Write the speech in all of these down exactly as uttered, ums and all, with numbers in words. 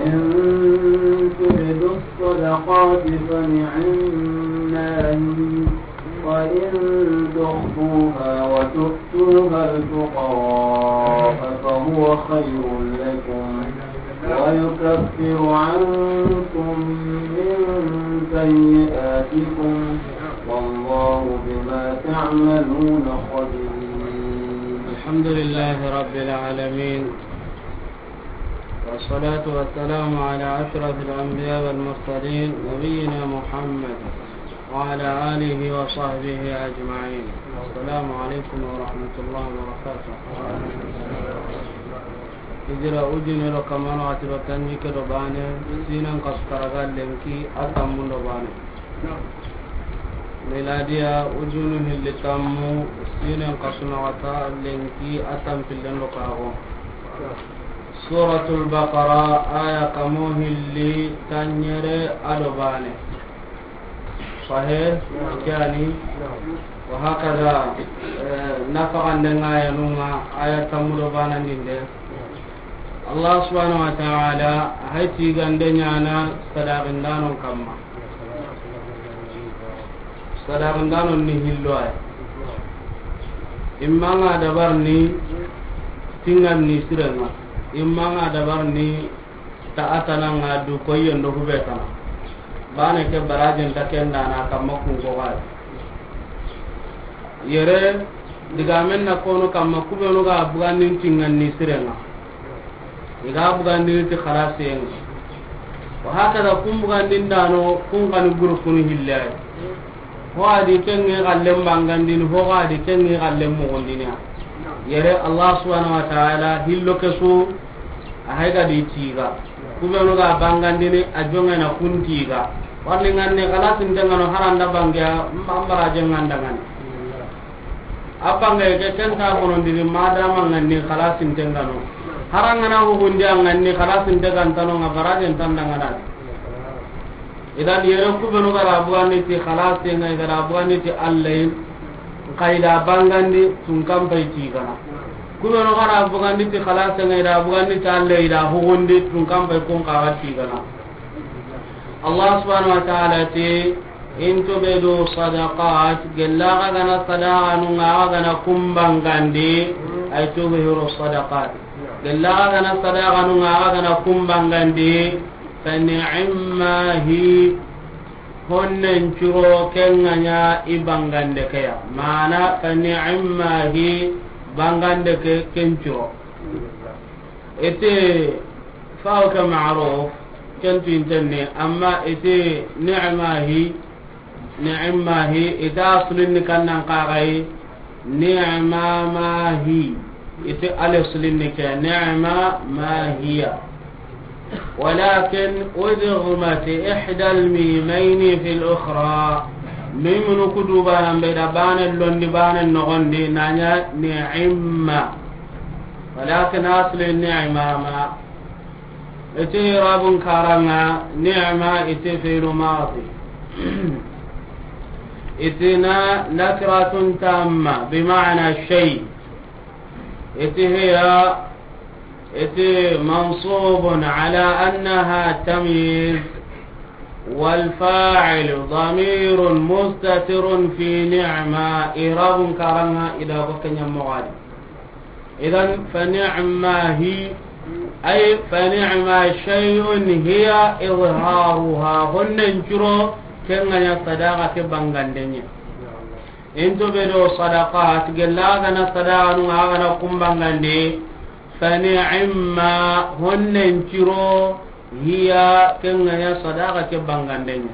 إن تبدوا الصدقات فنعما هي، وإن تخفوها وتؤتوها الفقراء فهو خير لكم، ويكفر عنكم من سيئاتكم، والله بما تعملون خبير. الحمد لله رب العالمين، والصلاة والسلام على أشرف الأنبياء والمرسلين نبينا محمد وعلى آله وصحبه أجمعين. السلام عليكم ورحمة الله وبركاته. Hijira ujune do kamano, a tiro tanjikke do baane, siinen kasu taraga lenki a tammun do baane. Miladiya ujunu hilli tammu, siinen kasu naxata lenki a tampillen do karago. Suratul Baqara, aya kamo hilli, tanɲere a do baane. Sahe, kani, wa hakada, eh, nafaxanden ŋa ya nunga, aya tammu do baanandinde. Allah subhanahu wa ta'ala, a hay tigande ɲaana sadaqindanon kamma. Sadaqindanon ni hillo ay. Imma ŋa dabar ni tingan ni sirenga. Imma ŋa dabar ni ta atana ŋa du koyen do hube tana. Baane ke barajen ta kendana kamma kun ko gay. Yere digamen na kono kamma kubenu ga bugandin tingan ni sirenga. I ga bugandini ti xalasiyen ŋa. Wa hakada kun bugandindano kun kani gurufunu hillay. Ho a di ken ŋi xallen bangandini, ho a di ken ŋi xallen mugundini ya. Yere Allah subhanahu wa ta'ala hillo ke su a hay ga di tiga. Kubenu ga bangandini a jongena kun tiga. Warni ŋanni xalasinten ŋa no haranda bangeya mbarajen ŋa ndangani. A bangay ke ken ta bonondini madama ŋanni xalasinten ŋa no. Harangana hugundi a ŋanni xalasinte gantano ŋa barajen tandangana. Idan yere kubenu gara bugandi ti xalasinga, gara bugandi ti Allahin, kayda bangandi tunkan pay tigana. Kubenu gara bugandi ti xalasinga, ida bugandi ti Allahi, ida hugundi tunkan pay kun kaga tigana. Allah subhanahu wa ta'ala ti, in tubdu sadaqat, gella ga gana sadaqanu ŋa ga gana kumbangandi, ay tubhiru sadaqat. Gella ga gana sadaqanu ŋa ga gana kumbangandi, fa ni'ma hi, honnen curo ken ŋa ɲa i bangande ke ya. Mana fa ni'ma hi, bangande ke ken curo. Ite fawo ke ma'ruf, ken tu intenne, amma ite ni'ma hi, ni'ma hi, ita aslin ni kannan kagai, ni'ma ma hi, ite al aslin ni ke, ni'ma ma hiya. ولكن أدغمت إحدى الميمين في الأخرى. Mimunu kudu banan be da banan londi banan nogondi nanya ni'imma. Walakin asli ni'mama. Iti irabun karanga ni'ma iti fi'lu madi. Itina nakiratun tamma bima'na shay. Iti hiya iti mansubun ala annaha tamyiz. والفاعل ضمير مستتر في نعمة. إعراب كرنا إذا بكنا مغاد. إذن فنعما هي، أي فنعما شيء هي إظهارها. Honnen curo ken ŋa ɲa sadaqa ke bangandenya. In tubdu sadaqat, gella ga na sadaqa nu ŋa ga na kumbangande, fa ni'imma, honnen curo, hiya, ken ŋa ɲa sadaqa ke bangandenya.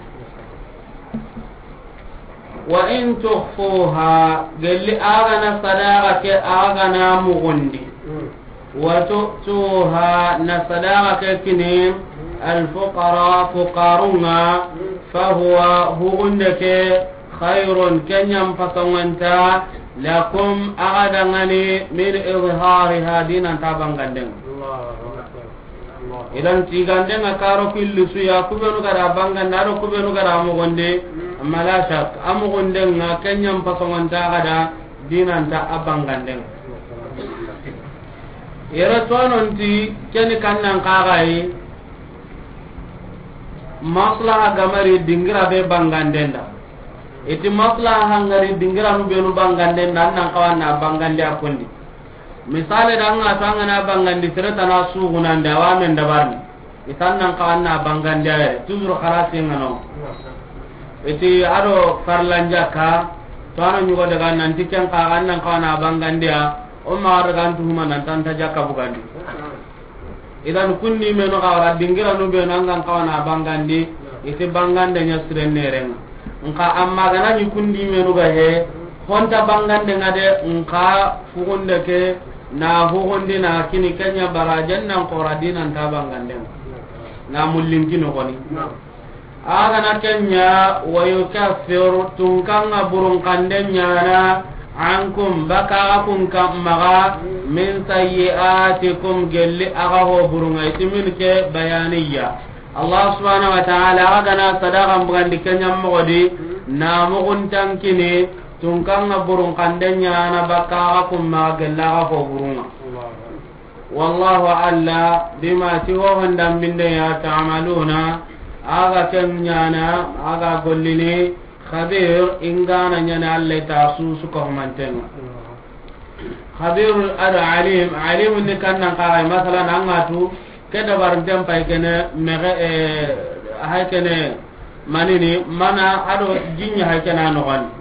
Wa in tukhfuha, gelli a ga na sadaqa ke a ga na mugundi. Wa tu'tuha, na sadaqa ke kini al fuqara, fuqarun ŋa, fa huwa, hugunde ke, khayrun, ken ɲa n pasonganta, lakum, a ga dangani, min izhariha, dinan ta banganden. Idan tiganden ŋa karo killi su ya, kubenu ga da bangande, ado kubenu ga da mugunde, amma la shak, a mugunden ŋa, ken ɲa n pasonganta a ga da, dinan ta a banganden. Yere tononti keni kannan kagayi, Maslaha gamari dingira be bangandenda. Iti maslaha hangari dingira nu benu bangandenda, an nan kawa na bangandi a kundi. Misale da an ga to an ga na bangandi sere tana sugunande, awa men dabarni. Itan nan kawa na bangandi a yere. Toujours xarasi ngano. Iti ado farlanja ka, to ano nyugo daga nan ti ken ka, an nan kawa na bangandi a, o ma daga an tuhuma nan tanta jakka bugandi. Idan kundi menu ga wara dingira nu be nan gan kawa na bangandi, iti bangande nya siren nerenga. Nka amma gana ni kundi menu ga he, honta bangande nga de, nka fugunde ke na hugundi na kini kenya barajen nan kora dinan ta bangande. Na mullin kino koni. A gana kenya, wa yukaffiru, tunkanga burun kande nyana, ankum, baka kun ka maga, min sayyi'atikum, gelli aga ho burunga, itimin ke bayaniya. Allah subhanahu wa ta'ala, a gana sadaqa bugandi kenya mogodi, na mugun tankini, tunkanga burun kande nyana, baka kun maga, gelli aga ho burunga. Wallahu alla bima ti ho honda minde ya ta'maluna, aga ken nyana, aga gollini, khabir, ingana nyana alla ta su su ka humantenga. Khabir ada alim, alim ni kannan ka, masalan, an ga tu, ke dabar den pay kene, mege, eh, hay kene, manini, mana ado jinya hay kene anogon.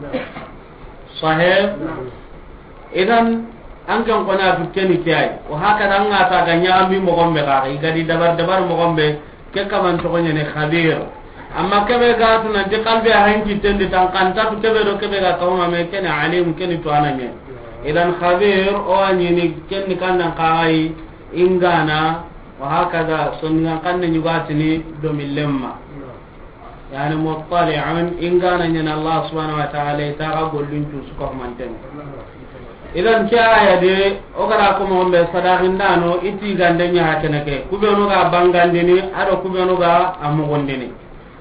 Sahih? Idan, an kan kona tu keni kiyai. Wa hakada an ga ta ga nyami mo gombe ga, i gadi dabar dabar mo gombe, ke kaman to ne khabir. Amma kebe ga tu nan ti kalbe a hanki tendi tan kan ta tu kebe do kebe ga kawma me kene alim kene to ananye. Idan khabir o anini keni kannan kai ingana wa hakada sonnan kanne nyugatini do millemma. Yani muttali'un, ingana nyana Allah subhanahu wa ta'ala, ita ga gollun cu su ko manten. Idan ke aya de, o gara ko mo be sadaqindano, iti gande nya hakene ke. Kubenu ga bangandini, ado kubenu ga amugundini.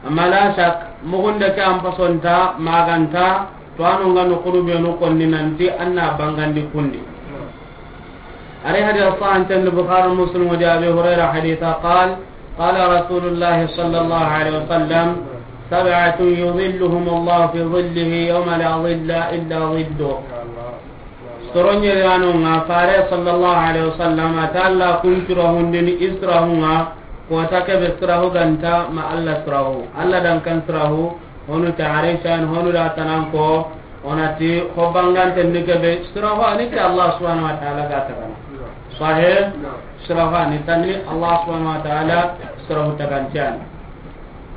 Amma la shak, mugunde ke am pasonta, maganta, to anu ngano kurubenu konni nanti anna bangandi kundi. Ari hadith sahih tan Bukhari Muslim wa Abi Hurairah haditha qal, قال رسول الله صلى الله عليه وسلم: سبعة يظلهم الله في ظله يوم لا ظل إلا ظله. Soronye yano nga fare sallallahu alaihi wasallam ata Allah kun sirahu ndini israhu nga ko ta kebe sirahu ganta ma Allah sirahu. Allah dan kan sirahu honu ta arishan honu da tanan ko Onati, ho bangante ni kebe, sirafa ni ke Allah subhanahu wa ta'ala ga tagana. Sahih, sirafa ni tanni Allah subhanahu wa ta'ala sirafa tagantian.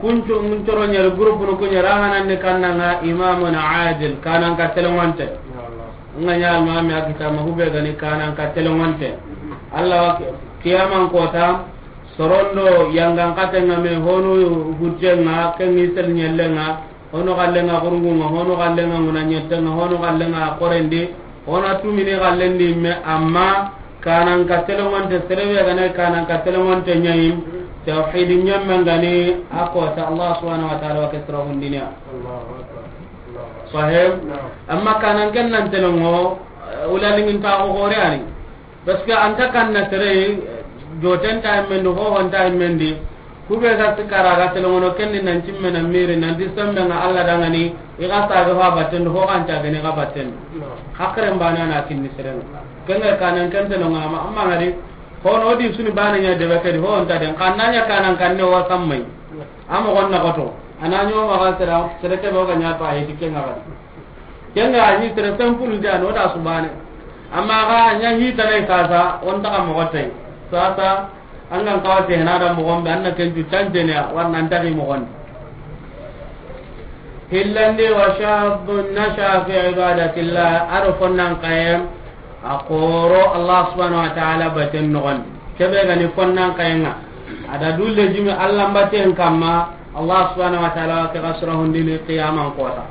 Kuncu, muncoro nyeri groupe no kunyera hanan ni kannanga imamun adil, kanan ka telewante. Nga nya almami a kita ma hube gani kanan ka telewante. Allah wa ki-, kiyaman kota, sorondo yangan katenga me honu hujjenga, kengi sel nyellenga, Hono xallenga xurungunga, hono xallenga nguna ñettenga, hono xallenga xorendi, hona tumini xallendi me, amma kanan ka telongonte, serebe gane kanan ka telongonte ñayi, tawhidi ñammen gani, a kota Allah subhanahu wa ta'ala wa ke sira hundinia. Allahu akbar. Allahu akbar. Sahib. Naam. Amma kanan ken nan telongo, eh, ulalingin ta ko gore ani. Parce que anta kanna sere, joten ta mendi, ho hon ta mendi. Kube ga sikara ga telongono kenni nan cimme na miri, nan di sembe nga Allah dangani, i ga sa ga fa batten, ho kan ta gani ga batten. Hakren bana na kinni sere. Kenga kanan kan telongono ma, amma ngari, ho no di suni bana nya de bakari, ho hon ta den. Kanna nya kanan kanne wa sammai. Amma gonna goto. Ananyo ma ga sere, sere ke do ga nya pa he di kenga ga. Kenga a ni très simple nda no da subane. Amma ga nya hi ta lay sasa, on ta ka mo tay. Sasa, an gan kawate na da mo gombe, an na ken tu tante ne, war nan ta ki mo gon. Hillandi wa shabbun nasha fi ibadatillah, aro fonnan kayem, a koro Allah subhanahu wa ta'ala baten nogon. Kebe gani fonnan kayenga. Ada dulle jimi Allah baten kamma, Allah subhanahu wa ta'ala ke ga sura hundini qiyaman kota.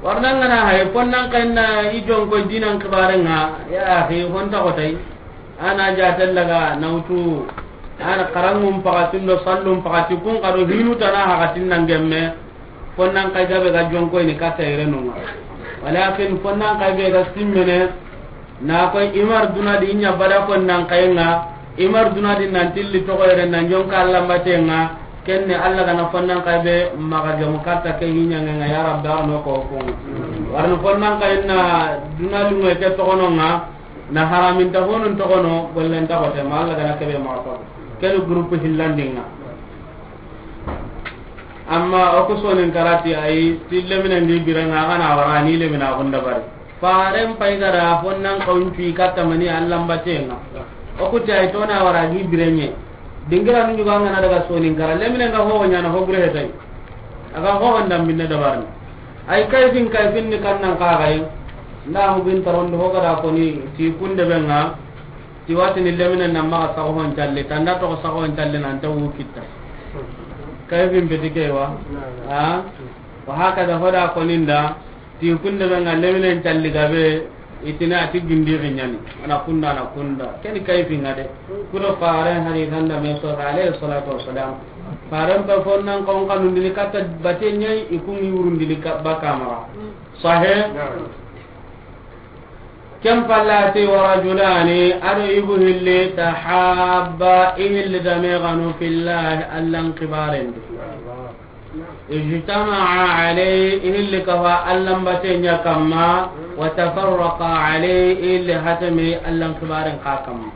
Warna ngana hay, fonnan kayenna i jonko dinan kibarenga, ya akhi, honta kotay. Ana jatel laga nautu, ana karangum pakatin do sallum pakati kun kado hinu tana hakatin nan gemme. Fonnan kay gabe ga jonko ni kata irenunga. Walakin fonnan kay be ga simmene, na koy imar duna di nya bada fonnan kayenga, imar duna di nan tilli to ko ire nan jonka Allah matenga, Kenne Alla ga na fonnan kay be maxa gemu katta ke hiɲanŋe ŋa, ya Rabbi, arno ko ko. Warno fonnan kay na duna lungo ke toxono ŋa, na haraminta honun toxono, gollen ta xote ma Alla ga na ke be maxa ko. Kene groupe hillandinŋa. Amma o ku sonin karati ayi, ti lemine ndi birenŋa, a ga na wara ni lemina gunda bari. Faren pay ga da fonnan kawun cuyi katta mani Allan batenŋa. O ku ti ayi, to na wara gi birenŋe. Dingira nu ɲugo an ga na daga sonin kara, lemine nga ho ɲana ho bure hetay. A ga ho ndam binne dabarni. Ay kayfin kayfin ni kannan kaxay. Nda hubin tarondi ho ga da koni ti kunde benŋa. Ti watini lemine na maxa saxo hon calle, tanda toxo saxo hon calle nan ta wu kitta. Kayfin beti ke wa? Ha? Wa hakada hoda koninda, ti kunde benŋa leminen calli gabe, itini ati gindi xiɲani. Ana kunda, ana kunda. Keni kayfin ŋa de. Kudo faren hari ganda me so alayhi salatu wassalam. Faren pe fonnan kon kanundini katta bate ɲayi, ikungi wurundini ka-, baka maxa. Sahe? Ken pallati wa rajulani, ado igu hilli tahabba, i hilli dame ganu fillahi, Allan kibarendi. Ijtama'a alayhi, i hilli kafa Allan baten ɲa kamma, wa tafarraqa alayhi, i hilli hatame Allan kibaren ka kamma.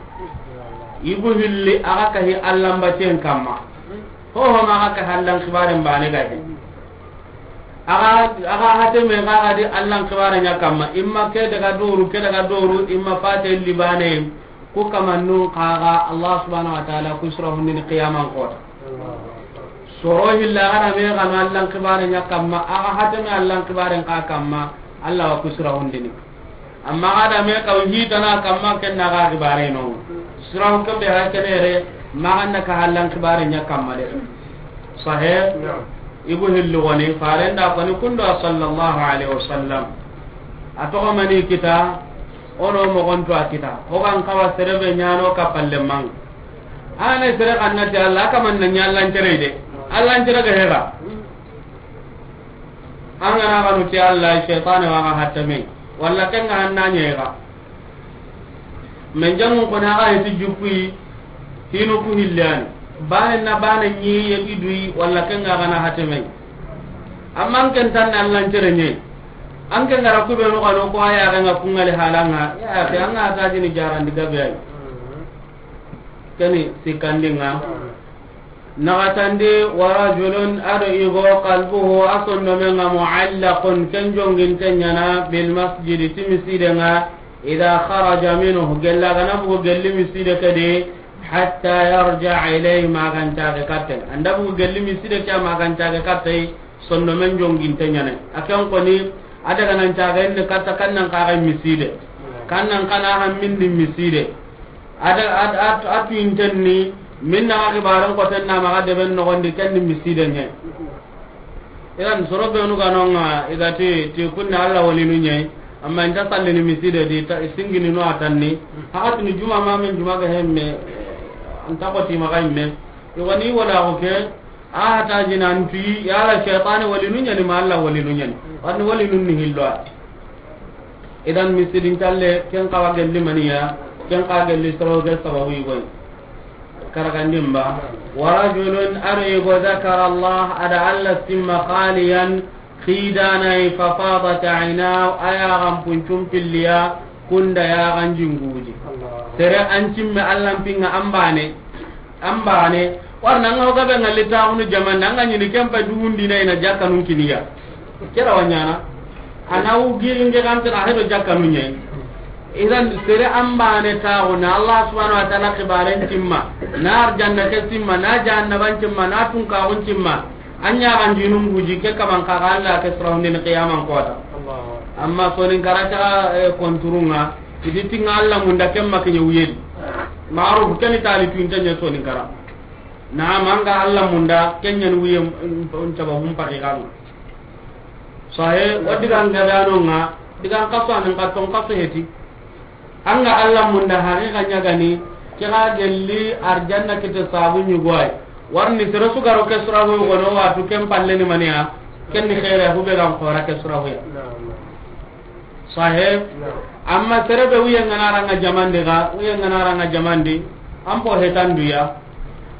Igu hilli aga kahi Allan baten kamma. Ho ho ma aga kahi Allan kibaren bane gahi. Aga, aga hateme ga ga di Allan kibare ɲa kamma. Imma ke daga doru, ke daga doru, imma fate libane. Ku kamannun kaga Allah subhanahu wa ta'ala ku sura hundini qiyaman kota. Soro hilla aga na me ganu Allan kibare ɲa kamma, aga hateme Allan kibaren ka kamma, Allah wa ku sura hundini. Amma aga da me kaw hitana kamma, ken na ga kibare no. Sura hu kebe ha kenere, ma ga na ka Allan kibare ɲa kamma de. Sahe? Igu hillu woni, farenda koni kundo sallallahu alaihi wasallam. A toxo mani kita, ono mogonto a kita. Ho gan kawa serebe ɲano ka palle mang. Ane sere kannati Allah, kaman na ɲa Allan cere de. Allan cere ga hega. An ga na ganu ti Allah, shaytan wa ga hatame. Walla ken ga hanna ɲega. Men jamu ko na ga hiti jukui, hinu ku hillani. Bane na bane ɲi ye idui, walla ken ga gana hatame. Amma an ken tan Allan cere ɲe. An ken gara ku be no gano ko aya ga nga kungali halanga. Ya, ke an ga ta jini jarandi gabe ay. Keni sikandinga. Naxatandi, wa rajulun, ado igo, qalbuhu, a sondomenga, muallaqun, ken jonginte ɲana, bil masjidi, ti misidenga, idha kharaja minhu, gella gana bugu gelli miside kedi, hatta yarja ilayhi, magancaxe katte. Anda bugu gelli miside ke, magancaxe katte, sondomen jonginte ɲana. A ken koni, a daga nan caxe ni katta kannan kaxe miside. Kannan kana hammindi miside. Ada, ad, ad, a tuyinten ni, min na xibaaren xoten na maxa deben noxondi, ken ni misiden ɲe. Idan soro benu ga nonga, i ga ti, ti kunna Alla walinu ɲe, amma inta sallini miside di, ta, i singini no a tanni, haxatini juma ma men juma ga hemme, anta xoti maxa imme, i wani wala xo ke, A hata jinan tuyi, yala shaytani walinu ɲani ma Alla walinu ɲani. Wani walinu ni hillo a. Idan misidin calle, ken kawa gelli maniya, ken kawa gelli soroge sababu igoy. Karagandin ba. Wa rajulun, ado igo, dhakara Allah, ada Alla simma khaliyan, khidana, fa fadat aynahu, aya gampuncum pilliya, kunda ya ganjinguji. Allah. Sere an cimme Alla pinga ambane. An bane, warna nga gabe nga litaxunu jamanda, anga ɲini kempa dugundi na ina jakkanun kiniya. Kera wanyana. Ana u giri nge gante na hedo jakkanun ɲe. Idan sere an bane taxu na Allah subhanahu wa ta'ala xibaren timma, na arjanna ke timma, na jahannaban timma, na tunkaxun timma. An ɲa ganjinun guji ke kaman kaga Alla ke sura hundini qiyaman kota. Allahu akbar. Amma sonin karata, eh, konturunga. Idi tinga Alla munda kemma kiɲe wuyedi. Ma'ruf keni tali tuinte ɲe sonin kara. Naam, anga Alla munda, kenɲen wuye, mm, mm, caba hum paki kanu. Sahe, o digan gadanonga, digan kaso anin katon kaso heti. Anga Alla munda haqiqa ɲagani, kira gelli arjanna kite sabu ɲugoy. Warni sere sugaro ke sura hu gono watu ken palle ni maniya, ken ni khaire hu be gan xora ke sura hu ya. Naam. Sahe. Naam. Amma sere be wuye ngana ranga jamandi ga, wuye ngana ranga jamandi, an po hetanduya.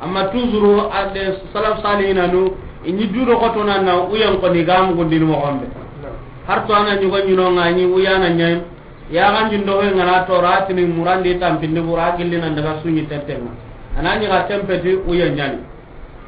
Amma toujours ade salaf salihina nu, i ɲi dudo xotona na uyen koni ga mugundini moxon be. Har to a na ɲugo ɲino ŋa ɲi uyana ɲayi. Yaxan jindo he ŋa na tora tini murandi tampindi bura gilli nan daga suɲi tentenga. A na ɲi ga tempeti uyen ɲani.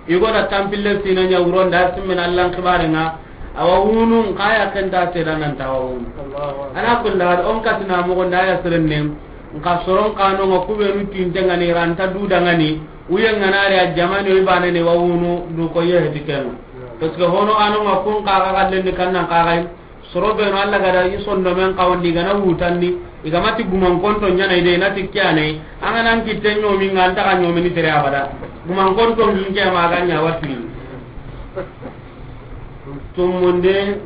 I go da tampille sina ɲa wuron da simmen Allan xibare ŋa. Awa wunu nka ya kenta seda nan ta awa wunu. Allahu akbar. Ala kulli hal, on katina moxon da ya sirenne. Nka soron kano ŋa kubenu tinte ŋani ranta duda ŋani. Uyen ŋa na ri a jamani o i bane ne wa wunu du ko ye heti kenga. Parce que hono ano ŋa kun kaga kallen ni kannan kaga. Soro beno Alla gada i sondomen kawandi i gana wutanni, i gamati gumankonto ɲana i de, i nati kiyane, an ga nan kitte ɲomi ŋa, an taga ɲomini tere abada. Gumankonto ŋin ke ma ga ɲa watini. Tumundi,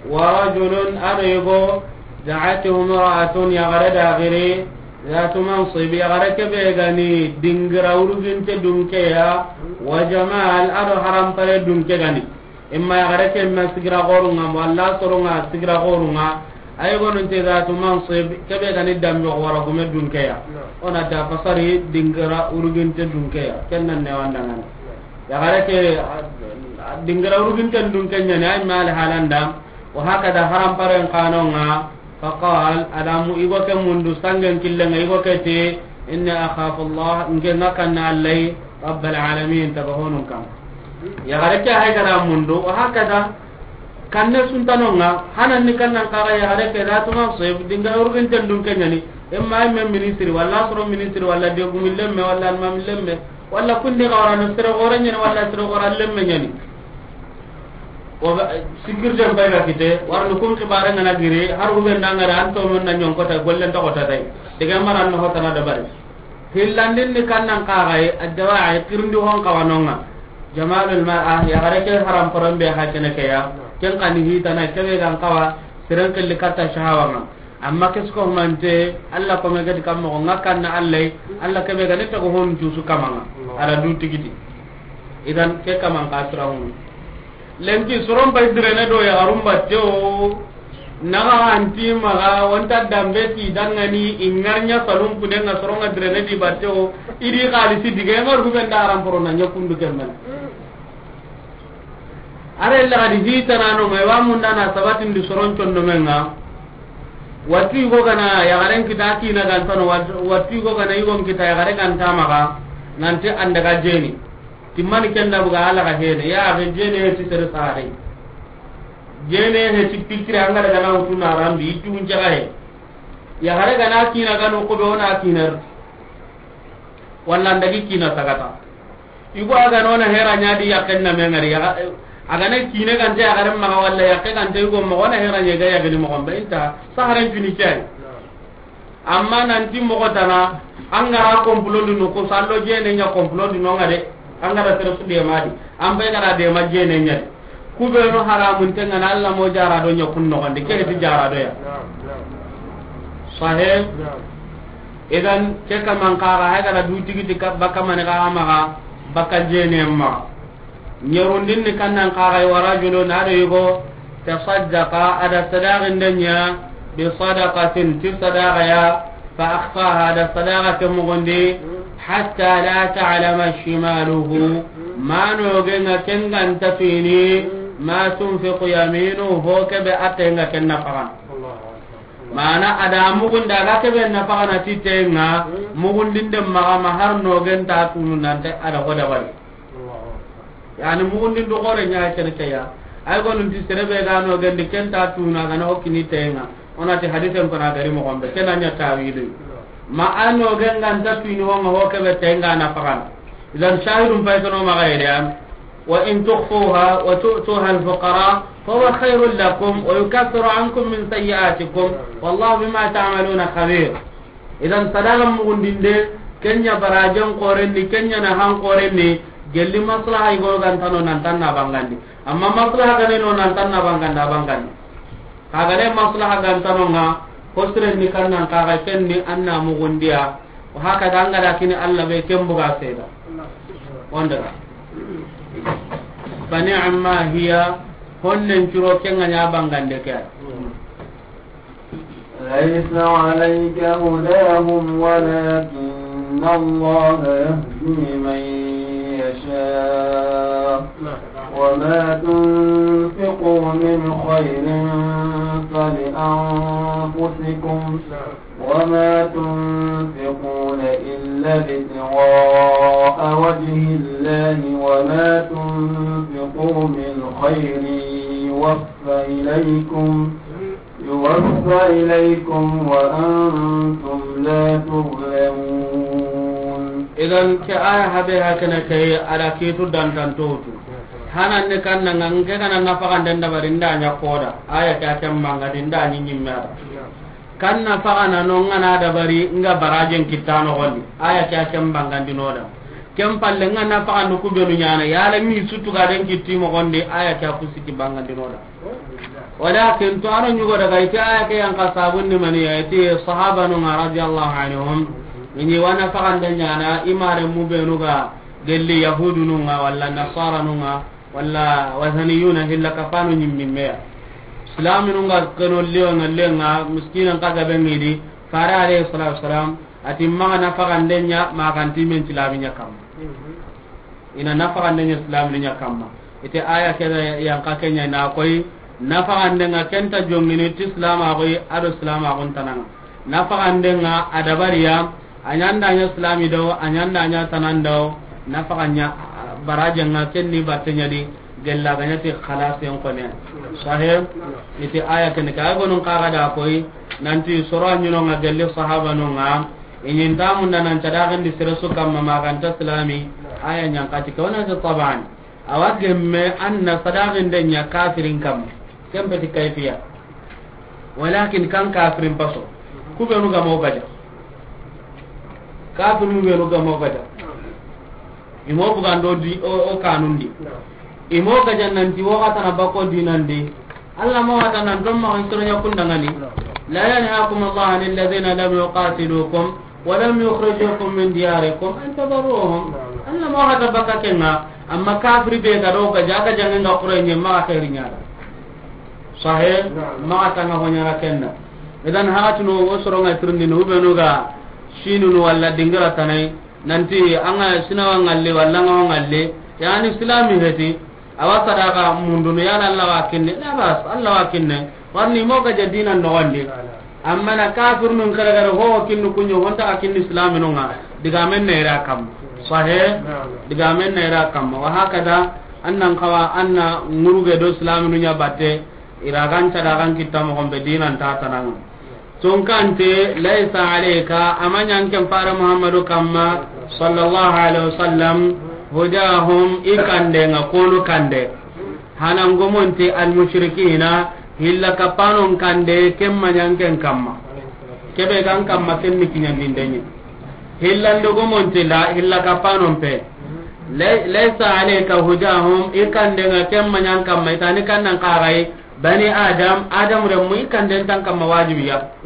wa rajulun, ado yigo, da'atuhu imra'atun, yaxare da giri, zatu mansib, yaxare kebe gani dingira uruginte dunkeya, wa jamal, ado harampare dunke gani. Imma yaxare ke ma sigira xorunga, walla soronga sigira xorunga. Ay gonunte zatu mansib, kebe gani dambe xora gume dunkeya. Ona da fasari dingira uruginte dunkeya. Ken nan ne wandangani. Yaxare ke, a, a, dingira uruginte dunke ɲani, ay mal halanda. Wa hakada haramparen kanonga. Faqal, adamu igo ke mundu sangen killenga igo ke te, inni akhafu Allah, nge nga kanna Allai, rabbal alamin, taga honun kam. Yaxare ke hay gara mundu, wa hakada, kanne suntanonga, hanan ni kannan kaga yaxare ke, zatu mansib, dinga urugin tendun ke ɲani, imma imme ministri, walla soro ministri, walla degumi lemme, walla almami lemme, walla kundi xawrano sere xore ɲani, walla sere xora lemme ɲani. O ga, sécurité mbay ga kite, warni kun xibare ngana giri, har hube ndangare an to mun na ɲonkota, gollen to kota tay. Diga maran no hotana dabari. Hillandin ni kannan kaxay, addawa'i, tirindi hon kawanonga. Jamalul mar'a, yaxare ke haram poron be ha kene ke ya. Ken kani hitana, kebe gan kawa, siren killi katta shahawanga. Amma kesko humante, Alla kome gadi kammo, nga kanna Alla, Alla kebe gani tago hon jusu kamanga. Ala du tigiti. Idan ke kaman ka sira hunu. Lenki soron bay direne do ya garum batte o. Naga anti maga wonta dambe ti dangani ingarnya salum kudenga soronga direne di batte o. Idi xalisi dige ngar hubenda aram porona nyakundu kemmen. Are la gadi hitana no ngai wa munda na sabatin di soron condo menga. Wati go gana ya garen kita kina gantano, wat-, wati go gana igon kita ya gare ganta maga. Nanti andaga jeni. Timmani kenda buga ala ga hene ya ga jene ti sere sare. Jene he ti pikira anga daga na utuna rambi itu unjaga he. Ya gare gana kina gano ko be ona kinar. Walla ndagi kina sagata. Igo aga nona hera ɲa di yaken na mengari ya. Aga na kine gante ya gare maga walla yake gante igo mo ona hera ɲa ga ya gani mo gombe inta saharen fini cai. Amma nanti moxo tana, an gara komplondi no ko sallo jene ɲa komplondi no nga de, an gara sere su dema di, an be gara dema jene ɲa di. Kubenu haramun tenga na Alla mo jara do ɲa kun noxondi, ke ti jara do ya. Sahe. Idan ke kaman kaga hay gara du tigiti ka baka mane ga maga baka jene ma. Ɲerundin ni kannan kaxay, wa rajulun, ado yigo, tasaddaqa, ada sadaqin denya, bi sadaqatin, ti sadaqa ya, fa akhfaha, ada sadaqa ke mugundi, hatta la ta'lama shimaluhu, ma nogenga kenganta fini, ma tunfiqu yaminuhu, ho kebe atenga kenna fagan. Mana ada mugunda ga kebe na fagana ti tenga, mugundinde maga ma har nogenta tunu nante ada hoda bari. Yani mugundin do gore ɲa kene ke ya. Ay gonun ti serebe ga no gande kenta tuna ga na hokini tenga. Ona ti hadisen kona gari mo gombe kena ɲa tawilu. Ma ano genga nta tuni ho nga ho kebe tenga na fagan. Idan shahidun paytono maga yede an. Wa in tukhfuha wa tu'tuha al-fuqara fa huwa khairul lakum wa yukaffiru ankum min sayyi'atikum wallahu bima ta'maluna khabir. Idan sadaqa mugundinde, kenya barajen koren ni, kenya na han koren ni, gelli maslaha igo gantano nan tanna bangandi. Amma maslaha gane no nan tanna banganda bangandi. Kagane maslaha gantano nga, hosren ni kannan kaga kenni anna mugundiya. Wa haka danga da kini Allah be kembuga seda. Wanda. Fa ni'ma hiya, honnen curo kenga nya bangande ke. ليس عليك هداهم ولكن الله يهدي من يشاء، وما تنفقوا من خير فلأنفسكم، وما تنفقون إلا ابتغاء وجه الله، وما تنفقوا من خير يوف إليكم، يوف إليكم وأنتم لا تظلمون. Idan ke aya habe hakene ke, a da kitu dantantotu. Hanan ne kan nan ke kana nafaxanden dabari nda ɲa koda. Aya ke a ken bangandi nda ɲi ɲimme a da. Kan nafaxana no ngana dabari nga barajen kitta noxondi. Aya ke a ken bangandi no da. Ken palle nga nafaxandu kubenu ɲana, yala mi sutugaden kitti moxondi, aya ke a kusiki bangandi no da. Walakin to aro ɲugo daga iti aya ke yan ka sabun ni mani ya, iti sahabanunga radiyallahu anhum, ini wa nafaxande ɲana i maremu benu ga gelli yahudununga walla nasaranunga walla wasaniyuna hilla kapanu ɲimmimeya. Islaminunga keno leonga lenga miskinan ka gabe ngidi, fare alayhi salatu wasalam, ati maxa nafaxande ɲa maxanti men silami ɲa kamma. Ina nafaxande ɲa silami ɲa kamma. Ite aya ke yan ka ke ɲa na koy, nafaxande nga kenta jongini ti silama koy, ado silama kun tananga. Nafaxande nga a dabariya, a ɲanda ɲa silami do, a ɲanda ɲa tanan do, nafaxan ɲa baraje nga kenni batte ɲa di, gella ga ɲa ti xalasen kone. Sahih, ite aya ken ka gonun ka ga da koy, nanti soro ɲino nga gelli sahabanunga, Iɲinta munda nan cadaxindi sere su kamma maxanta silami, aya ɲankati ke wona ke taban. Awa gemme an na sadaxinde ɲa kafirin kamma. Ken peti kayfiya. Walakin kan kafirin paso. Kubenu gamo gaja. Kafirinu benu gamo gaja. Imo bugando di o, o kanundi. Imo gaja nanti wo xatana bako dinandi. Allah ma wata nan don ma soronya kundangani. La yanhaakum Allah anil ladhina lam yuqatilukum wa lam yukhrijukum min diyarikum an tabarruhum. Allah ma wata baka kenga, amma kafiri be ga do ga jaga jangen ga qur'an ma khairi ɲa da. Sahih, ma tanga ho ɲa ra kenna. Idan hatu no wo soronga tirndi no be no ga sinu no walla dingira tanai. Nanti an ga sinawa ngalle walla nga ngalle, yani silami heti, awa sadaka mundunu, yala Allah wa kinne, la bas, Allah wa kinne. Warni mo gaja dina noxondi. Amma na kafirnun kare kare ho kinnu kunyo honta a kinni islaminunga. Digamen ne ira kam. Sahih. Digamen ne ira kam. Wa hakada annan kawa anna nguruge do islaminu ɲa batte. Ira ganta da gan kitta mo gombe dinan ta tananga. Tunkante, laysa alayka, a ma ɲa an ken fare Muhammadu kamma, sallallahu alaihi wasallam, hudahum, i kande nga konu kande. Hanan gomonte almushrikina, hilla kapanon kande, ken ma ɲa an ken kamma. Kebe gan kamma ken ni kiɲandindenye. Hillando gomonte la, hilla kapanon pe. Lay-, laysa alayka hudahum, i kande nga ken ma ɲa an kamma, itani kannan kagai, Bani Adam, Adam remmu i kanden tan kamma wajibiya.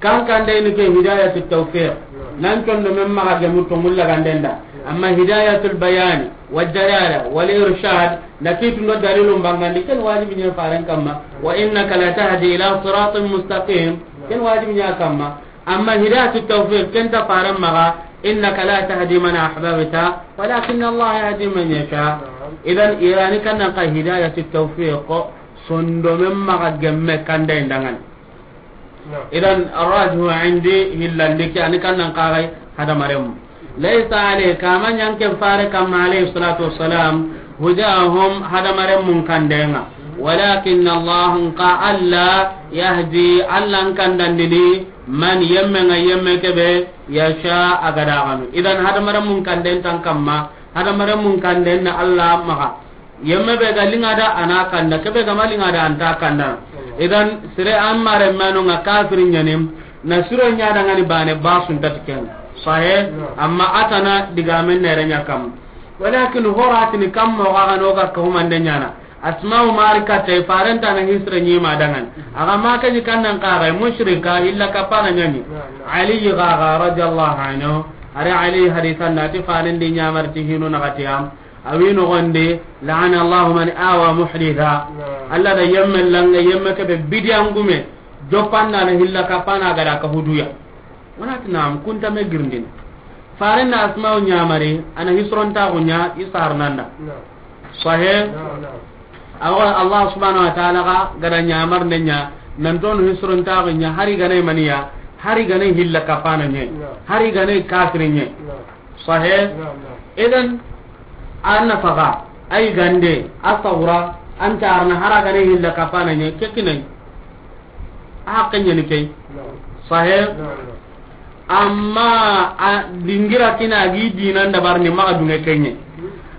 Kan kande ni ke hidayatu tawfiq. Nan condo men maxa gemu to mulla gandenda. Amma hidayatul bayani, wad dalala, wal irshad, na kitu no dalilun bangandi ken wajibi ne faren kamma. Wa innaka la tahdi ila siratin mustaqim. Ken wajibi ne kamma. Amma hidayatu tawfiq ken ta faren maxa. Innaka la tahdi man ahbabta, walakin Allah yahdi man yasha. Idan irani kannan ka hidayatu tawfiq. Sondomen maxa gemme kanda indangan. Idan arrajihu indi hillandi ke ani kannan kagai hadamaremu. Laysa alayka, a ma ɲa an ken fare kamma alayhi salatu wassalam, hudahum hadamaremu kandenga. Walakin Allah nka Allah yahdi, Allah nkandandini man yemme nga yemme kebe yasha a ga da ganu. Idan hadamaremu kanden tan kamma, hadamaremu kanden na Allah maxa. Yemme be ga linga da ana kanda, kebe ga ma linga da anta kanda. Idan sire an mare manu nga kafiri ɲanim, na siro ɲa da ngani bane basun tatiken. Sahe, amma atana digamen nere ɲa kam. Walakin horatini kam mo ga no ga kahumande ɲana. Asma'u mari katte farenta na hisre ɲima dangan. Aga ma ke ni kannan kaga mushrika illa kapana ɲani. Ali gaga radiyallahu anhu. Are Ali hadisan nati farendi ɲamar ti hinu na gatiyam. Awi nogondi, la'ana Allahu man awa muhditha. Naam. Allah da yemme langa, yemme kebe bidiyangume, joppanna na hilla kapana gada ka huduya. Wonati naam, kunta me girindin. Faren na Asma'u ɲamari, a na hisirontaxu ɲa i sarnanda. Sahe? Awa Allah subhanahu wa ta'ala ga gada ɲamar ne ɲa, nan tonu hisirontaxu ɲa, hari gane maniya, hari gane hilla kapana ɲe, hari gane kafiri ɲe. Sahe? Idan, an na faga, ay gande, a sawra, an carna, hara gane hilla kapana ɲe, kekinai. A haqqe ɲeni key. Sahe? Amma a dingira kina gi dinan dabarni maxa dunge kenye.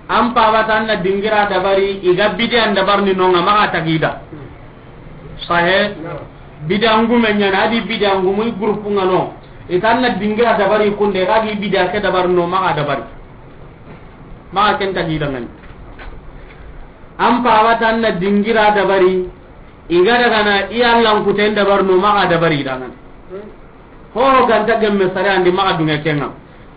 An pabata an na dingira dabari, i ga bidiyan dabarni nonga maxa tagida. Sahe? Bidiyan gume ɲana, a di bidiyan gumu i groupe nga no. I ta an na dingira dabari kunde, ga gi bidiya ke dabarno maxa dabari. Maxa ken tagida ngani. An pabata an na dingira dabari, i ga dagana i Allankuten dabarno maxa dabari dangani. Ho ganta gemme sare andi maxa dunge kenga.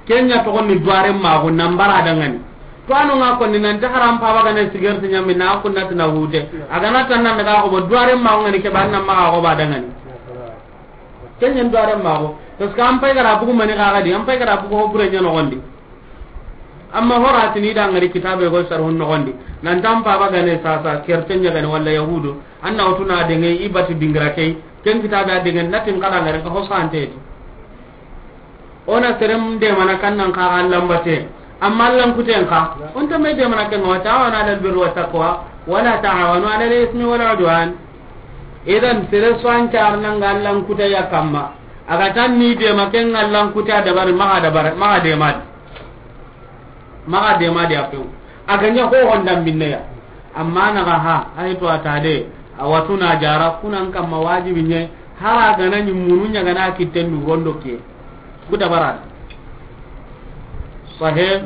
Kenya togonni duwaren maxu nan bara dangani. To anu nga konni nan ta haram paba gane sigerti ɲami na kunna tina hute. A gana tan nan daga ko bo duwaren maxu ngani ke banna maxa ko ba dangani. Kenya duwaren maxu. Parce que an pay gara bugu mani ga gadi, an pay gara bugu ho bure ɲa nogondi. Amma horatini da ngari kitabe go sarhun nogondi. Nan tan paba gane sasa kerten ɲa gane walla yahudu. An na wutuna denge i bati dingira key, ken kitabe a denge natin kada ngare ka ho sante ti. Ona serem de mana kannan ka Allankute, amma Allankuten ka, on ta me de mana ken wa ta'awanu 'alal birri wat taqwa, wa la ta'awanu 'alal ismi wal 'udwan. Idan sere so an carna nga Allankute ya kamma, a ga tan ni de ma ken Allankute a dabari, maxa dabari, maxa de ma di. Maxa dema di a pew. A ga ɲa ho honda minneya. Amma na ga ha, ay to a ta de, a watuna jara, kunan kamma wajibi ɲe, hara gana ɲi munu ɲa gana kitten du rondo ke. Ku dabara. Sahe?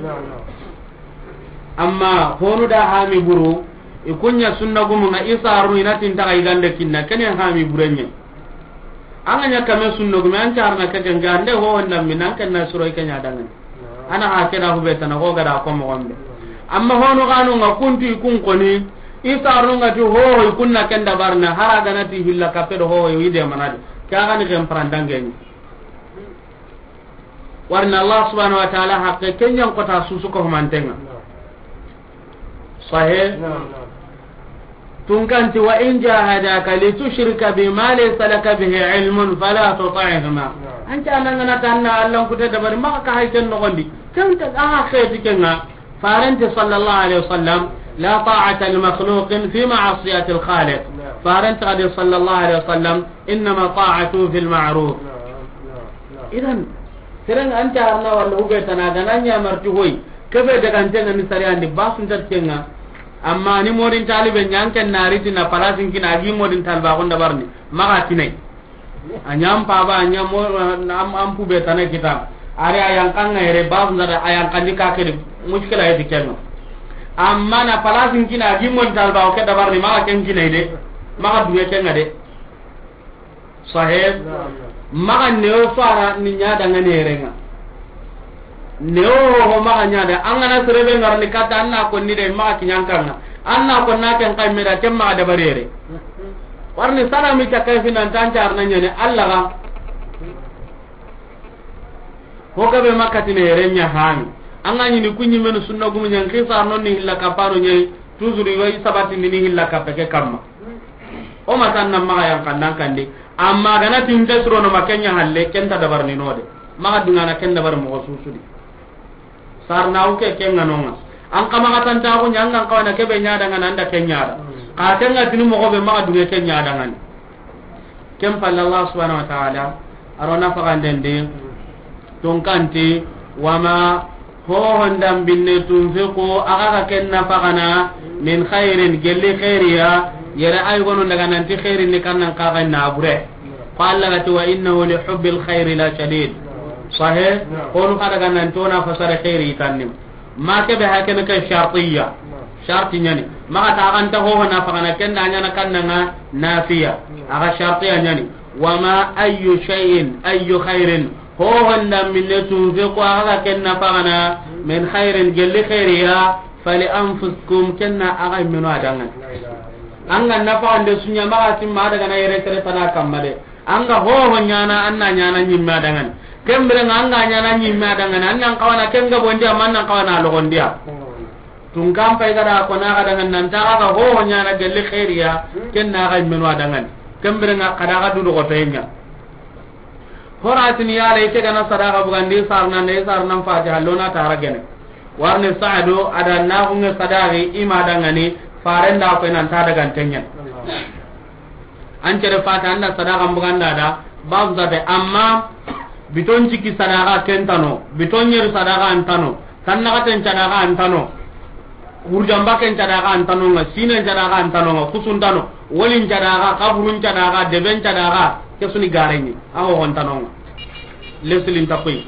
Amma honu da hami buru, i kunya sunna gumu nga i saru ina tin taga i gande kinna, kene hami burenye. An ga ɲa kame sunno gume an carna ke ken ga nde ho wonda min an ken na suro ke ɲa dangan. Ana ha ke da hube tana ko ga da ko mo gombe. Amma hono ganu nga kuntu kun koni, i sarno nga ti ho ho kunna ken da barna, hara gana ti hilla kape do ho ho i de manade. Ka gani ken prandange ni. Warna Allah subhanahu wa ta'ala haqqe kenyan kota susu ko mantenga. Sahe? Tunkanti, "Wa in jahadaka litushrika bi ma laysa laka bihi ilmun fala tuti'huma." An ca nan ngana tanna Allah kute dabari maka ka hay ken nogondi. Ken ta a kheti kenga. Farante sallallahu alaihi wasallam, "La ta'ata li makhluqin fi ma'siyati al-khaliq." Farante adi sallallahu alaihi wasallam, "Innama ta'atu fil ma'ruf." Idan, seren an ta arna wala hube tana gana nya marti hoy. Kebe daga antenga ni sari andi basun tat kenga. Amma ni modin talibe nyanken na riti na palasin kina agi modin talba gonda barni. Maga kinai. Anyam paba anyam mo am am pube tana kita. Are ayan kanga ere basun da ayan kandi ka kedi mushkila yedi kenga. Amma na palasin kina agi modin talba o ke dabarni maga ken kinai de. Maga duwe kenga de. Sahe? Maga newo fara ni ɲa danga nerenga. Newo ho maga ɲa da, an gana serebe ngarni kata, an na konni de maga kiɲankanga. An na konna ken kay meda ken maga dabarere. Warni sana mi takai finan tan carna ɲane Allah ga. Ho gabe makatine yere ɲa hani. An ga ɲini kunɲi menu sunna gumu ɲan kisa non ni hilla kaparo ɲe. Toujours yo i sabati ni hilla kape ke kamma. O matan nan maga yan kandan kandi. Amma gana tinte suro no makenya halle kenta dabar ni node. Maga dungana ken dabar mo susudi. Sarna uke kenga nonga. An kama katanta ko nyanga kawana kebe ɲa danga nanda kenya da. Ka kenga tini mo be maga dunge kenya danga ni. Ken palle Allah subhanahu wa ta'ala, aro nafaqanden di, tunkanti, wama, hohon dambinne, tunfiqu, aga ga ken nafaqana, min khairin, gelli khairiya, yere ay gono daga nanti khairin ni kannan kaga na bure. Ko Allah gati, "Wa innahu li hubbil khairi la shadid." Sahe, kono kada ga nanti ona fasara khairi tannim. Ma kebe hakene ke shartiya. Sharti ɲani. Maga ta ganta hoho nafaqana kenda ɲana kannanga nafiya. Aga shartiya ɲani. Wama ayyu shay'in, ayyu khairin. Hoho nda minne tunfiqu aga ken nafaqana min khairin gelli khairiya fali anfusikum kenna aga meno adangan. Anga nafaqande sunya maga timma daga na yere sere tana kamma de. Anga hoho ɲana anna ɲana ɲimma dangan. Ken biren ŋa an ga ɲaana ɲimme a danŋa ni, an nan xawa na ken gabondi ya, ma an nan xawa na loxondi ya. Tunkan pay ga da ko na ga danŋa ni, nan ti a ga ho ho ɲaana gelli xeeri ya, ken na ga yimmenu a danŋa ni. Ken biren ŋa xa da ga du loxotoye ɲa. Horatini yala i ke ga na sadaxa bugandi, i sarana nde, i sarana Fatiha lo na tara gene. Warni Saadu a da na xunŋe sadaxi i ma danŋa ni, faren da ko nan ta daga n tenyen. An cere fata an da sadaxa buganda da, babu zate, amma biton ciki sadaxa ken tano, biton ɲeri sadaxa an tano, tannaxaten sadaxa an tano, hurjamba ken sadaxa an tano ŋa, sinen sadaxa an tano ŋa, kusun tano, wolin sadaxa, kaburun sadaxa, deben sadaxa, ke suni gareɲi, a ho hon tano ŋa. Lesilin ta koy.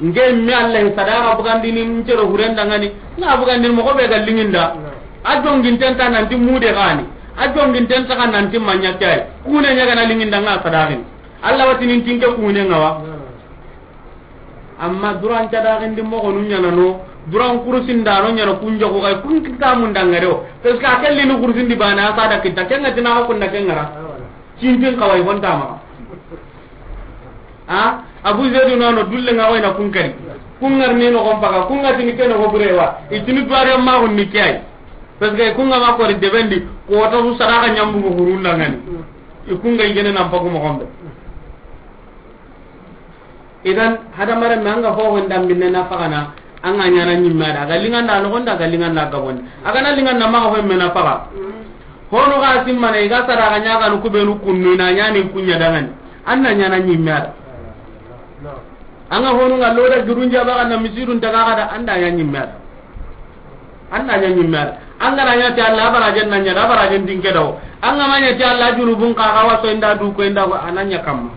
Nge mi Allah sadaxa bugandini n cere huren danŋa ni, na bugandini moxo be ga liŋinda. A jonginten ta nanti mude gani. A jonginten ta nanti maɲa kay. Kune ɲa ga na liŋinda ŋa sadaxin. Allah watini n tinke kune ŋa wa. Amma duran sadaxindi moxonu ɲaana no, duran kurusin da no ɲaana kun joxo kay, kun kita mun danŋa de o. Parce que a kelli ni kurusin di bana a sada kita, ken ŋa tina ko kunda ken ŋa ra. Cintin kawai honta maxa. A, Abu Zaidu nano dulle ŋa wayna kun kari. Kun ŋarni no gon paga, kun ŋa tini ke no go burewa. I tini duware ma gun ni kiyai. Parce que kun ŋa ma kori debendi, ko ta su sadaxa ɲambu go hurun danŋa ni. I kun ŋa i gene nan pagu moxo be. Idan, hadamaren me an ga ho ho ndambinne nafaxana, an ga ɲaana ɲimme a da, a ga liŋanda noxon di, a ga liŋanda gabon di. A ga na liŋanda maxa ho me nafaxa. Honu ga simmana, i ga sadaxa ɲaaganu kubenu kunnu, i na ɲaani kun ɲa danŋa ni. An na ɲaana ɲimme a da. An ga honu ŋa lo da jurun jaba ga na misidun taga ga da, an da ɲa ɲimme a da. An na ɲa ɲimme a da. An ga na ɲa ti Allah, a barajen na ɲa da, a barajen dinke dawo. An ga ma ɲa ti Allah, junubun ka ga waso inda du ko inda ko, a na ɲa kamma.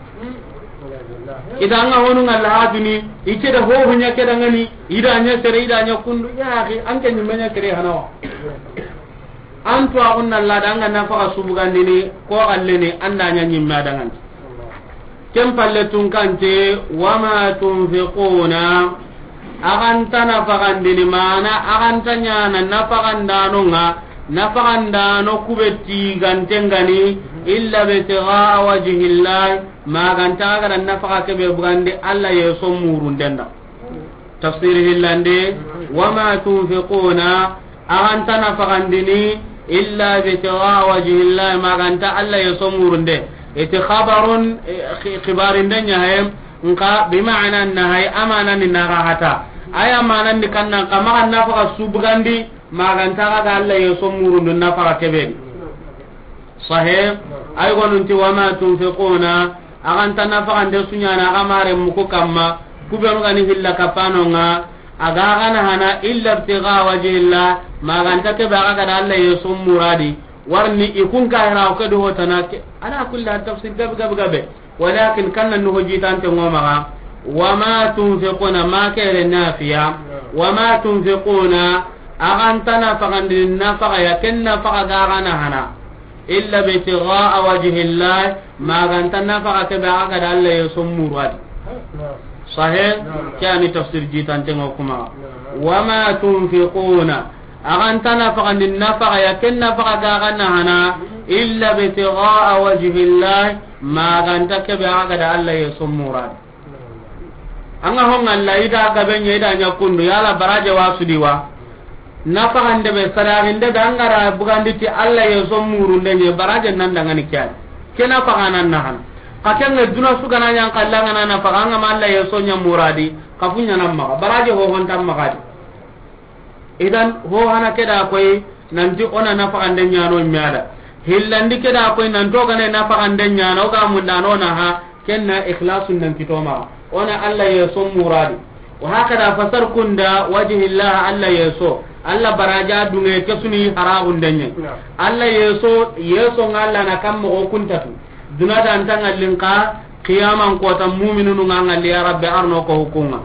Ida an ga honu ŋa la haduni, i ke da ho ho ɲa ke danŋa ni, i da ɲa sere, i da ɲa kundu, ya akhi, an ke ɲimme ɲa sere hanawa. An to a gunna la da an ga nafaxa su bugandini, ko galle ni, an da ɲa ɲimme a danŋa ni. Ken palle tunkante, wama tunfiquna, a ga nta nafaxandini, mana a ga nta ɲaana nafaxandano ŋa, nafaxandano kube tiganten ga ni, illa bitigaa wajhillah, ma ga nta a ga da nafaxa kebe bugandi Allah yeso murunden da. Tafsir hillande, wama tunfiquna, a ga nta nafaxandini, illa bitigaa wajhillah, ma ga nta Allah yeso murunde. I ti xabarun, eh, xi-, xibarinde ɲa he, nka bi ma'ana nahi, a mana ni na ga hata. A ya mana ni kannan, xa maxa nafaxa su bugandi, ma ga nta a ga da Allah yeso murundu nafaxa kebe ni. Sahih, ay gonunti, wama tunfiquna, a ga nta nafaxande su ɲaana a ga mare muku kamma, kubenu ga ni hilla kapano ŋa, a ga gana hana, illa ibtigaa wajhillah, ma ga nta kebe a ga da Allah yeso muradi, warni i kun ka hira o ke do hotana ke, ala kulli hal tafsir gabe, gabe, gabe. Walakin kanna nuho jitante ŋo maxa, wama tunfiquna, ma kere nafiya, wama tunfiquna, a ga nta nafaxandi nafaxa ya, ken nafaxa ga gana hana, illa bitigaa wajhillah, ma ga nta nafaxa kebe a ga da Allah yeso muradi. Sahih, ke ani tafsir jitante ŋo kuma. Wama tunfiquna, a ga nta nafaxandi nafaxa ya, ken nafaxa ga gana hana, illa bitigaa wajhillah, ma ga nta kebe a ga da Allah yeso muradi. An ga ho ŋa la i da gabe ɲa, i da ɲa kundu, yala baraje wa su di wa? Nafaxande be, sadaxinde be, an ga ra bugandi ti Allah yeso murunde ɲa, baraje nan danŋa ni kiyani. Ke nafaxa nan na hana. Xa ken ŋa duna su ga na ɲa an kalla ŋa na nafaxa, an ga ma Allah yeso ɲa muradi, xa fu ɲa nan maxa. Baraje ho hon tan maxa di. Idan, ho hana ke da koy, nanti o na nafaxande ɲaano me a da. Hillandi ke da koy, nanto gane nafaxande ɲaana, o ga mundano na ha, ken na ikhlasun nan kito maxa. O na Allah yeso muradi. Wa hakada fasar kunda, wajhillah, Allah yeso. Allah baraja dunge ke suni haraxunde ɲa. Allah yeso, yeso ŋa Allah na kam moxo kuntatu. Duna da nta ŋallin xa, qiyaman kota muminunu ŋa ŋalli, ya Rabbi, arno ko hukunga.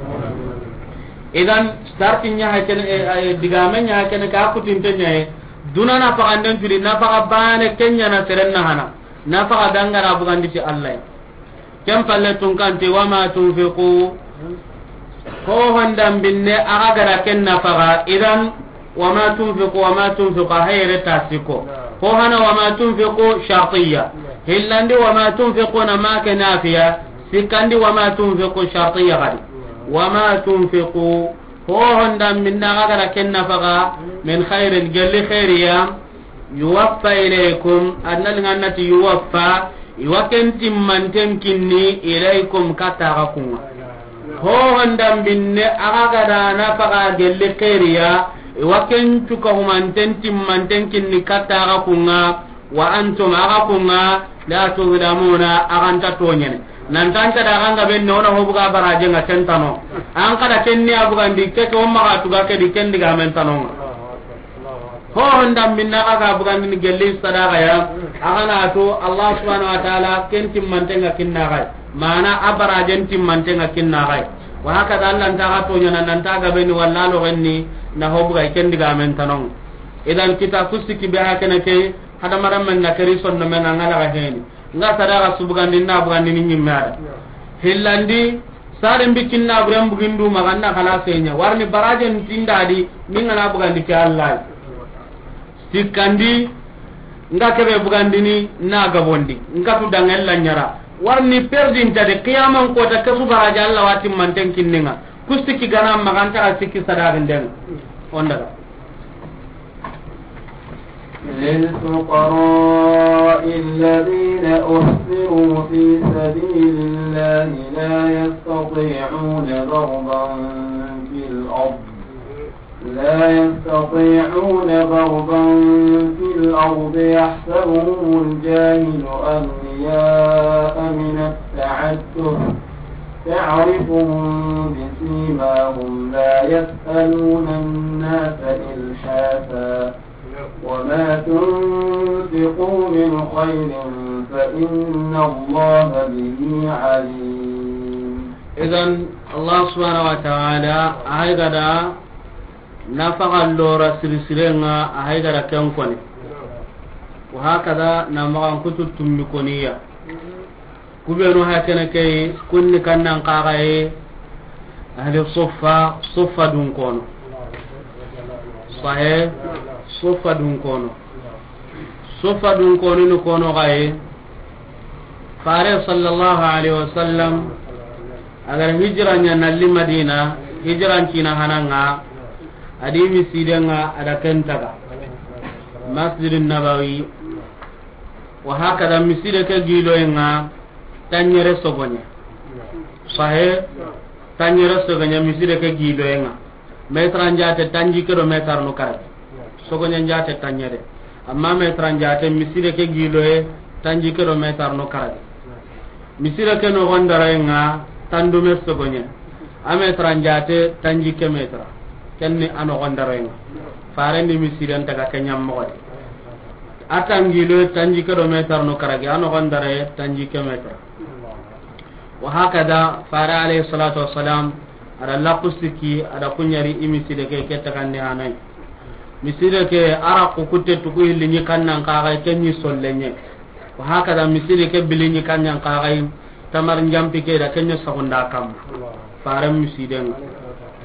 Idan, sarti ɲa ha kene, eh, eh, digame ɲa ha kene, ka kutinte ɲa he. Duna nafaxanden turi, nafaxa bane, ken ɲa na seren na hana. Nafaxa be an ga ra bugandi ti Allah. Ken palle tunkante, wama tunfiqu. Ho hondan binne, a ga gara ken nafaxa, idan, wama tunfiqu, wama tunfiqu, a hayre tasiko. Ho hana wama tunfiqu shartiya. Hillandi wama tunfiquna ma ke nafiya. Sikkandi, wa ma tunfiqu, shartiya gadi. Wa ma tunfiqu, ho honda minna ga gara ken nafaqa, min khairin, gelli khairiya, yuwaffa ilaykum, adna ngannati yuwaffa, iwa ken timmanten kinni ilaykum, katta ga kunga. Ho honda minne aga gara nafaqa gelli khairiya, iwa ken cuka humanten timmanten kinni katta ga kunga. Wa antum, aga kunga, la tuzlamuna, aga nta toñene. Nan tanta da ganga ben no na hobuga baraje nga tentano. An kada kenni abugandi ke ko maga tuga ke di kendi ga men tanonga. Ho honda minna aga bugandi ni gelli sadaqa ya. Aga na to Allah subhanahu wa ta'ala ken timmantenga kinna gai. Mana abarajen timmantenga kinna gai. Wa haka da Allah nta ga toñana nan ta ga beni wallalo genni na hobuga kendi ga men tanonga. Idan kita kusiki be hakene ke. Hadamarenmen na keri sondomen ŋa ŋa laga heni. Nga sadaqa subugandi na bugandi ni ñimme ada. Hillandi, saren bikin na buren bugindu maganna kala senya. Warni barajen tindadi, ni ngana bugandi ke Allah. Sikkandi, nga kebe bugandi ni na gabondi. Nga tu dangel la ñara. Warni perdinta de qiyaman kota kesu baraja Allah wati manten kinninga. Kusiki gana maganta sikki sadaqin den. Ondaga. للفقراء الذين أحصروا في سبيل الله لا يستطيعون ضربا في الأرض، لا يستطيعون ضربا في الأرض يحسبهم الجاهل أغنياء من التعفف تعرفهم بسيماهم لا يسألون الناس إلحافا وما تنفقوا من خير فإن الله به عليم. Idan, Allah subhanahu wa ta'ala, a hay gada nafaqa lora sirisirenga, a hay gada ken koni. Wa hakada na magan kutu tummi koniya. Kubenu hakene kei, kunni kannan kaxaye, ahli suffa, suffa dun kono. Sahe, suffa dun kono. Suffa dun kono ni kono xaye. Fare sallallahu alaihi wasallam, agar hijra ña nalli Madina, hijran cina hananga, adi misidenga ada kentaga. Masjidin Nabawi, Wa hakada miside ke giloyenga, tañere sogoñe. Sahe, tañere sogoñe miside ke giloyenga. Metra njate tanji kedo metar no karabi. Sogoñe njate tañere. Amma metra njate miside ke giloye tanji kedo metar no karabi. Miside ke no gondarayenga tandume sogoñe. A metra njate tanji ke metra. Kenni a no gondarayenga. Farendi misiden taga kenyam mogodi. A tangilo tanji kedo metar no karagi, a no gondare tanji ke metar. Wa hakada, fare alayhi salatu wassalam, ada laku siki, ada kuñari i miside ke, ke takandi hanay. Miside ke, ara ku kutte tuku hilli ñi kannan kaxay, ke ñi sollenye. Wa hakada, miside ke bili ñi kannan kaxay, tamar njampi ke da kenya sagunda kam. Fare misiden.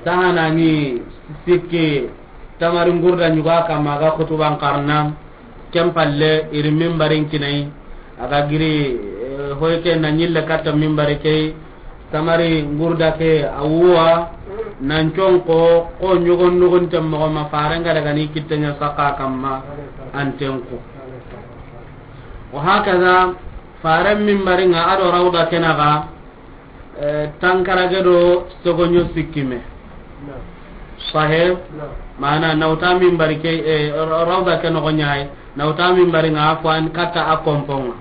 Tahanani sikki, tamari ngurda ñuga kamma ga kutuban karna. Ken palle iri mimbarin kinai. Aga giri, eh, hoyke na ñille katta mimbari kei. Tamari ngurda ke awuwa. Nan conko ko ñogon nugun temmogo ma farenga daga ni kittenya saka kamma. Antenku. Wa hakaza faren mimbaringa ado rawda kenaga. Eh, tankarage do sogoño sikkime. Sahe. Mana nawta minbari ke, eh, ra-, rawda ke nogo ñayi. Nawta minbari nga afwan katta a komponga.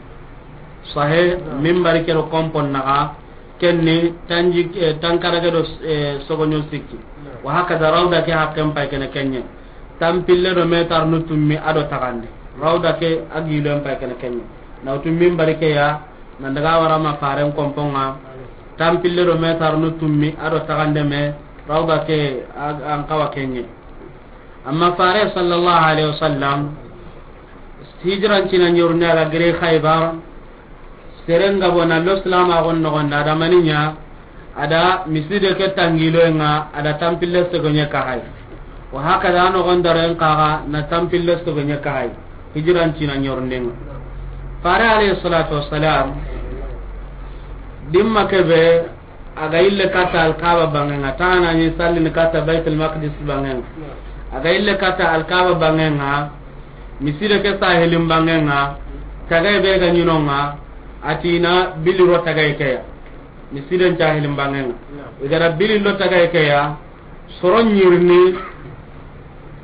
Sahe. Minbari ke do kompon naga. Kenni tanji, eh, tankarage do, eh, sogoño sikki. Wa hakada rawda ke hakken pay kene kenye. Tampille do metar no tummi ado tagande. Rawda ke agilen pay kene kenye. Nawtu minbari ke ya. Nan daga wara ma faren komponga, tampille do metar no tummi, ado tagande me, rawda ke, a-, an kawa kenye. Amma fare sallallahu alaihi wasallam, hijran cina ñorne aga gire Khaybar, serenga bona lo Islam agon nogonda, ada maniña, Ada miside ke tangiloyenga, ada tampille segonye kahay. Wa hakada ano gondaren kaga na tampille segonye kahay. Hijran cina ñorndenga. Fare alayhi salatu wassalam. Dimma kebe, a ga yille katta Alkaaba banŋen ŋa, taana ni sallini katta Baitul Maqdis banŋen ŋa. A ga yille katta Alkaaba banŋen ŋa, miside ke sahilin banŋen ŋa, tagaye be ga ɲi no ŋa, a ti na bili ro tagaye ke ya. Misiden cahilin banŋen ŋa. I ga da bili ro tagaye ke ya, soro ɲirini,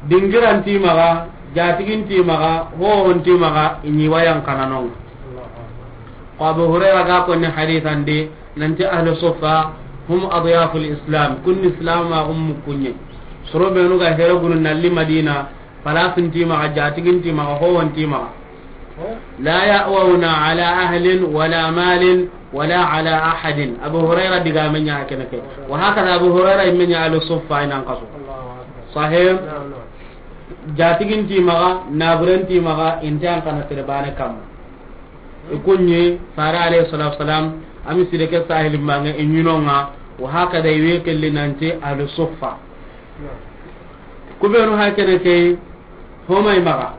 dingiran ti maxa, jatigen ti maxa, hohon ti maxa, i ɲi wa yan xananonŋa. Ko Abu Hurayra ga konni hadisan di, nanti ahlu suffa, hum adyaful Islam, kun Islam a gum mukunye. Soro benu ga here gunu nalli Madina, palasin ti maxa, jatigen ti maxa, hohon ti maxa. La ya'wawna ala ahlin wala malin wala ala ahadin. Abu Hurayra digaame ɲa kene ke. Wa hakada Abu Hurayra yimme ɲa ahlu suffa i nan xaso. Sahih. Jatigen ti maxa, naburen ti maxa, i nta yan xana sere bane kamma. I kunɲi, Fare alayhi salatu wasalam, a miside ke sahilin banŋe, i ɲi no ŋa, wa hakada i we kelli nanti ahlu suffa. Ku benu ha kene ke, homay maxa.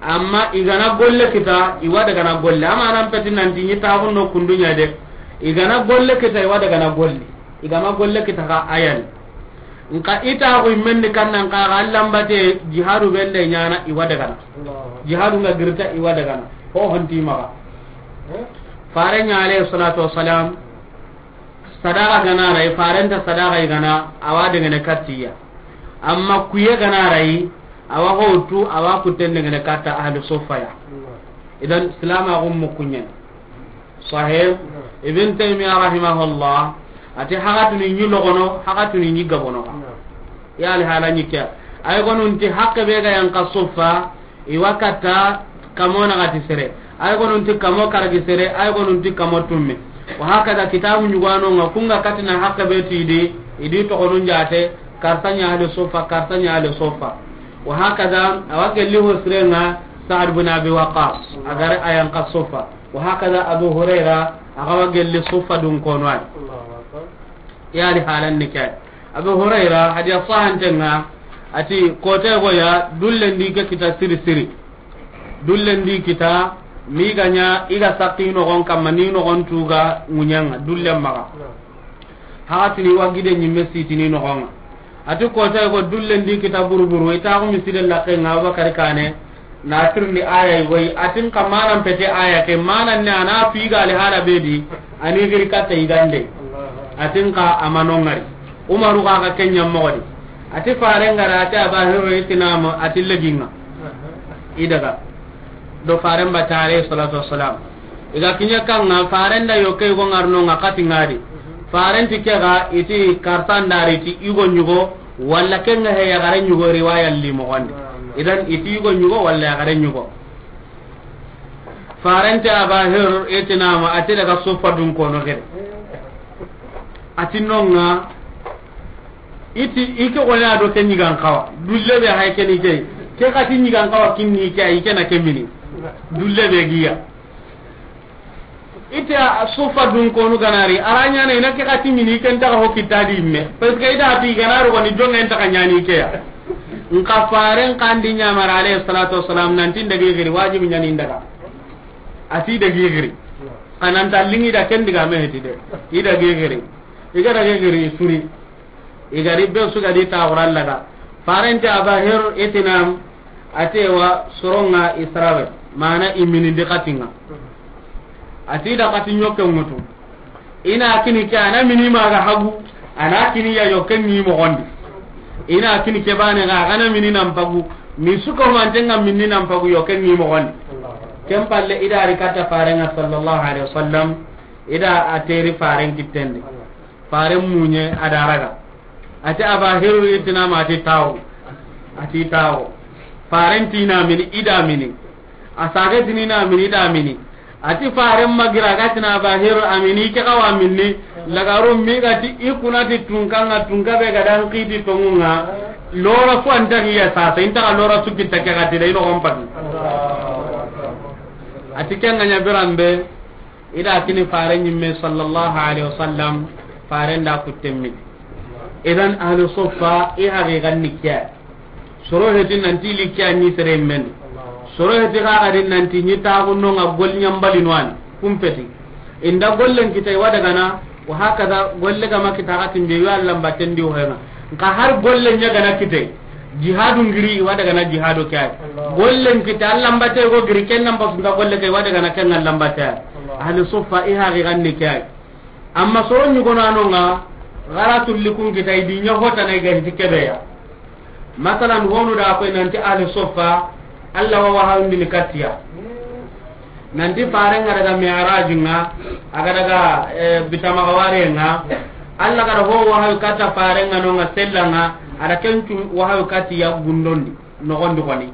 Amma i ga na golle kita, i wa daga na golle. Amma nan peti nanti ɲi taxun no kundu ɲa de. I ga na golle kita, i wa daga na golle. I ga ma golle kita xa a yan. Nka i taxu i men ni kannan xa, xa lambate jihadu bende ɲaana i wa daga na. Jihadu nga girta i wa daga na. Hohon ti maxa. Fare ɲa alayhi salatu wasalam, sadaxa ga na ri, Faren ta sadaxa i ga na, a wa dengene katti ya. Amma kuye ga na ri, a wa hotu, a wa kutten dengene katta ahlu suffa ya. Idan, Islam a gum mukunyen. Sahih. Ibn Taymiyyah rahimahullah, a ti hakatuni ɲi logono, hakatuni ɲi gabono. Ya li hala ɲi ke. Ay gonun ti hakke be ga yan ka suffa, i wa katta kamo naxati sere, ay gonun ti kamo karagi sere, ay gonun ti kamo tumme. Wa hakada kitabu ɲugano nga, ku nga katina hakke be ti di, i di toxonun jate, karsa ɲa ahlu suffa, karsa ɲa ahlu suffa. Wa hakada, a wa gelli ho sire nga, Sa'd bin Abi Waqqas, a ga ri a yan ka suffa. Wa hakada Abu Hurayra, a ga wa gelli suffa dun kono ay. Ya li halan ni ke. Abu Hurayra, hadiya sahanten ŋa, a ti, kote go ya, dullen di ke kita siri siri. Dullen di kita, mi ga ɲa, i ga sakki noxon kamma, ni noxon tu ga ŋuɲen ŋa, dullen maxa. Hakatini wa gide ɲimme sitini noxon ŋa. A ti kote go dullen di kita buru buru, i taxu miside laqqen ŋa, Abubakar Kane, Na tirindi aya yi goyi, a ti n xa manan pete aya ke, manan ne a na fi ga li hala be di, a ni giri katta yigande. A ti n xa a ma no ŋari. Umaru ga ga ken ɲa moxo di. A ti Faren ga ra, a ti Aba Hirri, i ti namu, a ti leginŋa. I daga. Do Faren batta alayhi salatu wassalam. I ga kiɲa kan ŋa, Faren da yokke go ŋarno ŋa kati ŋa di. Faren ti ke ga, i ti kartan dari ti i go ɲugo, Walla ken ŋa he yaxare ɲugo riwaya li moxon di. Idan i ti yugo ɲugo walla yaxare ɲugo. Faren ti Aba Hir, i ti namu, a ti daga suffa dun kono gede. A ti no ŋa, i ti i ke gone a do ke ɲigan xawa. Dulle be hay ke ni ke. Ke xa ti ɲigan xawa kinni ke, i ke na ke mini. Dulle be giya. I ti a suffa dun konu ga na ri, a ra ɲaana i na ke xa ti mini, ken ta ga ho kita di me. Parce que i da ti ga na ro ni jonŋa, i nta xa ɲaana ke ya. N xa Faren xa ndi ɲamara alayhi salatu wassalam, nan ti n dagi giri, wajibi ɲaana i n daga. A ti dagi giri. Xa nan ta liŋi da ken diga me heti de. I dagi giri. I ga dagi giri, i suri. I ga ri be su ga di taaxuran laga. Faren ti Aba Hir, i ti nam, a ti wa soron ŋa i sarabe, mana i mini ndi xatin ŋa. A ti da xati ɲoke ŋutu. I na kini ke, a na mini ma ga hagu, a na kini ya yokke ŋi moxon di. I na kini ke bane ga, a ga na mini nan pagu, mi su ko manten ŋa mini nan pagu yokke ŋi moxon di. Ken palle i da ri katta Faren ŋa sallallahu alayhi wasallam, i da a teri Faren kitten di. Faren muɲe a da raga. A ti Aba Hir, i ti nam, a ti tawo. A ti tawo. Faren ti na mini, i da mini. A sage ti ni na mini, i da mini. A ti Faren ma gira ga ti na Aba Hir a mini, ke xa wa mini. Lagaru mi ga ti i kuna ti tunka ŋa, tunka be ga dan xiti tonŋu ŋa. Lora fu an ta gi ya sasa, i nta xa lora su kita ke ga ti da i noxon pati. A ti ken ŋa ɲa biran be. I da kini Faren ɲimme sallallahu alayhi wasallam, Faren da kutten mini. Idan ahlu suffa i haqiqan ni ke ya. Soro heti nan ti li ke ya ni sere men. Soro heti xa ga di nan ti ɲi taaxu no ŋa gol ɲambali no an kumpeti. Inda gollen kita i wa dagana, wa hakaza golle ga ma kita ga timbe yo Allah mbaten di hoyna. Nka har gollen ɲa gana kite, jihadu ngiri i wa dagana jihadu kay. Gollen kita Allah mbate go giri ken nan basu nda golle kay wa dagana ken Allah mbate. Ahli suffa i haqiqan ni kay. Amma soro ɲugonanonga, gara tulli kun kita i di ɲa hotana i ga hiti kebeya. Masalan, honu da koy nanti ahli suffa, Allah wa wahayundini kattiya. Nanti farenga daga mi'raj nga, aga daga, eh, bitamaga ware nga, Allah gara ho wahayu katta farenga nonga sellanga, ada kencu wahayu kattiya gundondi, nogondi koni.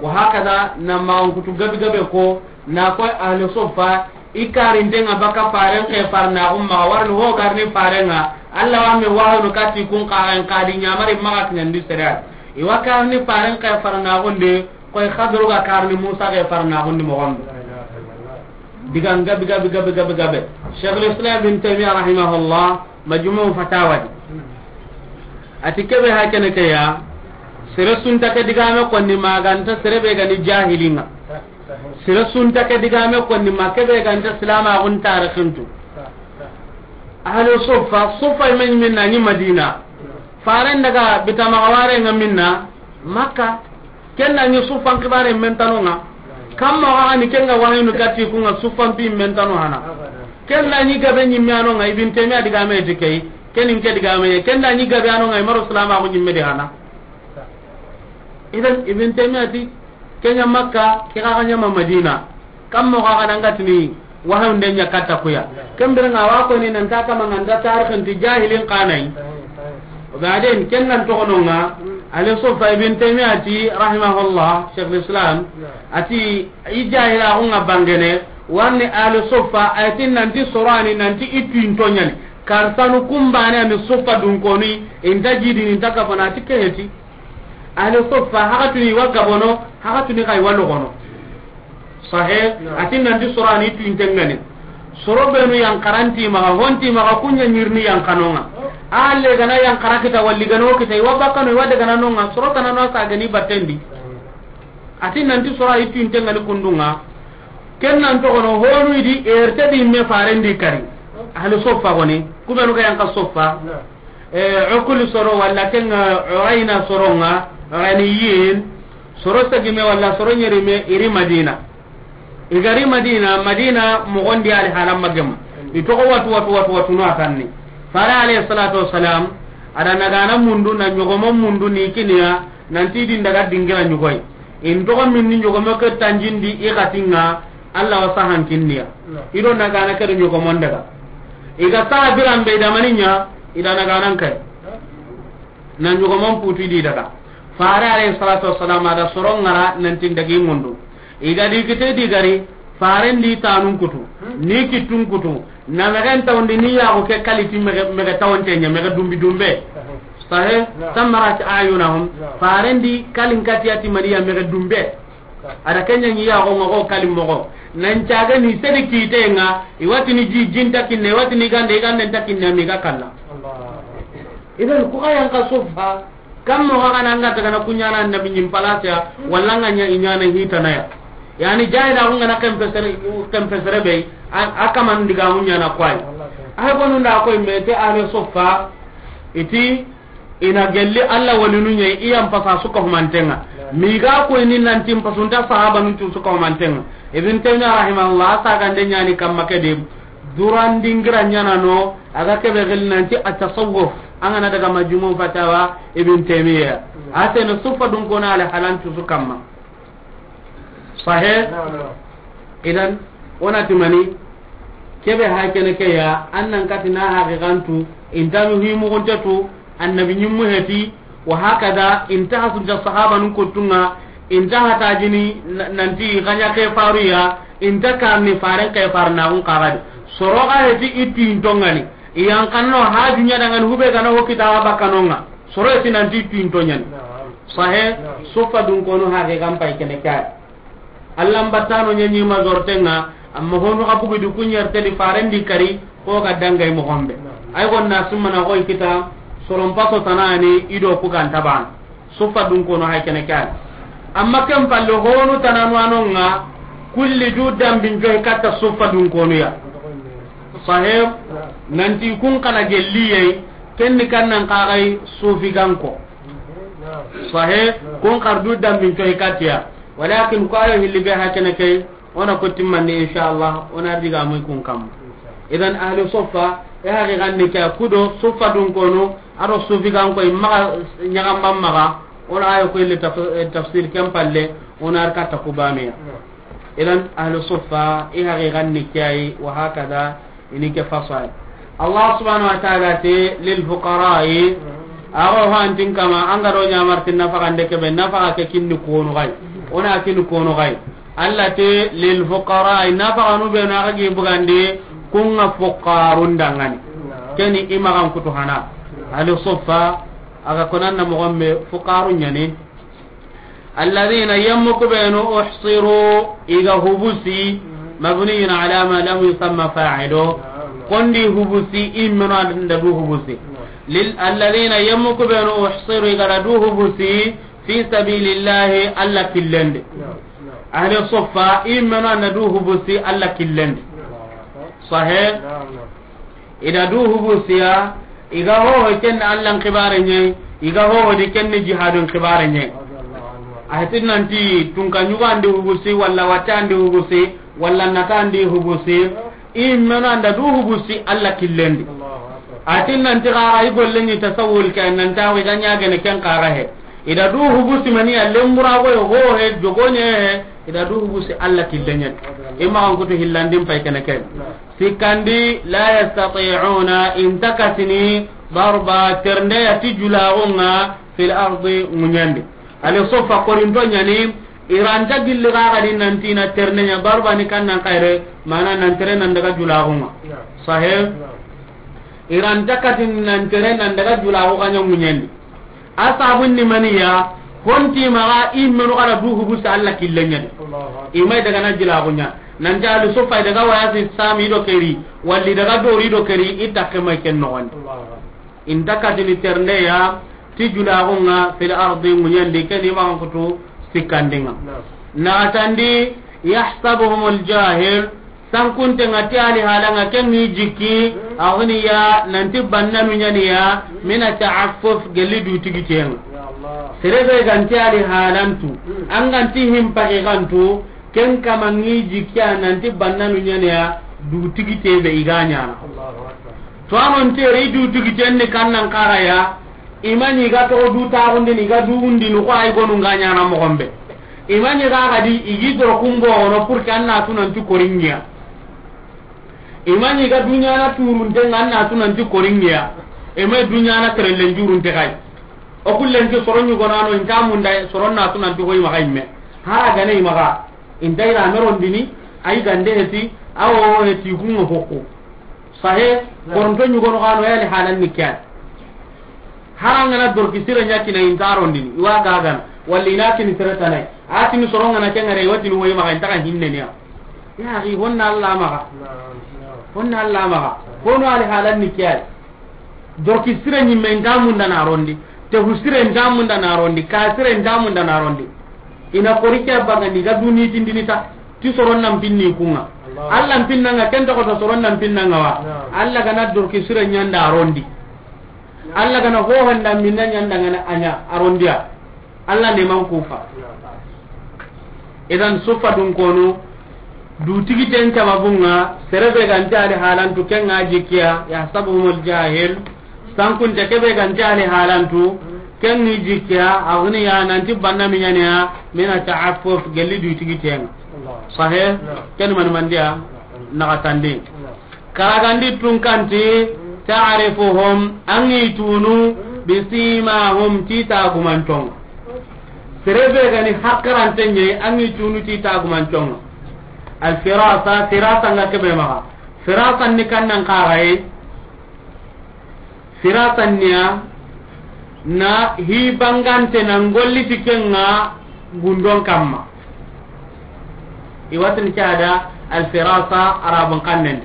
Wa hakaza, na maxan kutu gabi gabe ko, na koy ahli suffa, i karintenga baka faren ke farnaxu maxa, warni ho garni farenga, Allah wa me wahayunu kati kun kaxen kadi ɲamari maxa kiɲandi sere. I wa karni faren ke farnaxundi, koy Xadru ga karni Musa ke farnaxundi moxondi. Digan gabi gabi gabi gabi gabe. Sheikhul Islam Ibn Taymiyyah rahimahullah, Majmu' Fatawa di. Ati kebe ha kene ke ya, sere sunta ke digame konni maganta sere be gani jahilinga. Sere sunta ke digame konni ma kebe ganta silamaxun tarixintu. Ahlu suffa, suffa men minna ni Madina. Faren daga bitamaga ware nga minna Makka. Ken da ɲi suffan xibare men tanonga. Kamma ga ni ken ga wahayunu kati kunga suffan pi men tano hana. Ken da ɲi gabe ɲimme anonga, Ibn Taymiyyah digame ti key. Ken in ke digame ye. Ken da ɲi gabe anonga, i maro silamaxu ɲimme di hana. Idan Ibn Taymiyyah ti, ken ɲa Makka, ke ga ɲa ma Madina. Kamma ga ga nangatini, wahayunde ɲa katta kuya. Ken birenga wa koni nanta kama nganta tarixinti jahilin kanai. Obaden, ken nan toxononga, ahli suffa, Ibn Taymiyyah ati, rahimahullah, Sheikhul Islam, ati, i jahilaxunga bangene, warni ahli suffa, aytin nanti sorani, nanti i tuinto ɲani. Karsanu kumbane ani suffa dunkoni, inta jidini, inta kafana, ati keheti. Ahli suffa, hakatuni wa gabono, hakatuni kay wa logono. Sahe, ati nanti sorani tuintengani. Soro benu yankaranti maxa, honti maxa, kunya ɲirni yankanonga. Alle gana yankara kita, walli gana wo kita, i wa bakkano, i wa dagana nonga, soro tanano sagani battendi. Ati nanti sora i tuintengani kundunga. Ken nan toxono honu idi erte di me farendi kari. Ahli suffa goni, kubenu ga yanka suffa. Eh, Ukul soro walla ken, eh, Urayna soronga, Urayniyin, soro sagime walla soro ɲerime, iri Madina. I gari Madina, Madina mogondi ali halan magem. I toxo watu, watu, watu, watu no atanni. Fare alayhi salatu wassalam, ada nagana mundu, na ɲogomo mundu ni kiniya, nanti din daga dingira ɲugoy. In toxo minni ɲogomo ke tanjindi i xatinga, Allah wa sahan kinniya. Ido nagana ke do ɲogomon daga. I ga saha biran be i da maninya, i da naganan kay. Na ɲogomon putu di daga. Fare alayhi salatu wassalam ada soron ngara nanti dagi mundu. I ga di kite di gari, faren di tanun kutu. Ni kitun kutu. Na megen tawndi ni yaxu ke kaliti mege, mege tawante ɲa, mege dumbi dumbe. Sahe, samarat ayunahum. Faren di kalin katiyati maniya mege dumbe. Ada kenya ni yaxo nga ko kalim moxo. Nan caga ni sedi kite nga, i wati ni ji, jin ta kinne, i wati ni gande, i gande ta kinne, mi ga kalla. Idan ku ga yanka suffa, kam mo ga na nga daga na kunyana annabi ɲim palasiya, walla nga ɲa i ɲana hitana ya. Yani jahila ku nga na kempesere, kempesere be, a, a kaman diga mu ɲana kwai. Ay gonu nda koy me te ahli suffa, iti, ina gelli Allah walinu ɲa i yan pasa suka humantenga. Mi ga ko ni nanti pasunta sahaba nun tu suka humantenga. Ibn Taymiyyah rahimahullah, a sagande ɲani kamma ke de, duran dingira ɲana no, a ga kebe gel nanti at-tasawuf. An ga na daga Majmu' Fatawa Ibn Taymiyyah. A tene suffa dun kona ala halan tu su kamma. Sahe? Naam, naam. Idan, onati mani, kebe ha kene ke ya, annan kati na haqiqantu, intanu hi mugunte tu, annabi ɲimmu heti, wa hakada, inta hasunta sahaba nun kuttunga, inta hatajini, na-, nanti ganya ke faru ya, inta karni faren ke farna un kagadi. Soro ga heti itu intongani, iyan kanno ha dunya dangan hube gana hokita bakanonga. Soro eti nanti tuinto ɲani. Naam. Sahe, naam. Suffa dun kono haqiqan pay kene kay. Allah mbattano ɲaɲi ma zortenga, amma honu ga bugu du kunyar tedi farendi kari, ko ga dangay mo gombe. Naam. Ay gonna sumana koy kita, soron paso tanani, ido ku ganta ban. Suffa dun kono hay kene kay. Amma ken palle honu tananu anonga, Kulli du dambin joy katta suffa dun konu ya. Sahib, nanti kun kana gelli yai, ken ni kannan kagai sufi ganko. Sahib, kun kar du dambin joy katta ya. Walakin ko ayo hilli be hakene kay, ona ko timmanni inshallah, ona diga mun kun kam. Idan ahli suffa, e haqiqan ni kya kudo suffa dun konu, aro sufi ganko, imma nyaga mamma, ona ayo ko illi taf-, tafsir kem palle, ona arka takubanuya. Idan ahlu suffa, i haqiqan ni kiyayi, wa hakada, ini ke fasai. Allah subhanahu wa ta'ala te, lil fuqara'i, ago hantin kama, an ga do nyamartin nafaqa nde kebe, nafaqa ke kinni kono gai. Ona kinni kono gai. Allah te, lil fuqara'i, nafaqa nu be na ga gi bugandi, kunga fuqarun dangani. Keni imagan kutu hana. Ahlu suffa, aga konan na mo gombe fuqarun nyani. Alladhina, yemmu ku benu, uhsiru, i ga hubusi, mabniyun ala ma lam yusamma fa'ilu. Kondi hubusi, i menu anda du hubusi. Lil, alladhina, yemmu ku benu, uhsiru, i ga da du hubusi, fi sabilillahi, Alla killendi. Ahli suffa, i menu anda du hubusi, Alla killendi. Sahih? I da du hubusiya, i ga hoho ken ni Allan xibare ɲe, i ga hoho di ken ni jihadun xibare ɲe. A heti nanti tunka ɲugo andi hubusi, walla watte andi hubusi, walla nata andi hubusi. I menu anda du hubusi Alla killendi. A heti nanti xara i golle ni tasawul ke, nanta i ga ɲagene ken xara he. I da du hubusi mani a lembura go hoho he, jogo ɲe he, i da du hubusi Alla killenyen. I ma an kutu hillandin pay kene ken. Sikkandi, la yastati'una, inta kasini, darba, ternde ya ti julaxunga, fil ardi, ŋuɲandi. Ali sofa korinto ɲani, iranta gilli xaxadi nanti na ternde ɲa, darba ni kannan xayre, mana nan tere nan daga julaxunga. Sahe? Iranta katini nan tere nan daga julaxu xaɲa ŋuɲandi. A sabun ni maniya, honti maxa i menu xara du hubusi Alla killenɲadi. I may daga na jilaxuɲa. Nanti Ali Sufa i daga wayasi sami do keri, walli daga dori do keri, i takke may ken noxondi. Inta katini ternde ya, ti julaxunga fil ardi ŋuɲandi, ken i maxan kutu sikkandinga. Naxatandi, yahsabuhumul jahil, Sankunte nga ti ali halanga ken ni jikki, aghniya, nanti bannanu ɲaniya, mina ta'affuf, gelli du tigitenga. Serebe ganti ali halantu, an ganti himpaki gantu, ken kama ngi jikkiya nanti bannanu ɲaniya, du tigite be i ga ɲana. To anon tere i du tigiten ni kannan karaya, Imani ga toxo du taxundini, i ga du wundini, ko ay gonu nga ɲana moxon be. Imani ga gadi, i gi doro kumbo gono, pour que an na tu nanti koringiya. Imani ga duɲana turunte nga an na tu nanti koringiya. Eme duɲana terellen jurunte kay. O kullen ti soron ɲugonano, inta munda soron na tu nanti hoy maxa imme. Hara gane i maxa. Inta ira merondini, ay gande heti, awo heti kunga hokko. Sahe, koronto ɲugono xano yani halan ni kyan. Harangana dorki sire ɲakina intarondini, iwa gagana, walli ina kini sere tanay. Atini sorongana kengare, iwatini woyi maxa intaka hinneniya. Ya axi, honna Alla maxa. Honna Alla maxa. Hono ali halan ni kyan. Dorki sire ɲimme inta munda na rondi. Tehu sire inta munda na rondi. Ka sire inta munda na rondi. Ina kori ke bagandi ga duni tindini ta. Ti soron nan pinni kunga. Alla pinnanga, ken toxoto soron nan pinnanga wa. Alla gana dorki sire ɲanda a rondi. Alla gana hohanda minna ɲanda ngana a ɲa a rondiya. Alla ne man kufa. Idan sufa dun konu, du tigiten sababunga, serebe ganti ali halantu kenga jikkiya, yahsabuhumul jahil, sankunte kebe ganti ali halantu, ken ni jikkiya, aghniya, nanti bannanu ɲaniya, mina ta'affuf, gelli du tigitenga. Sahe, ken man mandiya, naxatandi. Karagandi tunkanti, ta'rifuhum, angi tunu, bisimahum, ti tagumantonga. Serebe gani hakkarante ɲe, angi tunu ti tagumantonga. Al firasa, firasa nga kebe maxa. Firasa ni kannan karaye. Firasa niya, na hi bangante na ngolli ti kenga gundon kamma. Iwatin kada al firasa arabun kannen.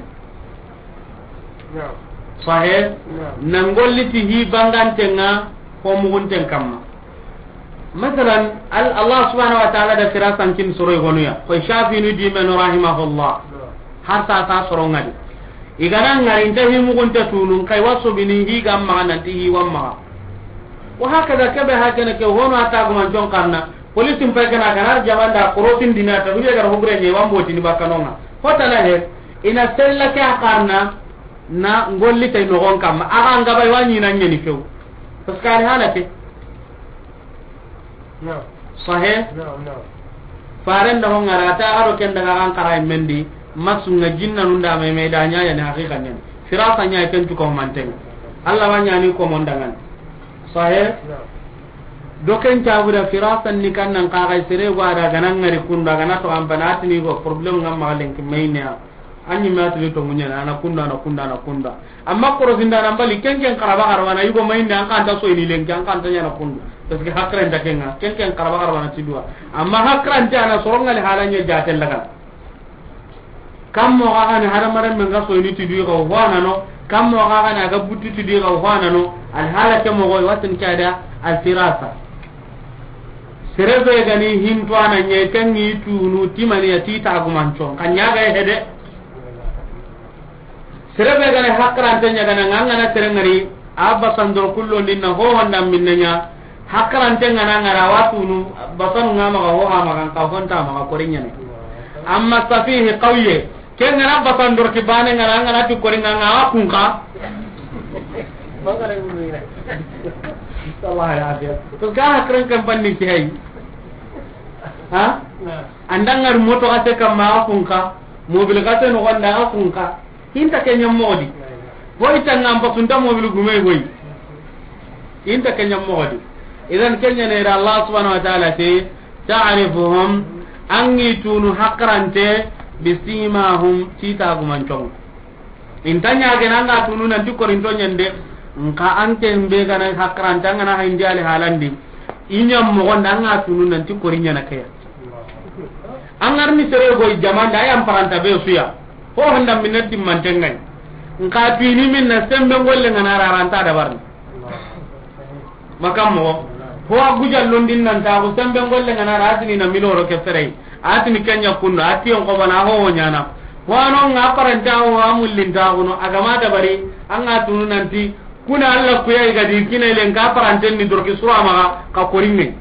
Sahe, na ngolli ti hi bangante nga ko mugunten kamma. Masalan, Al-, Allah subhanahu wa ta'ala da firasan kin soro i gonu ya. Koy Shafinu di men rahimahullah. Har sa ta soro ŋa di. I ga na ŋari nta himugunte tunun kay waso bini hi ga maxa nanti hi wa maxa. Wa hakaza kebe hakene ke hono ata guman jon karna. Police mpa kana kana jamanda korosin dina ta huje gar hogre ne wa mboti ni bakanonga. Hota na he, ina sella ke a karna na ngolli tay no gon kamma. Aga ngaba wa ni na nyeni few. Parce que al halake. Naam. Sahih? Naam, naam. Faren da hon ŋara ta ado ken daga kan kara mendi masu nga jinna nun da me me da nya ya ni haqiqa nyen. Firasa nya ken tu ko manten. Allah wa nya ni ko mon dangan. Sahih? Naam. Do ken ta buda firasa ni kan nan ka ga sere wa da ga nan ŋari kunda ga na to an banati ni go problem ngam ma lenki maynya. An ɲi ma tuli to muɲana, ana kunda, ana kunda, ana kunda. Amma korosinda nan bali, ken ken karaba karaba na yugo mayinde, an kanta soyini lenki, an kanta ɲana kundu. Parce que hakran ta kenga, ken ken karaba karaba na tidua. Amma hakran ta na sorongali halanya jatel laga. Kam mo ga gani hadamaren men ga soyini tidui ga wana no, kam mo ga gani aga butti tidui ga wana no, al halake mo go watin kada al firasa. Serebe gani hinto ana ɲe tangi tunu timani ya tita gumanco, kan ɲaga hede. Serebe gane hakkarante ɲagana, nga ngana sere ngari, a basandoro kullo ninna ho honda minne ɲa. Hakkarante ngana ngara watunu, basanu nga maga ho ha maga, nka honta maga kori ɲane. Amma safihi qawye, ke ngana basandoro ki bane ngana, ngana ti kori nga, nga kunka. Allah ya afiya. To ga hakran kan banni ki hay. Ha? Andangar moto ase kamma kunka, mobil kase no gonda kunka. Inta kenya modi. Boy tanga am basunta mobil gume boy. Inta kenya modi. Idan kenya ne ra Allah subhanahu wa ta'ala te ta'rifuhum, angi tunu hakrante bisimahum, tita gumancong. Inta ɲagene anga tunu nanti korinto ɲende. Nka anke mbe gana hakrante angana hayndi ali halandi. Inya mo gonda anga tunu nanti korinya na kaya. Angar ni sere goy jamanda ayam paranta be suya. Ho handa minna timmante ŋa yi. Nka bini minna sembe ngolle ŋa na raranta da barni. Makam mo. Ho a guja londin nan ta ko sembe ngolle ŋa na ratini na miloro ke fere. Atini kenya kunno, ati on ko bana ho ɲana. Ho ano nga paranta ho a mullin ta ko no, agama da bari, anga tunu nanti, kuna Allah kuya i ga di kine len ka paranten ni dorki sura maga ka korinne.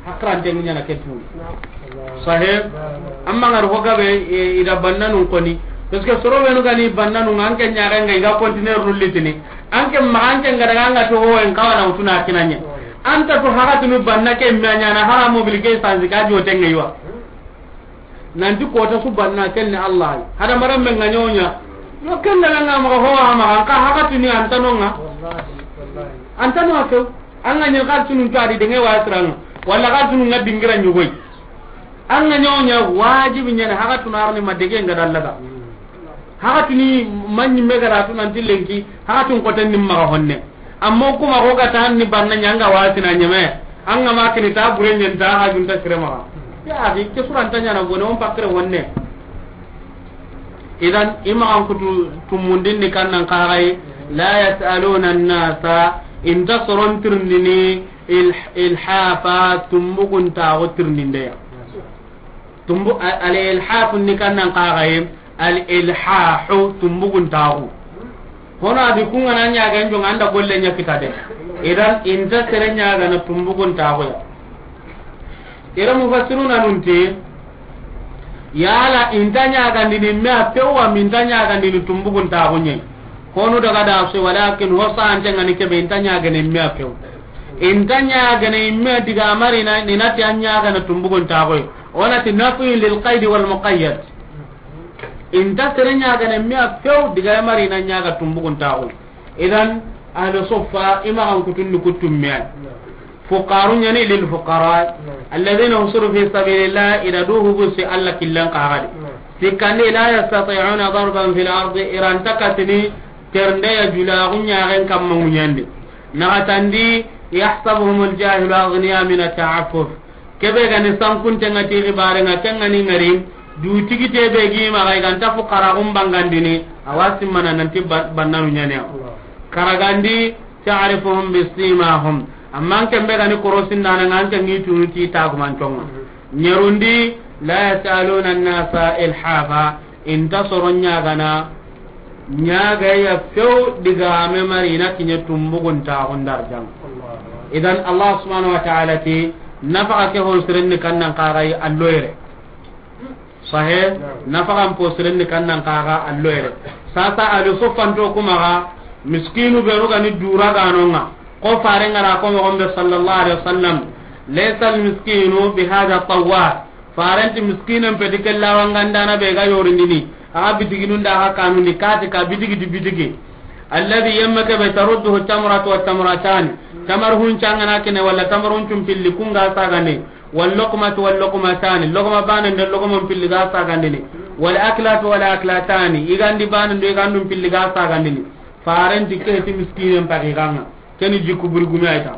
Hakranten ni ɲana ketu. Sahib. Amma ngar ho gabe, e, ida bannanun koni. Parce que soro benu gani bannanun anke ɲaga nga i ga continuer rullitini. Anke ma anke nga daga nga to ho en kawana utuna kinanye. Anta to haga tunu banna ke manya na hara mobil ke sanzi ka jote ngewa. Nanti kota su banna kenne Allah. Hada maram men nga ɲonya. Yo kenne nga ma ho ha ma ka hakatuni antanonga. Antanonga ke. Anga ɲi ka tunun tadi denge wa siranga. Wala ka tunun nga dingira ɲugoi. Anga ɲonya wajibi ɲana hakatuna arni madege nga dallaga. Hakatuni manyi megara tunan tilenki. Hakatun koten nimma honne. Amma kuma ko ga tan ni banna ɲanga wasina ɲeme. Anga ma kini ta bure ɲen ta hajun ta sirema. Ya akhi, ke suranta ɲana gone on pakre wonne. Idan ima an kutu tumundin ni kannan kagai. La yasaluna an-nasa, inta soron tirndini il-, ilhafa, tumbugun ta go tirndinde ya. Tumbu, a-, al ilhafu ni kannan kagai. Al ilhahu, tumbugun taxu. Hono adi kunga na ɲaga njonga anda golle ɲa kita de. Idan inta sere ɲaga na tumbugun taxu ya. Ira mufassiruna nunti, yala inta ɲaga ndini me a pewa minta ɲaga ndini tumbugun taxu ɲe. Honu daga da se, walakin ho sante ngani kebe inta ɲaga ne me a pew. Inta ɲaga ne me diga mari na ni nati an ɲaga na tumbugun taxu. Onati nafi lil qaid wal muqayyad. Inta sere ɲagana me a few diga mari na ɲaga tumbugun taxu. Idan ahlu suffa ima an kutunni kutum me ay. Fuqaru ɲani lil fuqara alladhina usiru fi sabilillah, ida du hubusi Allah killan kaxadi. Sikkandi la yastati'una darban fil ardi, iranta katini ternde ya julaxu ɲaxen kamma ŋuɲandi. Naxatandi yahsabuhumul jahilu aghniya min at-ta'affuf. Kebe gani sankunte nga ti xibare nga ken nga ni ngari du tigite be gi ma ga i ganta fuqara gum bangandini awa simmana nanti ba-, bannanu ɲane. Karagandi ta'rifuhum bisimahum. Amma an ken be ga ni korosindaana ŋa, an ken ŋi tunu ti tagumantonŋa. Ɲerundi, la yasaluna annasa ilhafa, i nta soro ɲaagana ɲaagaya few digame mari i na kiɲe tumbugun taxun darjaŋa. Idan Allah subhanahu wa ta'ala ti, nafaxa ke ho sirenni kannan kaxayi alloyere. Sahe, nafaxan posirenni kannan kaxa alloyere. Sasa ali soffanto kumaxa, miskinu benu gani dura ganonŋa. Ko fare ngara ko moxon be sallallahu alaihi wasallam, laysa almiskinu bihada tawwar. Farenti miskinen peti kella wangandana be ga yorindini. Axa bitiginun da axa kanundi kati ka bitigi di bitigi. Alladhi yemme kebe tarudduhu tamratu wa tamratani. Tamar huncangana kine wala tamar huncun pilli kunga sagane. Wal luqmatu wal luqmatani, luqma banen do luqman pilli ga sagandini. Wal aklatu wal aklatani, i gandi banen do i gandun pilli ga sagandini. Farenti ke ti miskinen paxi xanŋa. Keni jikku burgumi ayta.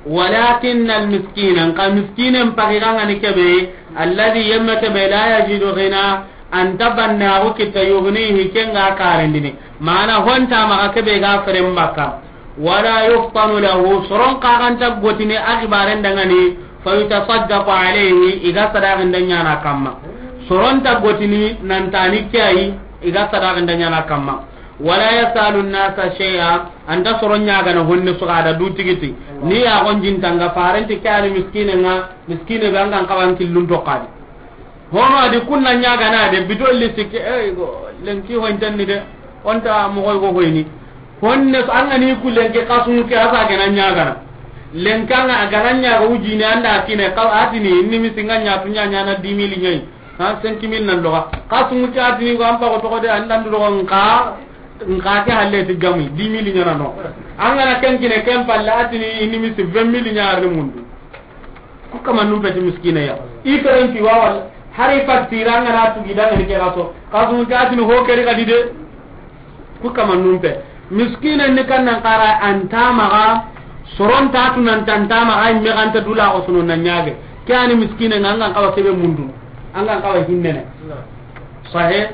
Walakin al miskina, nka miskinen paxi xanŋa ni kebe, alladhi yemme kebe la yajidu ghina, a nta bannaxu kitta yughnihi kenga karendini. Mana honta maxa kebe ga feren bakka. Wala yuftanu lahu, soron kaxanta gotini a xibaren dangani, fa yutasaddaqu alayhi, i ga sadaqin da ɲana kamma. Soron ta gotini nantani ke ayi, i ga sadaqin da ɲana kamma. Wala yasalu nnasa shay'a, a nta soron ɲagana honne sugada du tigiti. Ni ya gonjintanga farenti ke ani miskine ŋa, miskine be angan kawan killun to kadi. Hono adi kunna ɲagana de bidolli sikki, eh, go, lenki hoyntenni de, onta mogoy go hoyni. Honne so anga ni ku lenki kasunu ke asa gana ɲagana. Lenkanga agana ɲaga ujini anda kine kaw atini, inni misi nga ɲatu ɲa ɲana dix mille ɲayi. Ha, cinq mille nan loga. Kasunu ke atini go ampa go togo de andan du logo nka, nka ke halle ti gamu, dix mille ɲana no. Angana ken kine ken palle atini, inni misi vingt mille ɲa arni mundu. Ku kamannun peti miskine ya. I keren ti wa wala. Hari fattira ngana tugi da ngani ke gaso. Kasu nta tini ho keri kadi de. Ku kamannun pe. Miskine ni kannan kara anta maga. Soron ta tunan tanta maga imme ganta dula ko suno na ɲage. Ke ani miskine nga angan kawa kebe mundu. Angan kawa hinnene. Sahe.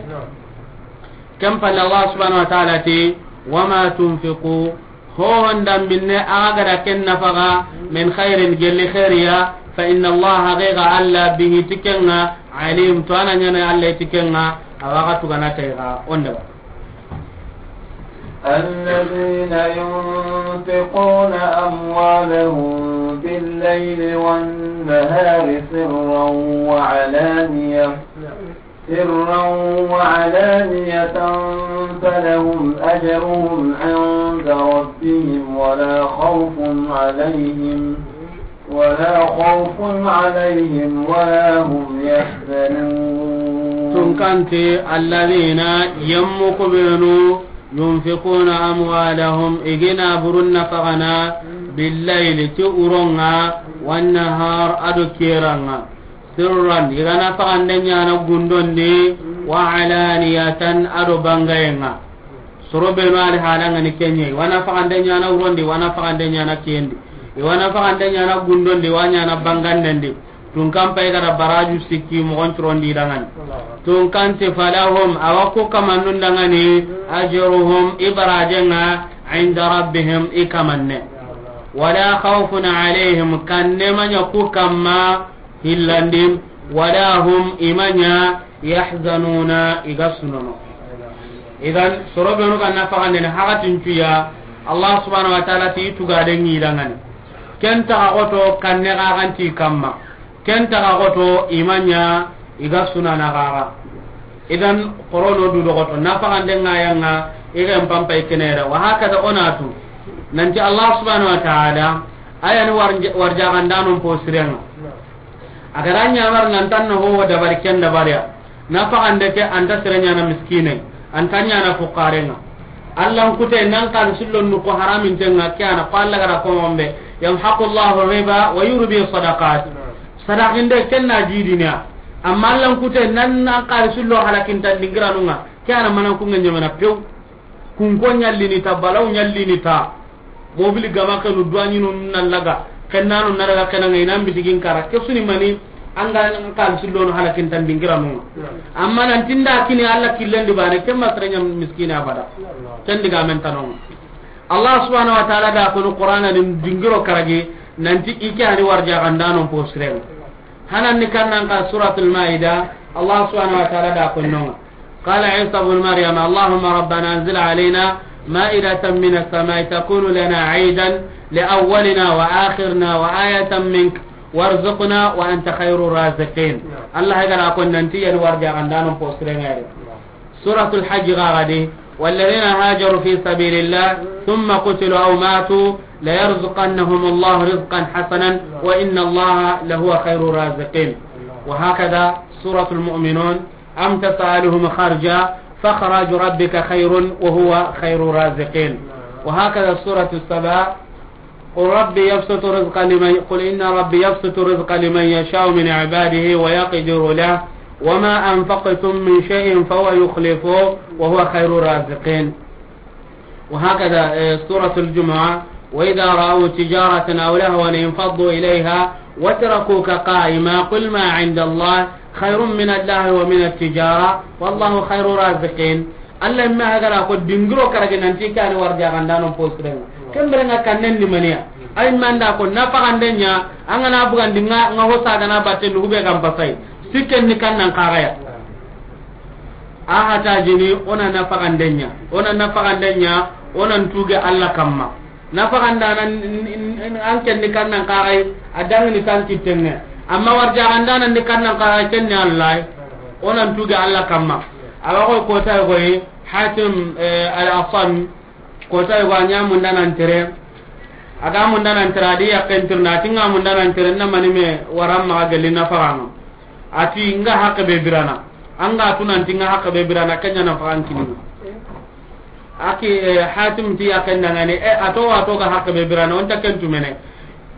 Ken palle Allah subhanahu wa ta'ala ti, "Wa ma tunfiqu," ho honda minne aga gada ken nafaga, "min khairin," gelli khairiya, "fa inna Allah," haqiqa Allah, "bihi," tikenga, "alim," to ana ɲana Allah tikenga, awaga tugana tayga, onda ba. الذين ينفقون أموالهم بالليل والنهار سرا وعلانية، سرا وعلانية فلهم أجرهم عند ربهم ولا خوف عليهم، ولا خوف عليهم ولا هم يحزنون. Tunkanti, الذين، yemmu kubenu, ينفقون أموالهم، i gina burun nafagana, بالليل، ti uronga, والنهار، ado kiranga. سرا، i ga nafagande ɲana gundondi, وعلانية، ado bangayenga. Soro benu ali halanga ni kenye, i wa nafagande ɲana urondi, i wa nafagande ɲana kiyendi. I wa nafagande ɲana gundondi, i wa ɲana bangandendi. Tunkan pay gada baraju sikki mogon curondi dangani. Tunkanti فلهم، awa ku kamannun dangani, أجرهم، i barajenga, عند ربهم، i kamanne. ولا خوف عليهم، kanne maɲa ku kamma, hillandin, ولا هم، i maɲa, يحزنون، i ga sunono. Idan, soro benu ga nafagandene hakatin cuya, Allah subhanahu wa ta'ala ti i tugaden ŋi dangani. Ken taga goto kanne gaganti kamma. Ken taga goto i maɲa i ga sunana gaga. Idan, korono du dogoto nafagande ŋayanga i ga en pampay kenera. Wa hakada onatu. Nanti Allah subhanahu wa ta'ala, ayani warja-, warjagandanon po sirenga. A ga ra ɲamar nan tan na ho dabari ken dabariya. Nafagande ke anta sere ɲana miskine, anta ɲana fukarenga. Allan kute nan kan sillo nuko haramin tenga ke ana ko Alla ga ra ko mombe. يمحق الله الربا ويربي الصدقات. Sadaqinde ken na jidina. Amma Allan kute nan nan kan sillo halakin tan dingiranunga. Ke ana manan kunga ɲamana pew. Kunko ɲallini ta, balaw ɲallini ta. Mobili gama kenu duwaɲinu na laga, kennanu na daga kenanga i nan bitigin kara. Ke suni mani, an ga kalisi lono halakin tan dingiranunga. Amma nan tinda kini Alla killendi bane, ken ma sere ɲa miskina abada. Ken digamen tanonga. Allah subhanahu wa ta'ala da kunu Qur'ana ni dingiro karagi, nanti i ke ani warjaxandanon posiren. Hanan ni kannan ka Suratul Maida, Allah subhanahu wa ta'ala da kunno. قال عيسى ابن مريم اللهم ربنا أنزل علينا مائدة من السماء تكون لنا عيدا لأولنا وآخرنا وآية منك وارزقنا وأنت خير الرازقين. Allah ga na ko nanti yan warjaxandanon posiren ŋa yi. Suratul Hajj ga ga di, والذين هاجروا في سبيل الله ثم قتلوا أو ماتوا ليرزقنهم الله رزقا حسنا وإن الله لهو خير الرازقين. وهكذا سورة المؤمنون، أم تسألهم خرجا فخراج ربك خير وهو خير الرازقين. وهكذا سورة السبا، قل ربي يبسط الرزق لمن، قل إن ربي يبسط الرزق لمن يشاء من عباده ويقدر له وما أنفقتم من شيء فهو يخلفه وهو خير الرازقين. وهكذا، آه، سورة الجمعة، وإذا رأوا تجارة أو لهوا انفضوا إليها وتركوك قائما قل ما عند الله خير من اللهو ومن التجارة والله خير الرازقين. Allah imme hagara ko dingiro karage nanti kani warjaxandanon posiren ŋa. Kembere ŋa kannen ni maniya. Ay manda ko nafaxanden ɲa, an ga na bugandi ŋa, ŋa hosa ga na batte nugu be ga n pasay. Sikken ni kannan kaxaya. A hata jini, o na nafaxanden ɲa. O na nafaxanden ɲa, o na ntuge Allah kamma. Nafaxandana n-, n-, n-, an ken ni kannan kaxay, a dangini tan kittenŋe. Amma warjaxandana ni kannan kaxay, ken ni Allah. O na ntuge Allah kamma. Awa koy kota koy, Hatim, eh, al-Asam, kota koy a ɲa mundanan tere. A ga mundanan tere, a di yakken tirna, a ti ŋa mundanan tere, na mani me waran maxa gelli nafaxan ŋa. A ti ŋa haqqe be birana. An ga tunanti ŋa haqqe be birana, ken ɲa nafaxan kini. Aki, eh, Hatim ti yakken dangani, eh, a to, a to ga haqqe be birana, o nta ken tumene.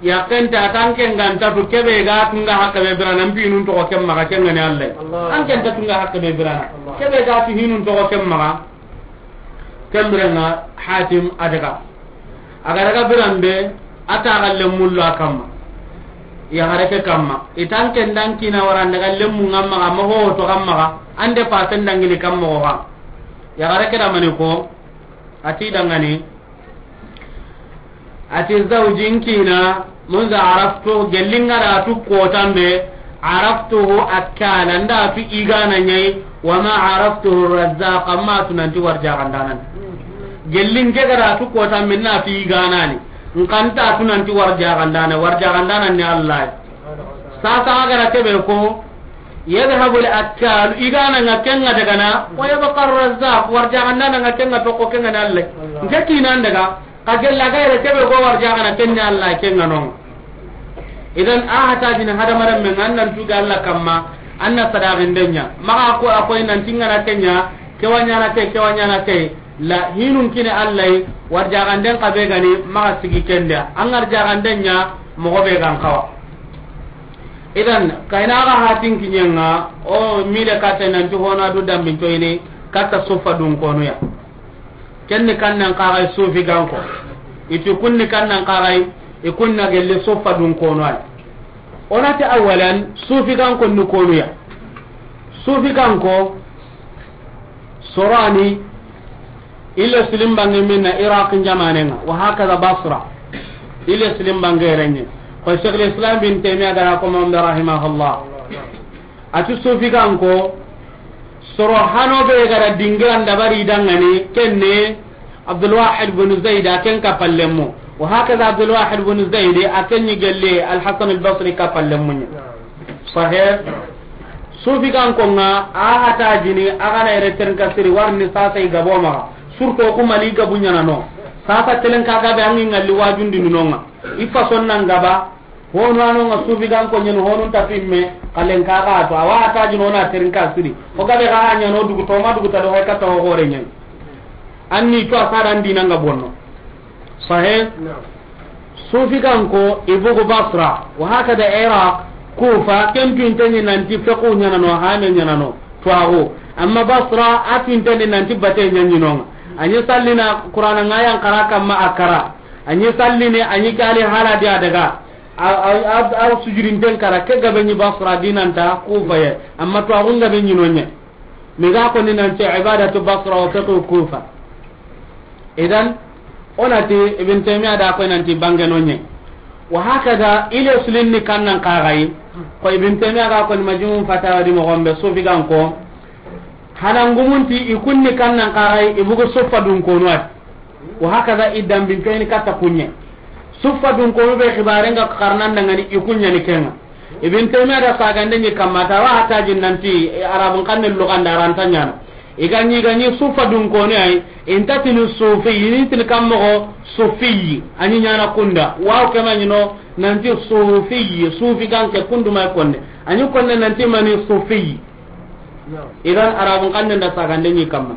Yakken ta, a tan ken ga nta tu, kebe ga tunga haqqe be birana, mpi nun toxo ken maxa, ken ŋa ni Allah. Allah. An ken ta tunga haqqe be birana. Allah. Kebe ga tu hinun toxo ken maxa. Ken biren ŋa Hatim a daga. A ga daga biran be, a ta ga lemmu lla kamma. Yaxare ke kamma. I tan ken dan kina wara n daga lemmu ŋa maxa, ma ho to ga maxa. An de pasen dangini kamma ko ga. Yaxare ke da mani ko, a ti dangani, a ti zawji n kina, munza araftu, gelli ŋa da tu kotan be, araftuhu akkala, n da tu i gana ɲa yi, wa ma araftuhu razzaq, amma tu nanti warjaxandanan. Gelli n ke ga da tu kotan be, n na tu i gana ni. N xa nta tu nanti warjaxandana, warjaxandana ni Allah. Sasa a ga da kebe ko, yadhhabu al-akkalu, i gana ŋa ken ŋa daga na, wa yabqa ar-razzaq, warjaxandana ŋa ken ŋa toxo ken ŋa ni Allah. N ke kinan daga, ka gella ga yere kebe go warjaxana ken ni Allah ken ŋa no. Idan a hata jini hadamarenme ŋa, an nan tuge Allah kamma, an na sadaxinde ɲa. Maxa ko a koy nanti ŋa na ke ɲa, ke wa ɲana ke, ke wa ɲana ke. La hinun kini Allah yi, warjaxanden xa be gani, maxa sigi kenda. An warjaxanden ɲa, moxo be gan xawa. Idan, kayna ga hatin kiɲenga, o mile katta nanti hona du dambin toyini, katta sufa dun konuya. Ken ni kannan kaxay sufi ganko. Iti kun ni kannan kaxay, i kun na gelle sufa dun konuya. Onati awalan, sufi ganko ni konuya. Sufi ganko, Sorani, ile silim bange minna Iraq jamanenga, wa hakaza Basra. Ile silim bange renye. Ko Sheikh al-Islam bin Taymiyyah gara ko, Muhammad rahimahullah. Ati sufi ganko, soro hano be gara dingiran dabari dangani, kenne, Abdul Wahid bin Zaid a ken kapallemmo. Wa hakaza Abdul Wahid bin Zaid a ken ni gelle Al-Hasan Al-Basri kapallemmo ɲa. Sahih. Sufi ganko nga a hata jini a gana ere terinka siri warni sasa i gabo maxa. Surtout ku Mali gabu ɲana no. Sasa telenka gabe angi ngalli wajundi nunonga. I fason nan gaba. Hono ano nga sufi ganko ɲen hono ta pimme, kalen ka ga to, awa ta jino na terinka siri. O gabe ga ɲa no dugu to ma dugu ta do hay kata o gore ɲen. Anni to asara ndi nanga bonno. Sahih? Naam. Sufi ganko ibugu Basra, wa hakada Iraq, Kufa, ken pinteni nanti fiqhu ɲana no, hame ɲana no, tuwaxu. Amma Basra, a pinteni nanti bate ɲaɲinonga. Anyi sallina Qur'ana ngayan kara kamma akara. Anyi salline, anyi kali hala dia daga. A, a, a, a sujurinten kara, ke gabe ɲi Basra dinanta Kufa ye, amma to agun gabe ɲi nonye. Mi ga ko ni nanti ibadatu Basra wa fiqhu Kufa. Idan, O na ti, Ibn Taymiya da ko nanti bange no ɲe. Wa hakada, ile sulin ni kannan kaxayi. Ko Ibn Taymiya ga ko ni Majmu' Fatawa di moxo be, sufi gan ko, hanangumunti i kunni kannan kaxayi, i bugu suffa dun konu ati. Wa hakada, i dambin to i ni katta kuɲe. Suffa dun konu be xibaren ga xarnan dangani i kuɲa ni kenga. Ibn Taymiya da sagande ɲi kamma ta wa hatajin nanti, e, Arabun xanne luganda ranta ɲana. I ga ɲi, i ga ɲi suffa dun konu ay, inta tini sufi, ini tini kam moxo sufi, a ɲi ɲana kunda. Wa ke ma ɲi no, nanti sufi, sufi gan ke kundu may konne. A ɲi konne nanti mani sufi. Idan Arabun xanne da sagande ɲi kamma.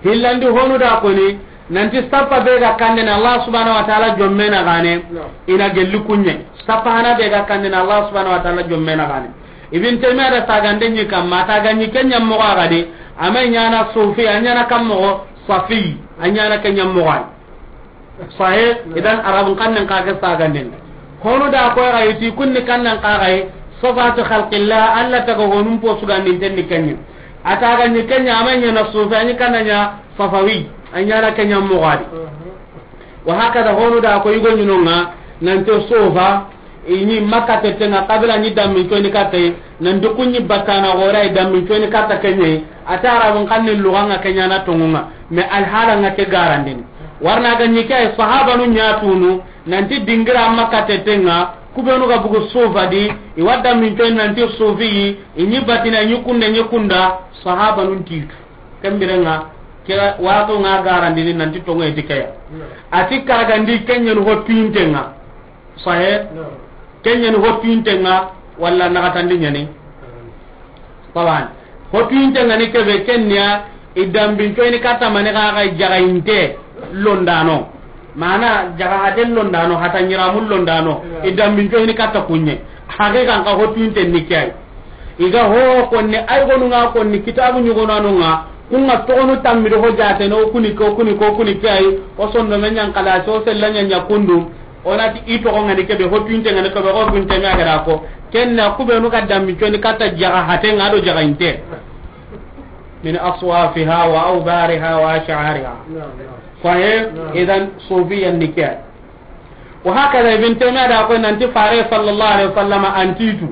Hillandi honu da koni, nanti sappa be ga kandene Allah subhanahu wa ta'ala jomme na gane, ina gelli kuɲe. Sappa hana be ga kandene Allah subhanahu wa ta'ala jomme na gane. Ibn Taymiya da sagande ɲi kamma, ta ga ɲi kenya moxo a gadi, a ma ɲana sufi, a ɲana kam moxo safi, a ɲana kenya moxo ay. Sahih. Idan Arabun xannen xa ke saganden. Honu da ko ga yiti kunni kannan xa ga yi, sifatu khalqillah, Allah taga honun po sugandinten ni kenye. A ta ga ɲi kenya, a ma ɲana sufi, a ɲi kananya safawi, a ɲana kenya moxo a di. Wa hakada honu da ko yugo ɲi no nga, nanti sufa, i ɲi Makka tete nga, kabila ɲi dammin coyni katta yi, nanti ku ɲi battana xora i dammin coyni katta kenye. A ta Arabun xanne luga nga kenya na tongu nga, mais alhala nga ke garandini. Warna ga ɲi ke ay sahabanu ɲa tunu, nanti dingira Makka tete nga, ku benu ga bugu sufa di, i wa dammin coyni nanti sufi yi, i ɲi batina, i ɲi kunda, i ɲi kunda, sahabanun titu. Kembire nga, ke wa ko nga garandini nanti tongu e di keya. A ti karagandi kenyen ho tuinte nga. Sahe? Kenyen ho tuinte nga, walla naxatandi ɲani? Tawan. Ho tuinte nga ni kebe kenya, i dambin coyni katta mani xa ga jaga inte londano. Mana jaga haten londano, hata ɲiramun londano, i dambin coyni katta kuɲe. Haqiqan xa ho tuinte ni kay. I ga ho konni, ay gonu nga konni, kitabu ɲugonanu nga, ku nga togonu tammi do ho jate no, kuni ko, kuni ko, kuni ke ay, o sondo me ɲan kala, so sella ɲa ɲa kundu, o na ti i togo nga ni kebe, ho tuinte nga ni kebe, ho tuinte nga ga da ko, kenna ku benu ga dammi coyni katta jaga hate nga do jaga inte. Min aswafiha wa awbariha wa ash'ariha. Sahe? Idan sufiyan ni ke. Wa hakada Ibn Taymiya da ko nanti fare sallallahu alaihi wasallam antitu.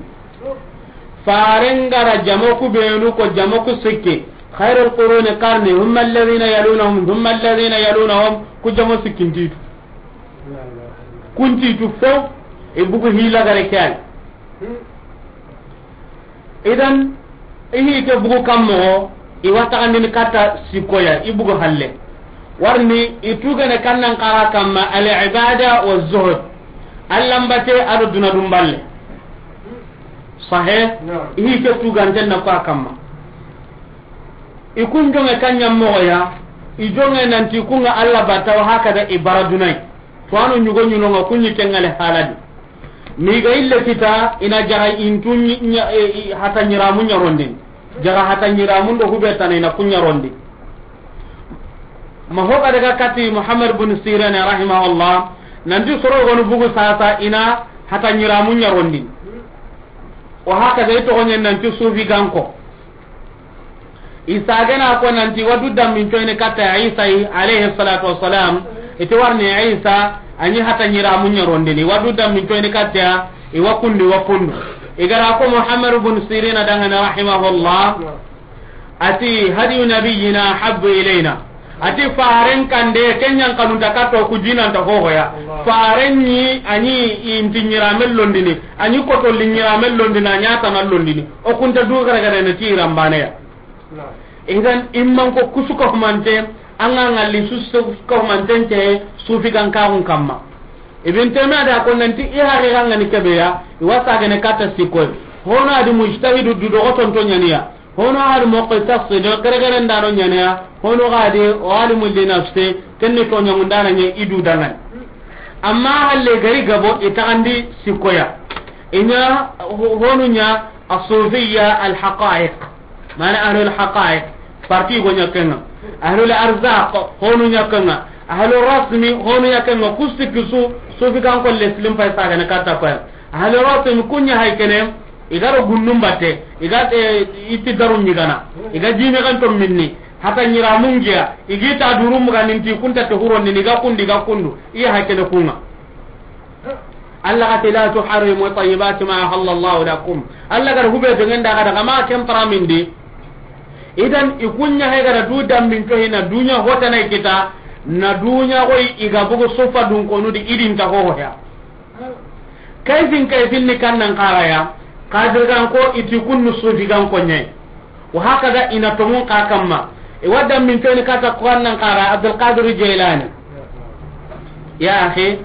Faren gara jamo ku benu ko jamo ku sikke. Khairul quruni qarni, thumma alladhina yalunahum, thumma alladhina yalunahum, ku jamo sikkintitu. Kuntitu fo, e bugu hila gare kay. Idan, i hi ke bugu kam moxo, i wa taxandini katta sikkoya, i bugu halle. Warni, i tugene kannan xara kamma, al ibada wa zuhd. Allambate ado duna dumballe. Sahe? I hi ke tuganten na ko a kamma. I kun jonge kanya moxoya, i jonge nanti kunga Allah bata wa hakada i bara dunay. To ano ɲugo ɲunonga kunyi kengale haladi. Mi ga ille kita ina jaga intu ɲi-, ɲa-, e, i, hata ɲiramu ɲarondin. Jaga hata ɲiramu ndo hubetana ina kuɲarondi. Ma hoga daga kati Muhammad bin Sirin rahimahullah, nanti soro gonu bugu sasa ina hata ɲiramu ɲarondin. Wa hakada i togonyen nanti sufi ganko. Isa gana ko nanti wadu dammin coyni katta Isa yi, alayhi salatu wassalam, iti warni Isa, anyi hata ɲiramu ɲarondini, wadu dammin coyni katta, i wa kundi, wa kundu. I gara ko Muhammad ibn Sirin dangana rahimahullah, ati, "Hadiyu nabiyyina habbu ilayna." Ati, "Faren kande, kenyan kanunta kato ku jinanta hohoya." Faren ni, anyi inti ɲiramen londini, anyi kotolli ɲiramen londini, anya tana londini. O kunta du gare gare ne ti rambane ya. Idan imman ko kusu ka humante, an ga ngalli su su ka humanten te sufi gan kaxun kamma. Ibn Taymiya da ko nanti i haqiqa ngani kebeya, i wasa gane kata sikoy. Hono adi mujtahidu du dogo tonto ɲaniya. Hono adi muqtasid, gare gare ndano ɲaniya. Hono gadi alimu li nafsi, kenni to ɲangundana ɲe idu dangan. Amma halle gari gabo i taxandi sikoya. Inya ho-, honu nya as-sufiyya al-haqa'iq. Mana ahlul haqa'iq, parti go ɲakenga. Ahlul arzaq, honu ɲakenga. Ahlul rasmi, honu ɲakenga. Kusti kisu, sufi kan ko leslim pay saga ne kata ko. Ahlul rasmi kunya hay kene, igaro gunnum batte, iga, eh, iti daru ɲigana. Iga jime kan to minni. Hata ɲira mungiya, i gi ta duru muga ninti kunta te huron ni ga kundi ga kundu, i ya hakene kunga. Allah ga ti, "La tuharrimu tayyibati ma ahallallahu lakum." Allah ga da hube do ngenda ga daga ma ken paramindi. Idan i kunya he ga da du dambin to hina dunya hotana kita, na dunya goy i ga bugu sufa dun konu di idin ta ho ya. Kayfin kayfin ni kannan karaya, Qadir gan ko iti kunnu sufi gan ko nyai. Wa hakada ina tongun ka kamma. E wadda min toni kata ko annan kara Abdul Qadir Jailani. Ya akhi,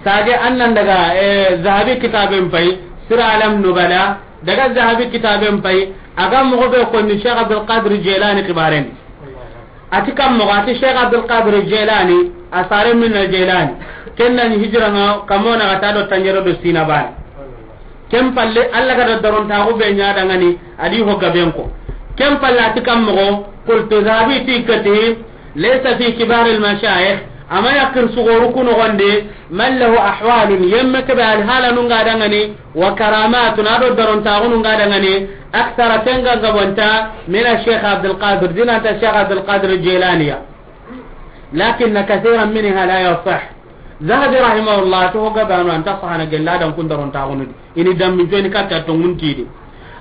sage annan daga, eh, Zahabi kitaben pay, Sira Alam Nubala, daga Zahabi kitaben pay, aga mo be ko ni Sheikh Abdul Qadir Jailani kibaren. Ati kam moxo, ati Cheikh Abdul Qadir Jailani, a sare min na Jailani. Ken na ni hijira nga kamona ga ta do tanjero do sina bane. Ken palle Allah ga da daron ta go be nya dangani, adi ho gaben ko. Ken palle ati kam moxo, qultu Zahabi ti kati, laysa fi kibar al mashayikh, ama yakir sugoru kuno gonde, man lahu ahwalun, yemme ke be al hala nunga dangani, wa karamatun, ado darontaxunu nga dangani, akthara, ken ga gabonta, min Cheikh Abdul Qadir, dinanta Cheikh Abdul Qadir Jailaniya. Lakinna kathiran minha la yasih. Zahabi rahimahullah, to gabanu anta sahana gella dan kun darontaxunu di. Ini dammi joni katta to nguntidi.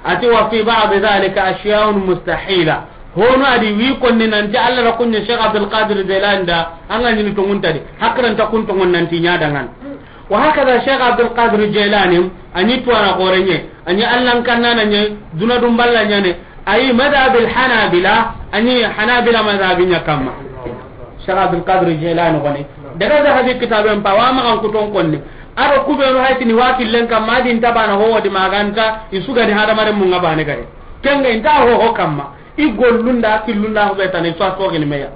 Ati wa fi ba'd dhalika ashyaun mustahila. Hono adi wi konni nanti Allah ra kunya Cheikh Abdul Qadir Jailani da, anga nyini to nguntadi. Hakranta kun to ngon nanti nya dangan. Wa hakada Cheikh Abdul Qadir Jailani, a ni tuwana xorenye, a ni Allan kannana nye, duna dum balla nyane, ayi madhhab al Hanabila, a ni Hanabila madhhabi nya kamma. Cheikh Abdul Qadir Jailani gone. Daga Zahabi kitaben pa wa magan kuton konni. Aro kubenu haytini wa killen kamma, adin tabana ho wadi maganta, isuga ni hadamare munga bane gare. Kenga inta ho ho kamma. I gollunda, killunda, ho be tani, so a sogini meya.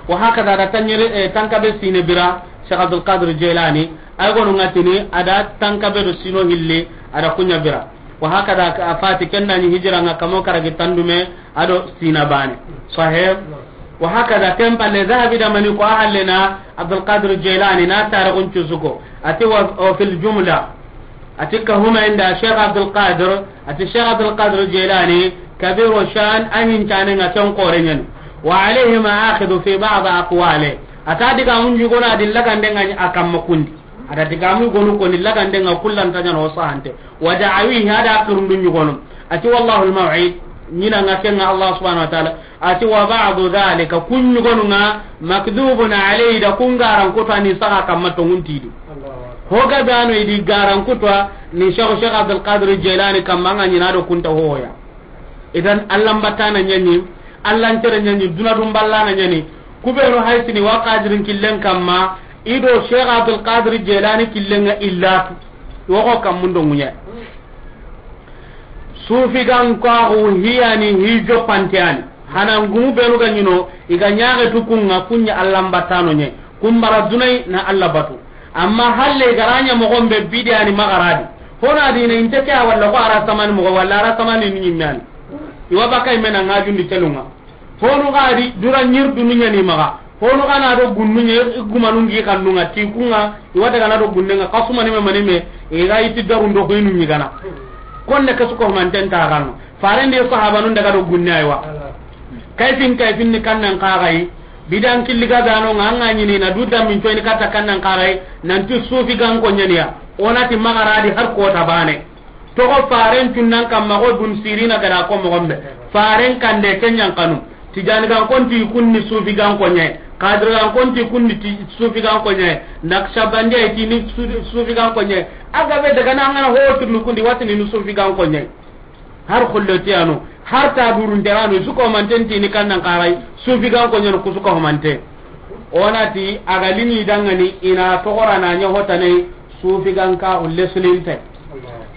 Wa hakada da tanyere, eh, tankabe sine bira, Cheikh Abdul Qadir Jailani, ay gonu ngatini, ada tankabe do sino hilli, ada kunya bira. Wa hakada ka afati kenna ni hijira nga kamo karagi tandume, ado sina bane. Sahih. Wa hakada ken palle Zahabi da mani ko ahallena Abdul Qadir Jailani na tarikhun cusuko. Ati wa, wa fil jumla. Ati ka huma inda Cheikh Abdul Qadir, ati Cheikh Abdul Qadir Jailani, kabiru shan, a hincane nga ken xore nyani. Wa alayhi ma'akhidu fi ba'd aqwali. Ata diga mun jugona di lagande nga ni a kamma kundi. Ada diga mun gonu ko ni lagande nga kullanta nyano sahante. Wa da'awihi, ada kirundu nyugono. Ati wallahu al-maw'id, nyina nga kenga Allah subhanahu wa ta'ala. Ati wa ba'du dhalika, kun nyugonu nga, makdhubun alayhi, da kun garan kutu a ni saga kamma to nguntidi. Ho ga dano idi garan kutu a ni Cheikh, Cheikh Abdul Qadir Jailani kamma nga nyina do kunta hoya. Idan Allah mbatana nyani, Allah ntere nyani, duna dum ballana nyani. Kubenu haysini wa Qadirin killen kamma, ido Cheikh Abdul Qadir Jailani killen nga illatu. Wo ko kammundo ngunya. Sufi gan kaxu hiyani hi joppante ani. Hana ngumu benu ga ɲino, i ga ɲaxe tu kunga kunya Allah mbatano ɲe. Kumbara dunai na Allah batu. Amma halle i ga ra ɲa moxon be bidiyani maxa ra di. Hona dina inte ke a walla ko ara samani moxo walla ara samani ni ɲimme ani. I wa baka i me na ŋajundi telunga. Honu ga di dura ɲir dunu ɲani maxa. Honu ga na do gunnu ɲe, i gumanu ngi xannu nga ti kunga, i wa daga na do gunne nga, xasuma ni me mani me, i ga iti daru ndo ko inu ɲi gana. Konne kasu ko manten ta gano. Faren de sahabanun daga do gunne aywa. Kayfin kayfin ni kannan kaxayi. Bidan killi ga gano nga anga ɲini na du dammin coyni katta kannan kaxayi. Nanti sufi gan ko ɲaniya. Onati maxa ra di har kota bane. Toxo faren cunnan kamma xo Bun Sirina ga da ko moxon be. Faren kande ke ɲankanu. Tijani gan konti kunni sufi gan ko ɲe. Qadir gan konti kunni ti sufi gan ko ɲe. Naqshbandi ay ti ni su-, sufi gan ko ɲe. A ga be daga na ngana ho turnu kundi watini ni sufi gan ko ɲe. Har xullotiyanu, har ta durunteranu, su ko manten ti ni kannan kaxayi, sufi gan ko ɲe ku su ko mante. Onati a ga lini dangani ina toxora na ɲa hotane. Sufi gan ka ulle sulinte.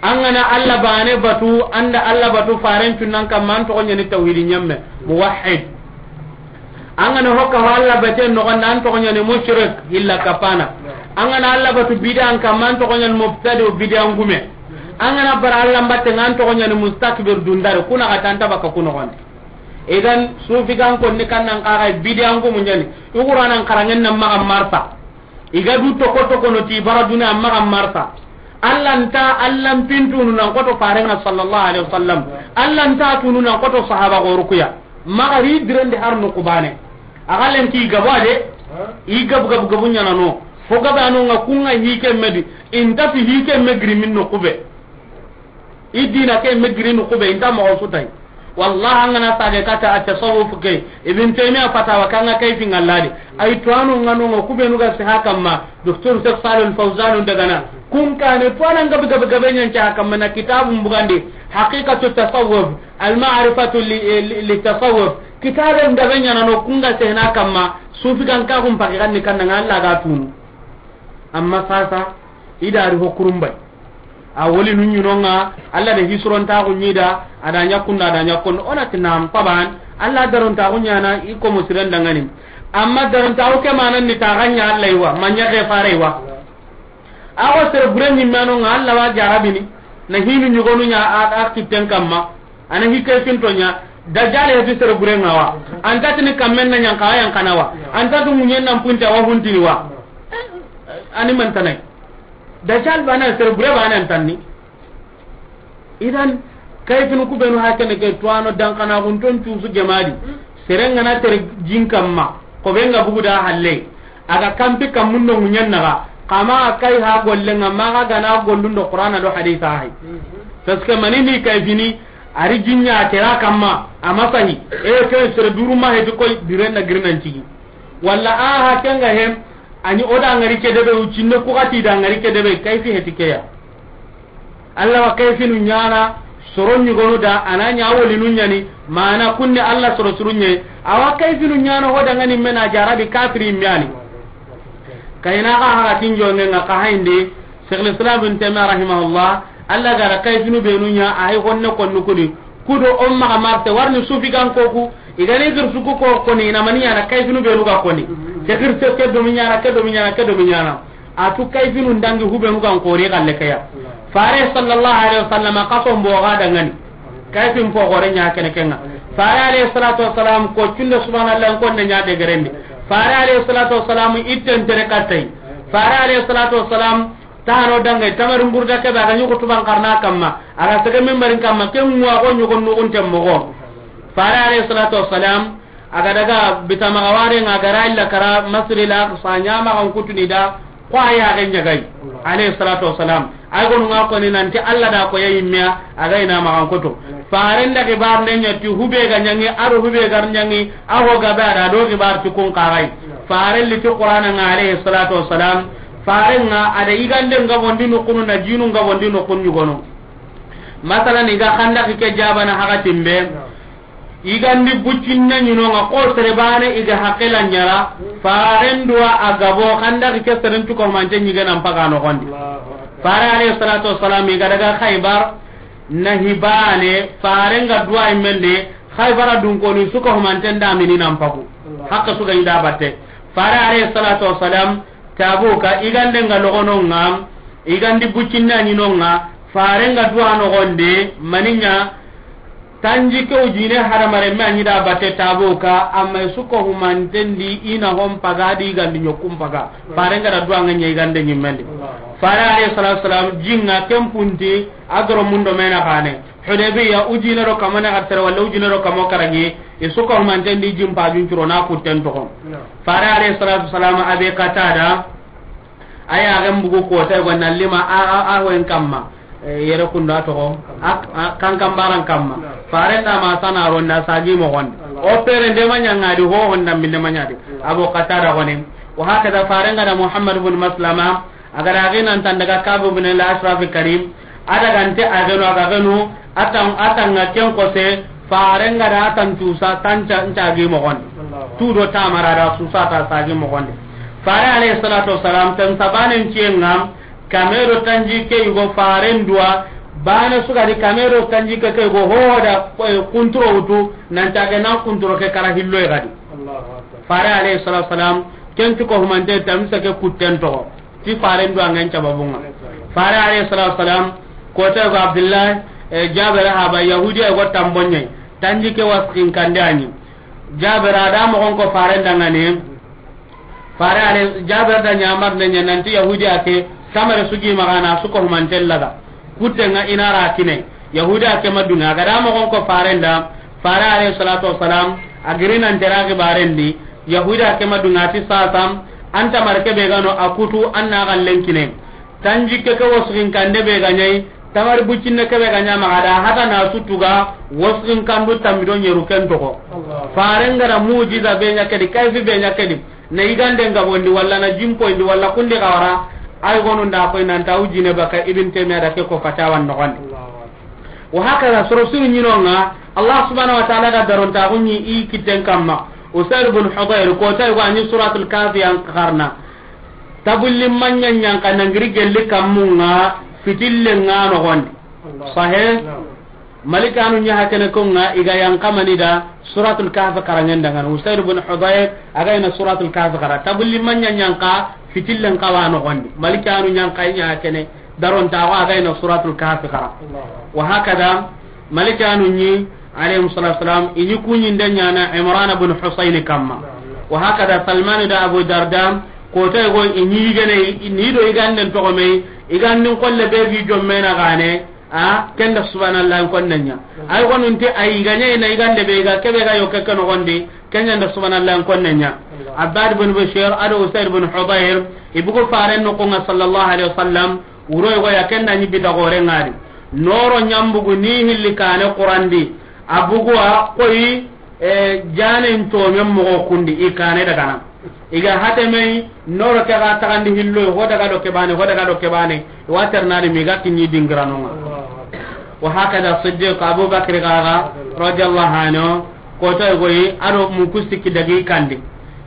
An gana Allah bane batu, anda Allah batu faren cunnan kamma an toxo ɲani tawhidi ɲamme, muwahhid. An gana hokka ho Allah bate noxon an toxo ɲani mushrik, illa kapana. An gana Allah batu bidan kamma an toxo ɲani mubtadi, bidan gume. An gana bara Allah batte an toxo ɲani mustakbir dundare, kuna ga tanta baka kuno gon. Idan sufi gan konni kannan kaxayi bidan gumu ɲani. I Qur'anan karangen nan maxa marsa. I ga du toko toko no ti bara duna amma ga marsa. Allah nta, Allah mpintunu nan koto farenga sallallahu alaihi wasallam. Allah nta tunu nan koto sahaba goru kuya. Maxa ri direndi har noqu baane. A ga lenki gabo a de, i gab gab gabu ɲaana no. Fo gabe a no ŋa ku ŋa hi ke me di, i nta fi hi ke me giri min noqu be. I diina ke me giri noqu be, i nta moxo su tay. Wallahi, an ga na sage kata a tasawuf ke, Ibn Taymiya fatawa kan ŋa kayfi ŋa la de. Ay tuwaano ŋa no ŋa ku be nu ga si ha kamma, Docteur Cheikh Salih Al Fawzan daga na. Kun kaane tuwaana gabe gabe gabe ɲa nca ha kamma na kitaabun bugandi, Haqiqatu Tasawuf, Al Ma'rifatu li, li, li Tasawuf. Kitaabe gabe ɲaana no ku ŋa sehena kamma, sufi kan ka kun paki kan ni kan ŋa Alla ga tunu. Amma sasa, i da ri ho kurumbay. A woli nu ɲi no ŋa, Alla da hisurontaxu ɲi da, a da ɲa kunda, a da ɲa kunda. O na ti nan paban, Alla darontaxu ɲaana, i komo siren dangani. Amma darontaxu ke manan ni ta ga ɲa Alla yi wa, ma ɲa ke fare yi wa. A xo sere bure ɲi me no ŋa, Alla wa jarabini, na hinu ɲugonu ɲa a, a kitten kamma. A na hi kayfinto ɲa, Dajjal heti sere bure ŋa wa. An ta tini kammen na ɲanka wa yan kana wa. An ta tu ŋuɲen nan punta wa huntini wa. A ni man tanay. Dajjal baane, sere bure baane an tanni. Idan, kayfinu ku be nu hakene ke tuwaano dankana gunton tuusu gemadi. Sere ŋa na tere jin kamma, ko be ŋa bugu da halle. A ga kampi kammun do ŋuɲen naxa, xa maxa kay ha golle ŋa, maxa ga na gollun do Qur'ana do hadisa hay. Parce que mani ni kayfini, a ri jin ɲa kera kamma, a ma sahi. E ke sere duru ma heti koy, diren na girinan cigi. Walla a ha ke ŋa hem, a ɲi o da ŋari ke debe, u cinne ku xati da ŋari ke debe, kayfi heti ke ya. Alla wa kayfinu ɲaana, soro ɲugonu da, a na ɲa wolinu ɲaani, maana kunni Alla soro suru ɲe, a wa kayfinu ɲaana ho dangani me na jarabi kafiri me ya ni. Kayna xa haxatin jonŋe ŋa xa hayndi, Cheikh al-Islam Ibn Taymiyyah rahimahullah, Alla ga da kayfinu be nu ɲa, a hay honne konnu kudi, Kudo o maxa marte, warni sufi gan ko ku, i ga ni gir su ku ko koni, i na mani ɲaana kayfinu be nu ga koni. Ke gir se ke do mi ɲaana, ke do mi ɲaana, ke do mi ɲaana. A tu kayfinu ndangi hube nu gan kori galle ke ya. Fare sallallahu alaihi wasallam ka so mbo ga dangani. Kayfin fo gore ɲa kene ke ŋa. Fare alayhi salatu wassalam ko cunde subhanallah ko ne ɲa de gerendi. Fare alayhi salatu wassalam itten tere kattay. Fare alayhi salatu wassalam Tano dange, tamarin burda ke be, a ga ɲi xutuban xarana kamma, a ga sege minbarin kamma, ken ŋuwa xo ɲogon nuxunten moxo. Fare alayhi salatu wassalam, a ga daga bitamaxa ware ŋa, a ga ra illa kara Masjidil Aqsa ɲa, maxa n kutuni da, xo a yaxe ɲagay, alayhi salatu wassalam. Ay gonu ŋa koni nanti Alla da ko ya yimmiya, a ga ina maxa n kutu. Faren da xibar ne ɲa ti hube ga ɲangi, a do hube gar ɲangi, a ho ga be a da do xibar ti kun xaxay. Faren li ti Qur'ana ŋa alayhi salatu wassalam, Faren ŋa a da yigande nga bondi noxunu na jinu nga bondi noxun ɲugonu. Masalan, i ga xandaki ke jabana hakatin be, yigandi buccinne ɲi no ŋa xo sere bane i ga haqila ɲara, faren duwa a gabo xandaki ke seren cuka humante ɲige nan paga noxondi. Fare alayhi salatu wassalam i ga daga Khaybar, na hibane, faren ga duwa immende, Khaybara dunkoni suka humanten da mini nan pagu. Hakka suka i da batte. Fare alayhi salatu wassalam, Tabuka, igande nga logono nga, igandi bucinna ɲino nga, fare nga duwa nogonde, maninya, tanji ke ujine hadamare me anyi da batte Tabuka, amma suko humantendi ina hon paga di igandi ɲokum paga. Fare nga da duwa nga ɲa igande ɲimmendi. Fare alayhi salatu wassalam, jinga kempunti, agro mundo mena kane. Hudaybiya, ujine do kamane xartere, walla ujine do kamo karagi, i suka humantendi jimpa juncuro na kutten toxo. Fare alayhi salatu wassalam, Abi Qatada, aya ga mbugu kota go na lima a, a, a hoyen kamma, e, yere kunda toxo, a, a, kan kambaran kamma. Fare nda ma sana ronda sagi moxon. O pere nde manya ngadi ho honda minde manya di. Abu Qatada gone. Wa hakada fare nga da Muhammad ibn Maslama, A ga da ginan tan daga Kabu bin al-Ashraf Karim, a daga nte a geno, a ga geno, atan, atan nga ken kose, fare nga da atan tusa, tan ca, nca gi moxondi. Tu do tamara da susa ta sagi moxondi. Fare alayhi salatu wassalam, tan sabanen ciyen nga, kame do tanji ke yugo faren duwa, bane suga di kame do tanji ke ke yugo hoda, eh, kunturo wutu, nan ca ge nan kunturo ke kara hillo gadi. Fare alayhi salatu wassalam, ken cuko humante tamsa ke kutten toxo. Ti faren duwa ngen cababunga. Fare alayhi salatu wassalam, kota go Abdullah, e, Jabir haba, Yahudiya go tambonye. Tanji ke waskin kande ani. Jabir a da moxon ko faren dangane. Fare ale, Jabir da ɲamar ne ɲa nanti Yahudiya ke, samare sugi magana suko humanten laga. Kutte nga inara kine. Yahudiya ke madunga, a ga da moxon ko faren da, Fare alayhi salatu wassalam, a giri nan tera xibarendi, Yahuda ke ma dunga ti sasam, an tamar ke be ga no a kutu, an na xallen kine. Tanjikke ke wasuxin kande be ga ɲa yi, tamar buccinne ke be ga ɲa maxa da, hata na su tuga, wasuxin kandu tammi do ɲeru ken toxo. Allah. Faren ga da mujiza be ɲa ke di, kayfi be ɲa ke di, na yiganden gabondi, walla na jimpoyindi, walla kundi xawara, ay gonu nda koy nan ta wujine baka Ibn Taymiya da ke ko fatawan noxondi. Allahu akbar. Wa hakaza, soro sunu ɲinonga, Allah subhanahu wa ta'ala da darontaxu ɲi i kitten kamma. Usaid bin Hudayr, kota yugo a ɲi Suratul Kahfi yan xarana. Tabulli manɲa ɲanka nangiri gelli kammunga, fitillenga noxondi. Allah. Sahih? Naam. Malikanu ɲa hakene konga, i ga yankamani da Suratul Kahfi xaranŋen dangana. Usaid bin Hudayr, a ga ina Suratul Kahfi xara. Tabulli manɲa ɲanka, fitillen kawa noxondi. Malikanu ɲanka i ɲa hakene. Darontaxu a ga ina Suratul Kahfi xara. Allahu akbar. Wa hakada, malikanu ɲi, alayhim salatu wassalam, i ɲi kuɲinde ɲana Imran bin Husayn kamma. Naam, naam. Wa hakada, Salman da Abu Darda, kota yugo i ɲi yigene, ni do yiganden toxo me, yigandin xolle be gi jommena gane, a, kenda subhanallah konne ɲa. Naam. Ay gonunti ay ga ɲa ina yigande be ga, kebe ga yo ke ke noxondi, Kenya nda subhanallah konne ɲa. Abbad bin Bashir ado Usaid bin Hudayr, i bugu faren noxonga sallallahu alayhi wasallam, wuro yugo ya kenda ɲi bita gore ngari. Noro ɲambugu ni hilli kane Qurandi, a bugu a koyi, e, janen tomen moxo kundi, i kane dagana. I ga hateme, noro ke ga taxandi hillo, ho daga do ke bane, ho daga do ke bane, wa ternari mi ga kiɲi dingiranonga. Wa hakada Siddiq Abu Bakr gaga, radiyallahu anhu, kota yugo yi, ado muku sikki dagi kandi.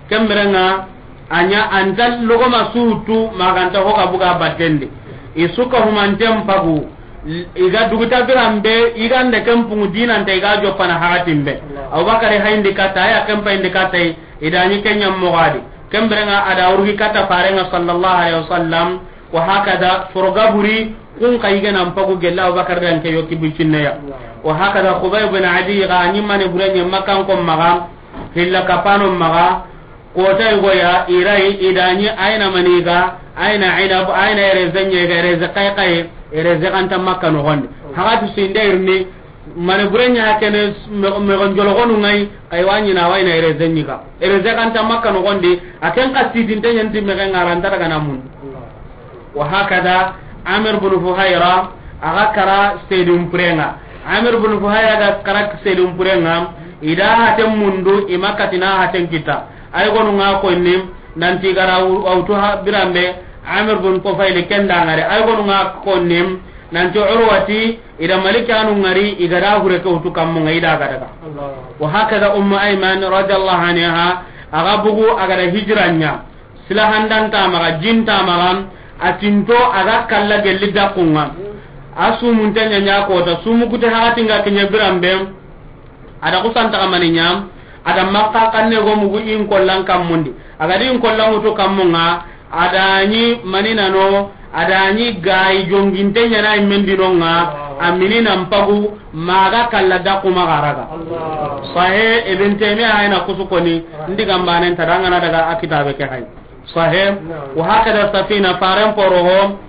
Kemberenga, a ɲa anta logoma sutu, maganta hoga buga battendi. I suka humanten pagu, i ga duguta biranbe, i ga nde kempungu dinante, i ga joppana hagatimbe. Abu Bakari hayndi katta, aya kempa indi katta, i da ɲi kenya mogadi. Kemberenga, a da urgi katta farenga sallallahu alayhi wasallam, Wa hakada, soro gaburi, kun xa yige nan pagu gella Abubakar dan ke yoki bucinne ya. Wa hakada, Xubay bin Adi ga ɲi mane burenye Makkan ko maxa, hilla kapano maxa, kota yugo ya, i ri, i da ɲi ayna maniga, ayna inab, ayna erezenye ga, ereze qayqay, ereze ganta Makka noxondi. Hagati sinde irni, Mane bure ɲa kene, me, me gon jolo gonu ngai, kay wa ɲi na wa ina ereze ɲi ga. Ereze ganta Makka noxondi, a ken xa sidinte ɲanti me ga ngaranta daga na mun. Wa hakada, Amir bin Fuhayra, a ga kara sedun purenga. Amir bin Fuhayra ga kara sedun purenga, i da haten mundu, i ma katina haten kita. Ay gonu nga konni, nanti gara wu-, awtu ha birambe, Amir bin Tufayli kenda ngare. Ay gonu nga konni, nanti Urwati, i da Malikanu ngari, i ga da hure ke wutu kammu nga i da ga daga. Allahu Akbar. Wa hakada Ummu Ayman radiyallahu anha, a ga bugu, a ga da hijira ɲa. Silahandan ta maxa, jin ta maxa, a tinto a ga kalla gelli dakunga. A sumunte ɲa ɲa kota, sumu kute hakatinga kiɲe birambe. A da kusanta xa mani ɲa, a da Makka xanne go mugu in kollan kammundi. A ga di in kollan wutu kammunga, a da ɲi mani nano, a da ɲi gayi jonginte ɲana i mendinonga, a mini nan pagu, maga kalla daku maxa raga. Sahe, Ibn Taymiya hayna kusu koni, ndi gambanen ta dangana daga a kitabe ke hay. Sahe, wa hakada Safina faren poroho,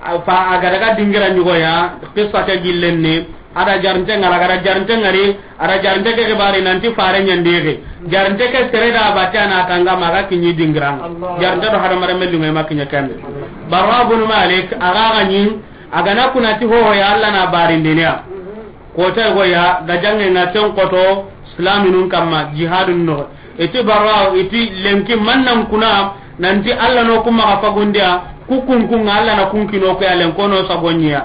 A fa a ga daga dingira ɲugoya, qissa ke gillen ni, a da jarinte ngara, a ga da jarinte ngari, a da jarinte ke xibari nanti fare ɲandixi. Jarinte ke sere da batte a na tanga maxa kiɲi dingiranga. Allah. Jarinte do hadamaren mellingo ma kiɲe kende. Barra bin Malik, a ga ga ɲi, a ga na kunati hoho ya Allah na barindiniya. Kota go ya, ga jange na ten koto, silaminun kamma, jihadun no. Iti Barra, iti lenki mannan kuna, nanti Allah no kuma ga fagundiya, ku kunkun Allah na kunkino ko ya lenkono sagonyiya.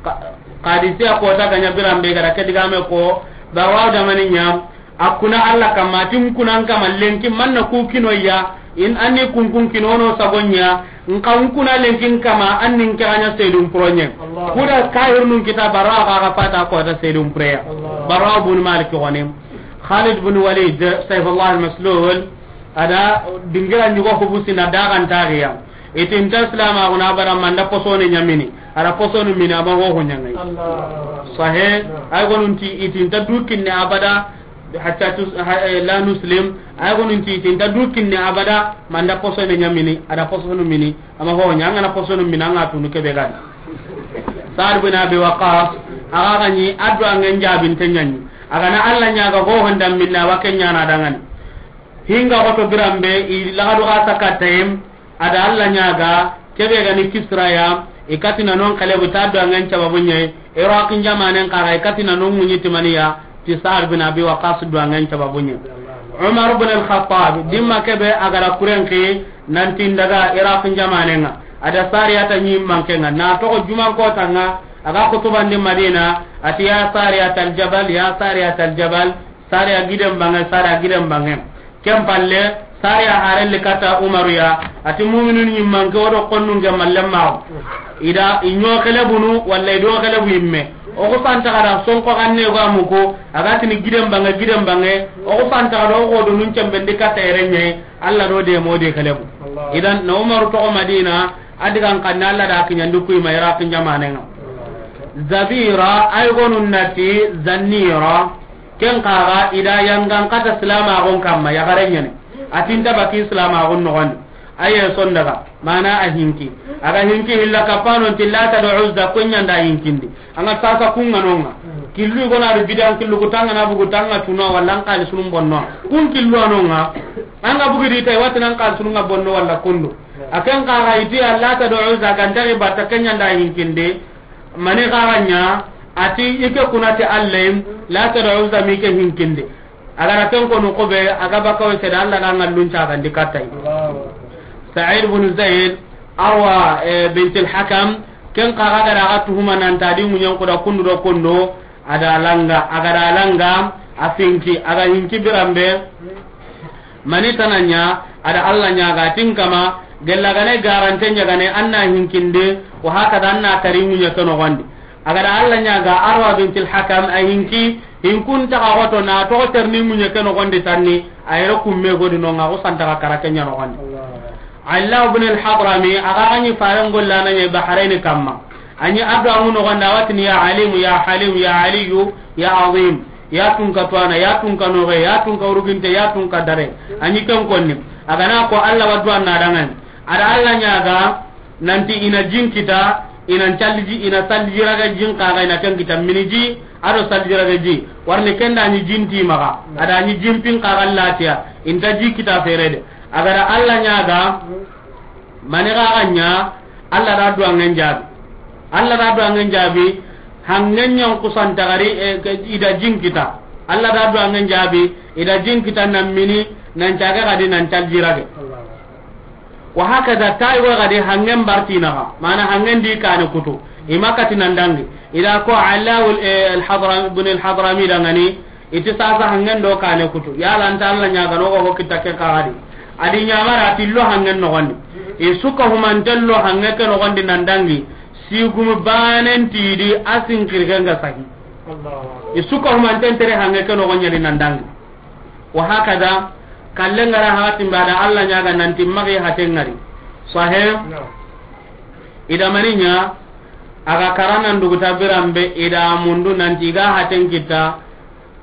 Ka-, Qadisiya kota ga ɲa birambe ga da ke digame ko, Barra da mani ɲa, a kuna Allah kamma, tin kunan kamma lenki manna ku kino ya, in anni kunkun kinono sagonya, nka nkuna lenkin kama annin kanya sedum proñe. Allah. Kuda kahirnun kita Barra ga ga fata ko ta sedum preya. Allah. Barra bin Malik goni. Khalid bin Walid, Saifullah al-Maslul, a da dingira ɲugo hubusi na dagan tagiya. Itinta Islam a guna bara manda posone ɲamini. Ara posonu mini ama ho ho ɲangai. Allah. Sahe, ay gonunti itinta dukinne abada, hatta tus-, ha, eh, la nuslim, ay gonun ti, tinta du kinne abada, manda posone ɲamini, a da posonu mini, ama ho ɲa, a ngana posonu mini, a nga tunu kebe gani. Sa'd bin Abi Waqqas, a ga ga ɲi, a do a ngen jabinte ɲa ɲi. A ga na Alla ɲaaga ho honda minna, wa ke ɲaana dangani. Hinga xoto biranbe, i lagadu xa saka tayem, a da Alla ɲaaga, kebe ga ni Kisra ya, i katina non kalebu ta do angen sababu ɲe, Iraq jamanen xa ga i katina non ŋuɲi timaniya, ti Sa'ad bin Abi Waqqas do angen sababu ɲe. Umar bin al-Khattab, dimma kebe a ga ra kuren ki, nanti n daga Iraq jamanen ŋa, a da Sariyata ɲi manke ŋa, na toxo juman kota ŋa, a ga xutubandi Madina, a ti, "Ya Sariyatal Jabal, ya Sariyatal Jabal, Sariya giden bange, Sariya giden bange." Ken palle, Sariya harelli kata Umaru ya, a ti, "Muminun ɲi manke, o do konnun ke malle maxu." I da, i ɲo xelebunu, walla i do xelebu yimme. O ku fanta xa da sonko xanne ga muku, a ga tini giden bange, giden bange, o ku fanta xa da o xo do nun cembendi kata erenye, Alla do de mo de xelebu. Allah. Idan, na Umaru toxo Madina, a digan xanne Alla da kiɲandi kuyi ma Iraq jamanen ŋa. Zabira, ay gonu nati Zannira, ken xa ga i da yangan kata silamaxun kamma, yaxare ɲene. A ti nta baki silamaxun noxondi. Aye sondaga, mana a hinki. A ga hinki hilla kapano nti Lata do Uzza, ko ɲanda hinkindi. An ga sasa kun ŋa no ŋa. Killu gona do bidan killu ku tanga na bugu tanga tuno walla an xalisunun bonno. Kun killu a no ŋa. An ga bugu di tay wati nan xalisunun ŋa bonno walla kundu. A ken xa ga i ti Lata do Uzza ga nta i batta, ke ɲanda hinkinde. Mani xa ga ɲa, a ti i ke kuna ti Alla, Lata do Uzza mi ke hinkinde. A ga ra ken konu xo be, a ga bakawe sede, Alla ga ŋallun cagandi katta i. Allahu Akbar. Sa'id bin Zaid, Arwa, eh, bintil Hakam, ken xa ga da a ga tuhuma nan ta di ŋuɲen kuda kundu do kundu, a da langa, a ga da langa, a finki, a ga hinki biranbe, mani tana ɲa, a da Alla ɲaaga, tin kama, gella gane garante ɲagane, an na hinkinde, wa hakada an na tari ŋuɲe ke noxondi. A ga da Alla ɲaaga, Arwa bintil Hakam, a hinki, hinkun taga xoto na toxo terni ŋuɲe ke noxondi tanni, a yere kumme godi no ŋa, xo santaga kara ke ɲa noxondi. Allah. Alla ibn al-Hadrami, a ga ga ɲi faren gollana ɲe Bahrain kamma. A ɲi addu'a ŋu noxondi, a wa tini, "Ya Alimu, ya Halimu, ya Aliyu, ya Azim, ya tunka tuwana, ya tunka noxe, ya tunka uruginte, ya tunka dare." A ɲi ken konni. A ga na ko Alla wa du'a na dangani. A da Alla ɲaaga, nanti i na jin kita, i na ncalliji, i na salliji raga jin xa ga i na ken kita mini ji, a do salliji raga ji. Warni ken da ɲi jin ti maxa, a da ɲi jin pin xa ga latiya, i nta ji kita fere de. A ga da Alla ɲaaga, mani xa ga ɲa, Alla da du'a ŋen jaabi. Alla da du'a ŋen jaabi, hangen ɲan kusanta gari, eh, ke, i da jin kita. Alla da du'a ŋen jaabi, i da jin kita nan mini, nan caga gadi nan calji rage. Wa hakada, tayi go gadi hangen bartinaxa, mana hangen di kane kutu, i ma kati nan dangi. I da ko Alawul, eh, al-Hadram-, ibn al-Hadrami dangani, i ti sasa hangen do kane kutu. Yala nta Alla ɲaagano go ho kita ke xa gadi. A di ɲamara ti lo hangen noxondi. I su ka humanten lo hange ke noxondi nan dangi. Sigumi banen ti di a sin xirgen ga sahi. Allah. I su ka humanten tere hange ke noxon ɲa di nan dangi. Wa hakada, kallen ga ra hakatin ba da Alla ɲaaga nanti magi haten ŋari. Sahe? Naam. I da mani ɲa, a ga karanan duguta biranbe, i da mundu nanti i ga haten kita,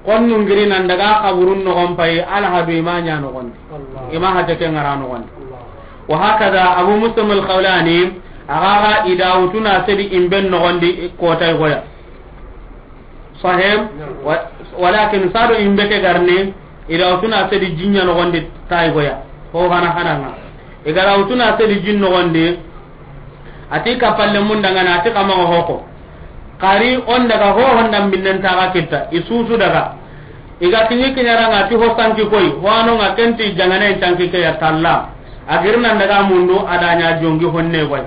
konnu ngiri nan daga kaburun noxon payi, alhadu i ma ɲa noxondi. Allah. I ma hate ke ŋara noxondi. Allah. Wa hakada, Abu Muslim al-Khawlani, a ga ga i da wutuna sedi imben noxondi kotay goya. Sahib, wa-, walakin sado imbe ke garni, i da wutuna sedi jin ɲa noxondi tayi goya. Ho hana hana ŋa. I ga ra wutuna sedi jin noxondi, a ti kapalle mun dangana, a ti kama hoko. Kari on daga ho honda minnen taga kitta, i susu daga. I ga kiɲi kiɲara ŋa ti ho sanki koy, ho ano ŋa kenti jangane sanki ke ya talla. A girna daga mundu, a da ɲa jongi honne goy.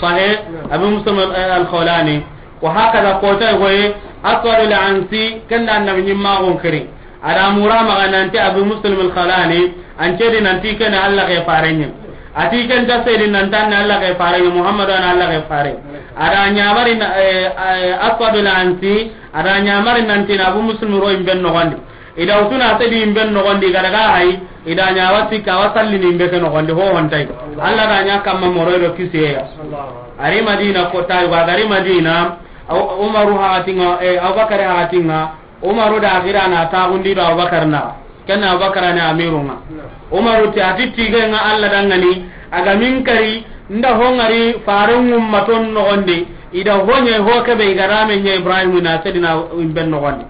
Sahe, Abi Muslim al-, al-Khawlani. Wa hakada kotay goye, Aswadul Ansi, ken da annabi ɲimmaxun kiri. A da mura maxa nanti Abi Muslim al-Khawlani, an cedi nanti ken Alla ke fare ɲi. A ti ken ta sedi nanti an Alla ke fare ɲi, Muhammadu an Alla ke fare. A da ɲamari na, eh, eh, Aswadul Ansi, a da ɲamari nanti na Abu Muslim ro imben noxondi. I da wutuna sedi imben noxondi, i ga daga hay, i da ɲa wa sikka, wa sallini imbe ke noxondi, ho hontay. Alla da ɲa kamma moro do kisiye ya. Ari Madina kotay, wa gari Madina, Aw-, Umaru hakatin ŋa, eh, Abubakar hakatin ŋa, Umaru da gira na taxundi do Abubakar na, ken na Abubakar ni amiru ŋa. Umaru ti a ti tige ŋa Alla dangani, a ga min kari, nda ho ŋari faren ŋummaton noxondi, i da ho ɲe ho kebe i ga rame ɲe Ibrahim na sedina imben noxondi.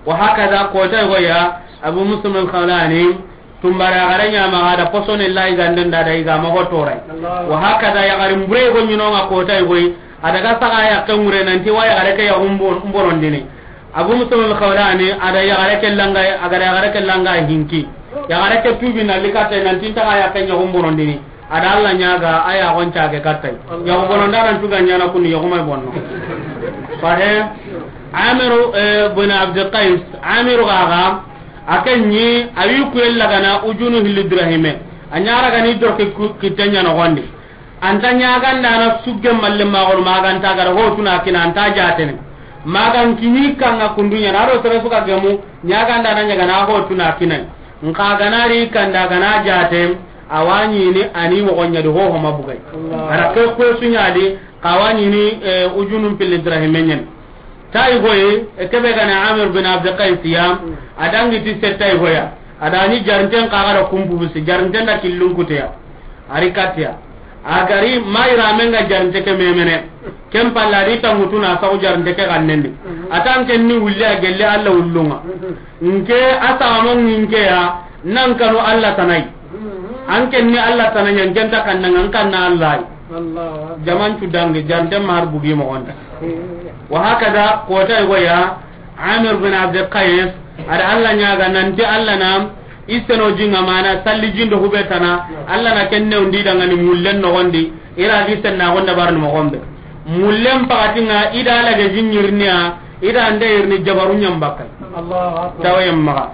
Wa hakaza, kota yogo ya, Abu Muslim al-Khawlani, tumbara yaxare ɲa ma ga da posone la yiganden da, da yiga ma ho toray. Wa hakaza, yaxarin bure yogo ɲi no ŋa kota yogo yi, a daga saga yaqqen ŋure nanti wa yaxare ke yaxu n bo-, n bonondini. Abu Muslim al-Khawlani, a da yaxare ke langa, a ga da yaxare ke langa hinki. Yaxare ke tubi na likate nanti n taga yaqqen yaxu n bonondini. A da Alla ɲaga, a ya gon cage kattay. Yaxu bononda nan tuga ɲana kuni yaxu may bonno. Sahe. Amiru, eh, bin Abdul Qais, Amiru gaga, a ken ɲi, a wi kuyel lagana ujunu hilli dirahime. A ɲara gani dorke ku-, kitten ɲa nogondi. Anta ɲaganda na sugge malle magol maganta gara hotuna kina anta jatene. Magan kini kanga kundunya na ro sere suka gemu ɲaganda na ɲagana hotuna kinai. Nka gana ri kanda gana jate, a wa ɲini a ni moxo ɲa di hoho ma bugay. Allah. A ra ke ko su ɲa di, xa wa ɲini, eh, ujunun pilli dirahime ɲen. Tayi goyi, e kebe gana Amir bin Abdul Qais ya, a dangi ti se tayi goya. A da ni jarinten xa ga da kumbu bisi, jarinten da killun kuteya. A ri katiya. A gari ma yiramen ga jarinte ke memene. Ken palla di tangutu na saxu jarinte ke xannendi. A tan ken ni wulli a gelle Alla wullunga. Nke a saxamo nke ya nan kanu Alla tanai. An ken ni Alla tanai, an ken ta kannanga, an kanna Alla yi. Jaman tu dangi, jarinte ma har bugi moxonda. Wa hakaza, kota yogo ya, Amir bin Abdul Qais, a da Alla ɲaga nanti Alla na i seno jinga mana salli jindo hube tana, Alla na ken newndi dangani mullen nogondi, i ra gi senna gonda barni mogombe. Mullen pakatinga i da Alla ge jinyirniya, i da nde irni jabaru ɲambakka. Allahu Akbar. Tawayen maga.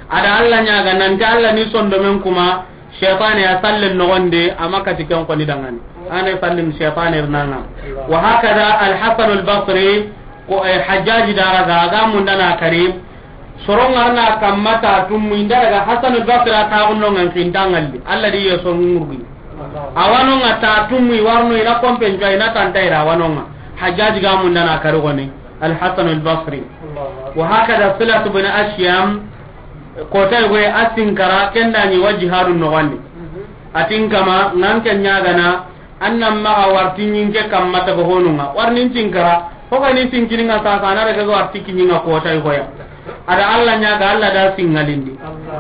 A da Alla ɲaga nanti Alla ni sondomen kuma, Shaytane ya sallen nogondi, a ma kati ken koni dangani. Ane sallin shaytane rnanga. Wa hakada Al-Hasan Al-Basri, ko, eh, Hajjaji daraga, aga mundana kari. Sorongarna kamma ta tummu inda daga Hasan Al-Basri a taxunnongan kintangalli. Alla di yeso ngurgi. Awanonga ta tummu i warno ina kompen jwa ina tantaira awanonga. Hajjaji ga mundana kari goni. Al-Hasan Al-Basri. Wa hakada Silat bin Ashyam, kota yogo ye a sinkara, ken da ɲi wa jihadu nogondi. A tin kama, nan ken ɲagana, an nan maxa warti ɲinke kamma taga honunga. Warnin sinkara, ho ga ni sinkininga sasa, na daga warti kiɲinga kota yogo ya. A da Alla ɲaga, Alla da singalindi.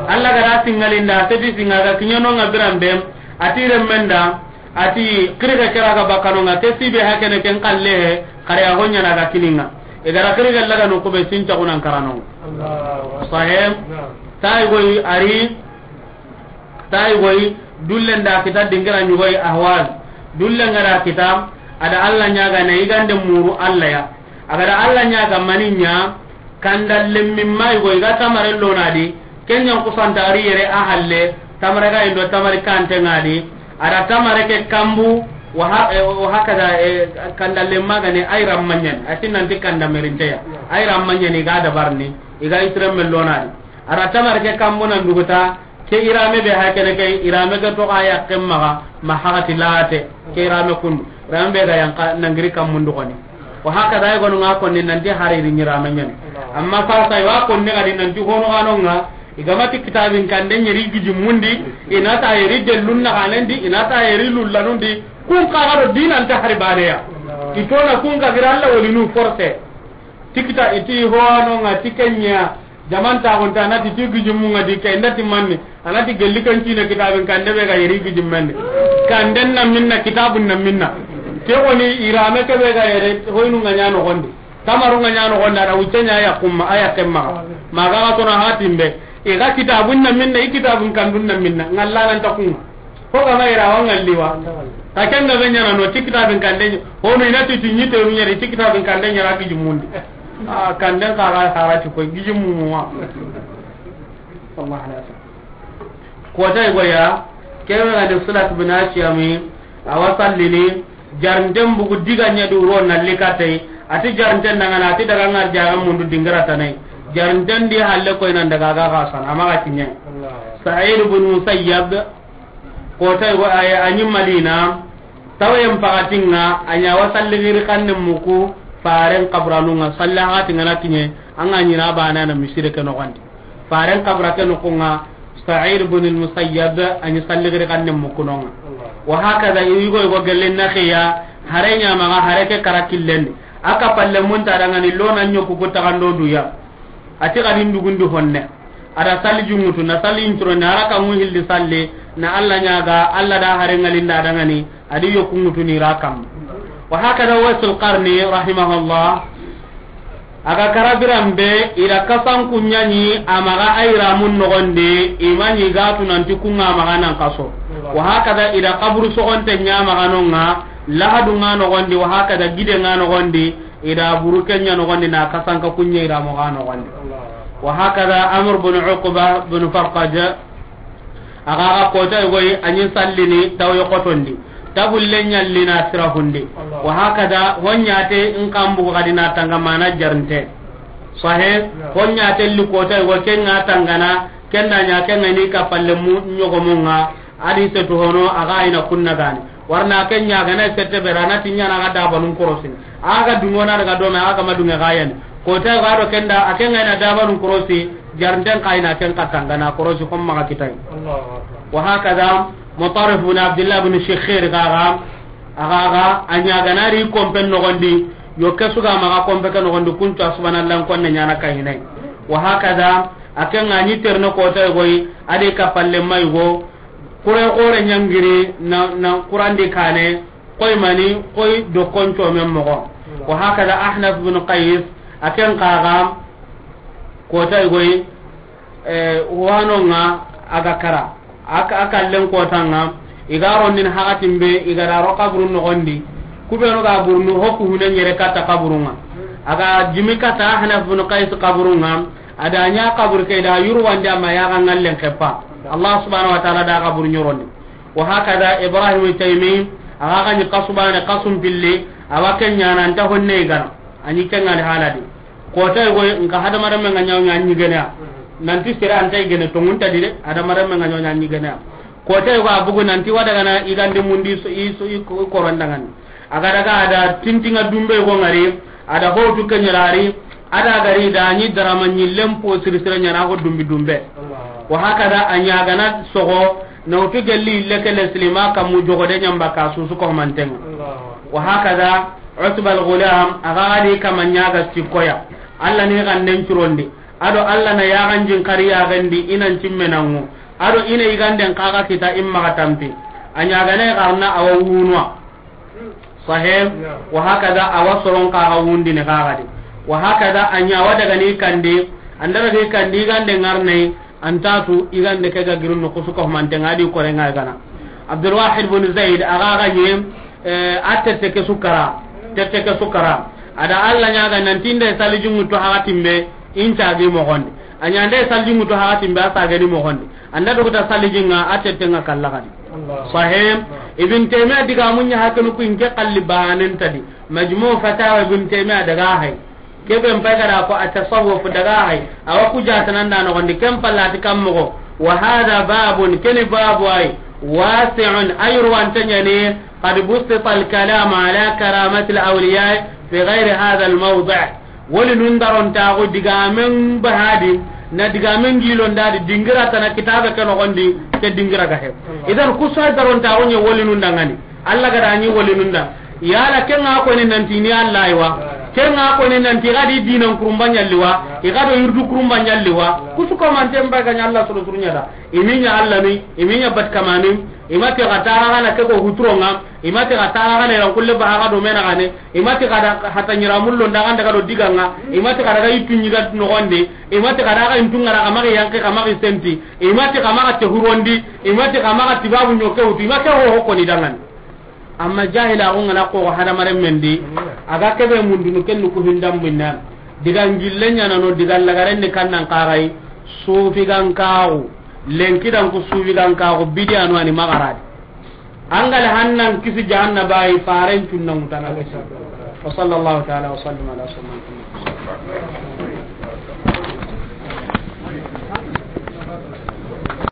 Alla ga da singalindi, a seti singa ga kiɲanonga biran bem, a ti remmen da, a ti, xirige kera ga bakkanonga, ke sibe hakene ken kalle he, xare a hoɲana ga kininga. I gara xirige laga no kube sincaxunan karanonga. Allahu Akbar. Sahem. Naam. Tayi goyi ari, tayi goyi, dullen da kita dingira ɲugoyi Ahwaz. Dullen gara kita, a da Alla ɲaga na yigande muru Alla ya. A ga da Alla ɲaga mani ɲa, kanda lemmin ma yogo i ga tamare lonadi, ken ɲan kusanta ari yere a halle, tamare ga indo tamari kante ngadi, a da tamare ke kambu, wa ha-, eh, wa hakada, eh, kanda lemma gani ay rammanyen, a ti nanti kanda merinteya, ay rammanyen i ga dabarni, i ga itiremme lonadi. A da tamare ke kambu nan duguta, Ke irame be hakene ke, irame ke to ga yaqqen maxa, ma hagati late, ke irame kundu. Irame be ga yanqa nangiri kammundu goni. Wa hakada ay gonu nga konni nanti hari ri irame ɲani. Amma sasa i wa konni gadi nanti hono ganonga, i ga ma ti kitabin kande ɲeri gijimmundi, i na ta yeri dellun na ganendi, i na ta yeri lullanundi, kun xa ga do dinanta hari baneya. I to na kun xa gira Alla wolinu forcé. Ti kita i ti hono nga ti kenya, Jaman taxunta, a na ti ti gijimmunga di ke, i nda ti manni, a na ti gelli kan cine kitabin kande be ga yeri gijimmendi. Kanden na minna, kitabun na minna. Ke woni irame ke be ga yere, hoynu nga ɲa nogondi. Tamaru nga ɲa nogondi, a da wucce ɲa ya kumma, a ya kemma. Ma ga ga tono hatimbe. I ga kitabun na minna, i kitabun kandun na minna. Ngalla nan ta kunga. Ko ga ma ira wa ngalli wa. Ka ken ga be ɲana no ti kitabin kande ɲi. Hono i na ti ti ɲi teru ɲeri ti kitabin kande ɲera gijimmundi. A kanden xara xara ti ko gijimmu wa. Wallahu ala sa. Ko tay goya. Kebe ga de Silat bin Ashyami. A wa sallini. Jarnten bugu diga ɲa du ro na likatay. A ti jarnten daga na, a ti daga ngar jaga mundu dingara tanay. Jarnten di halle koy nan daga ga ga san, ama ga kiɲe. Sa'id bin Musayyab, Kota yogo a yi, a ɲi Madina, tawayen pakatinga, a ɲa wa salli giri xanne muku, faren kaburanunga, salli hati ngana kiɲe, anga ɲina bana na misire ke nogondi. Faren kabura ke nogonga, Sa'id bin al-Musayyab, a ɲi salli giri xanne muku nonga. Wa hakada, yugo yugo gelle na xiya, hare ɲa maga, hare ke kara killendi. Aka palle munta dangani lona ɲoku ku tagando duya. A ti xadi n dugundi honne. A da salli junŋutu, na salli ncuro, na raka ŋu hilli salli, na Alla ɲaaga, Alla da hare ŋalinda dangani, a di yoku ŋutu ni ra kam. Wa hakada Waisul Qarni, rahimahullah, a ga kara biran be, i da kasan kuɲaɲi, a maxa a yiramun noxondi, i ma ɲi ga tu nanti kuŋa maxa nan kaso. Wa hakada i da kaburu soxonte ɲa maxa noŋa, lahadu ŋa noxondi, wa hakada gide ŋa noxondi, i da buru ke ɲa noxondi na kasanka kuɲe i da moxo a noxondi. Wa hakada Amr bin Uqba bin Farqad, a ga ga kota yogo yi, a ɲi sallini taw yoxotondi, tabulle ɲalli na sirahundi. Wa hakada ho ɲa te n kambu xadi na tanga mana jarnte. Sahe, ho ɲa te li kota yogo ke ŋa tangana, ken da ɲa ke ŋa ni kapalle mu ɲogomu ŋa, a di setu hono a ga ina kunna gani. Warna ke ɲa ga na sette bera na ti ɲa na ga dabanun korosini. A ga dungo na daga dome, a ga ma dunge ga yani. Kota ga do ken da, a ke ŋa ina dabanun korosi, jarnten ka ina ken katanga na korosi homma ga kitai. Wa hakada Mutarrif bin Abdullah bin Shikhir ga ga, a ga ga, a ɲa ga na ri kompen noxondi, yo ke su ga maxa kompe ke noxondi, kuncu a subhanallah konne ɲa na ka hinai. Wa hakada, a ke ŋa ɲi terno kota yogo yi, a di kapalle ma yogo, Kure xore ɲangiri na, na Qurandi kane, koy mani, koy do konco men moxo. Wa hakada Ahnaf bin Qais, a ken xa ga kota yogo yi, eh, wano ŋa a ga kara. A ka, a kallen kota ŋa, i ga rondini hakatin be, i ga da ro kaburu noxondi. Kubenu ga burunu, hoku hune ɲere kata kaburu ŋa. A ga jimi kata Ahnaf bin Qais kaburu ŋa, a da ɲa kaburu ke da yurwandi a ma ya ga ŋallen xepa. Allah subhanahu wa ta'ala da kaburu ɲorondi. Wa hakada Ibrahim Taymi, a ga ga ɲi kasu bane, kasum pilli, a wa ken ɲa na nta honne gana. A ɲi ken ŋa ni haladi. Kota yogo yi, nka hadamarenme ŋa ɲa wo ɲa ɲi gene ya. Nanti sere a nta i gene, tonŋu nta di de, hadamarenme ŋa ɲa wo ɲa ɲi gene ya. Kota yogo a bugu nanti wa daga na i gande mundi so, i so, i ko-, i korondangani. A ga daga a da tintinŋa dumbe yogo ŋari, a da hotu ke ɲa ri, a da gari da ɲi darama ɲi lempo siri sire ɲa na ko dumbi dumbe. Wa hakada a ɲa ga na soxo, na wutu gelli ille ke le silima kammu jogo de ɲamba ka susu ko mantenŋa. Wa hakada Utba al-Ghulam, a ga ga di kama ɲa ga sikkoya. Alla ni ganden curondi. A do Alla na yaxan jin kari yaxandi i nan cimme nanŋu. A do i na i ganden xa ga kita i ma ga tampi. A ɲa ga na i xarna a wa wunwa. Sahe, wa hakada a wa soron xa ga wundini xa ga di. Wa hakada a ɲa wa daga ni kandi, an da daga i kandi i gande ŋarnai, An ta tu i gande ke ga girin no kusu ko mantenŋa di kore ŋa gana. Abdul Wahid bin Zaid a ga ga ɲi, eh, a tette ke su kara, tette ke su kara. A da Alla ɲaga nanti nde salijin ŋutu hakatin be, in cagi moxondi. A ɲa nde salijin ŋutu hakatin be, a sageni moxondi. An da duguta salijin ŋa, a tette ŋa kalla xadi. Sahe, Ibn Taymiya digamun ɲa hakenu ku in ke xalli banen ta di. Majmu' Fatawa Ibn Taymiya daga hay. Kebe n pay ga da ko a tasawuf daga hay, a wa ku jatanan da noxondi, ken pallati kam moxo. Wa hada babun, keni babu ay, wasi'un, ay ruwanta ɲani, qad busita al-kalam ala karamati al-awliya fi ghayri hada al-mawdi'. Woli nun daron taxu digamen bahadi, na digamen gilon da di dingira tana kitabe ke noxondi, ke dingira ga he. Idan kusa daron taxu ɲe woli nun dangani. Alla ga da ɲi wolinun da. Yala ken ŋa ko ni nanti ni Alla yi wa. Ken ŋa ko ni nanti ga di dinan kurumba ɲalli wa. I ga do yurdu kurumba ɲalli wa. Kusu ko manten ba ga ɲa Alla soro suru ɲa da. I mi ɲa Alla ni, i mi ɲa bat kamani, i ma ti ga tara ga na ke ko huturo ŋa, i ma ti ga tara ga na ran kulle ba ga do mena ga ne, i ma ti ga da hata ɲira mullo nda ga nda ga do diga ŋa, i ma ti ga da ga itu ɲi ga noxondi, i ma ti ga da ga intu ŋara ga magi yanke ga magi senti, i ma ti ga maga te hurondi, i ma ti ga maga tibabu ɲoke hutu, i ma ke ho ho ko ni dangani. Amma jahila ko ngana ko hadamaren mendi, a ga kebe mundunu ken ku hindam binna. Diga ngille ɲana no, diga lagaren ni kannan kagai, sufi gan kaxu, lenki dan ku sufi gan kaxu, bidiya no ani magaradi. Angale hannan kisi jahannaba yi faren cunna mutana kisi. Wa sallallahu ta'ala wa sallam ala sayyidina Muhammad.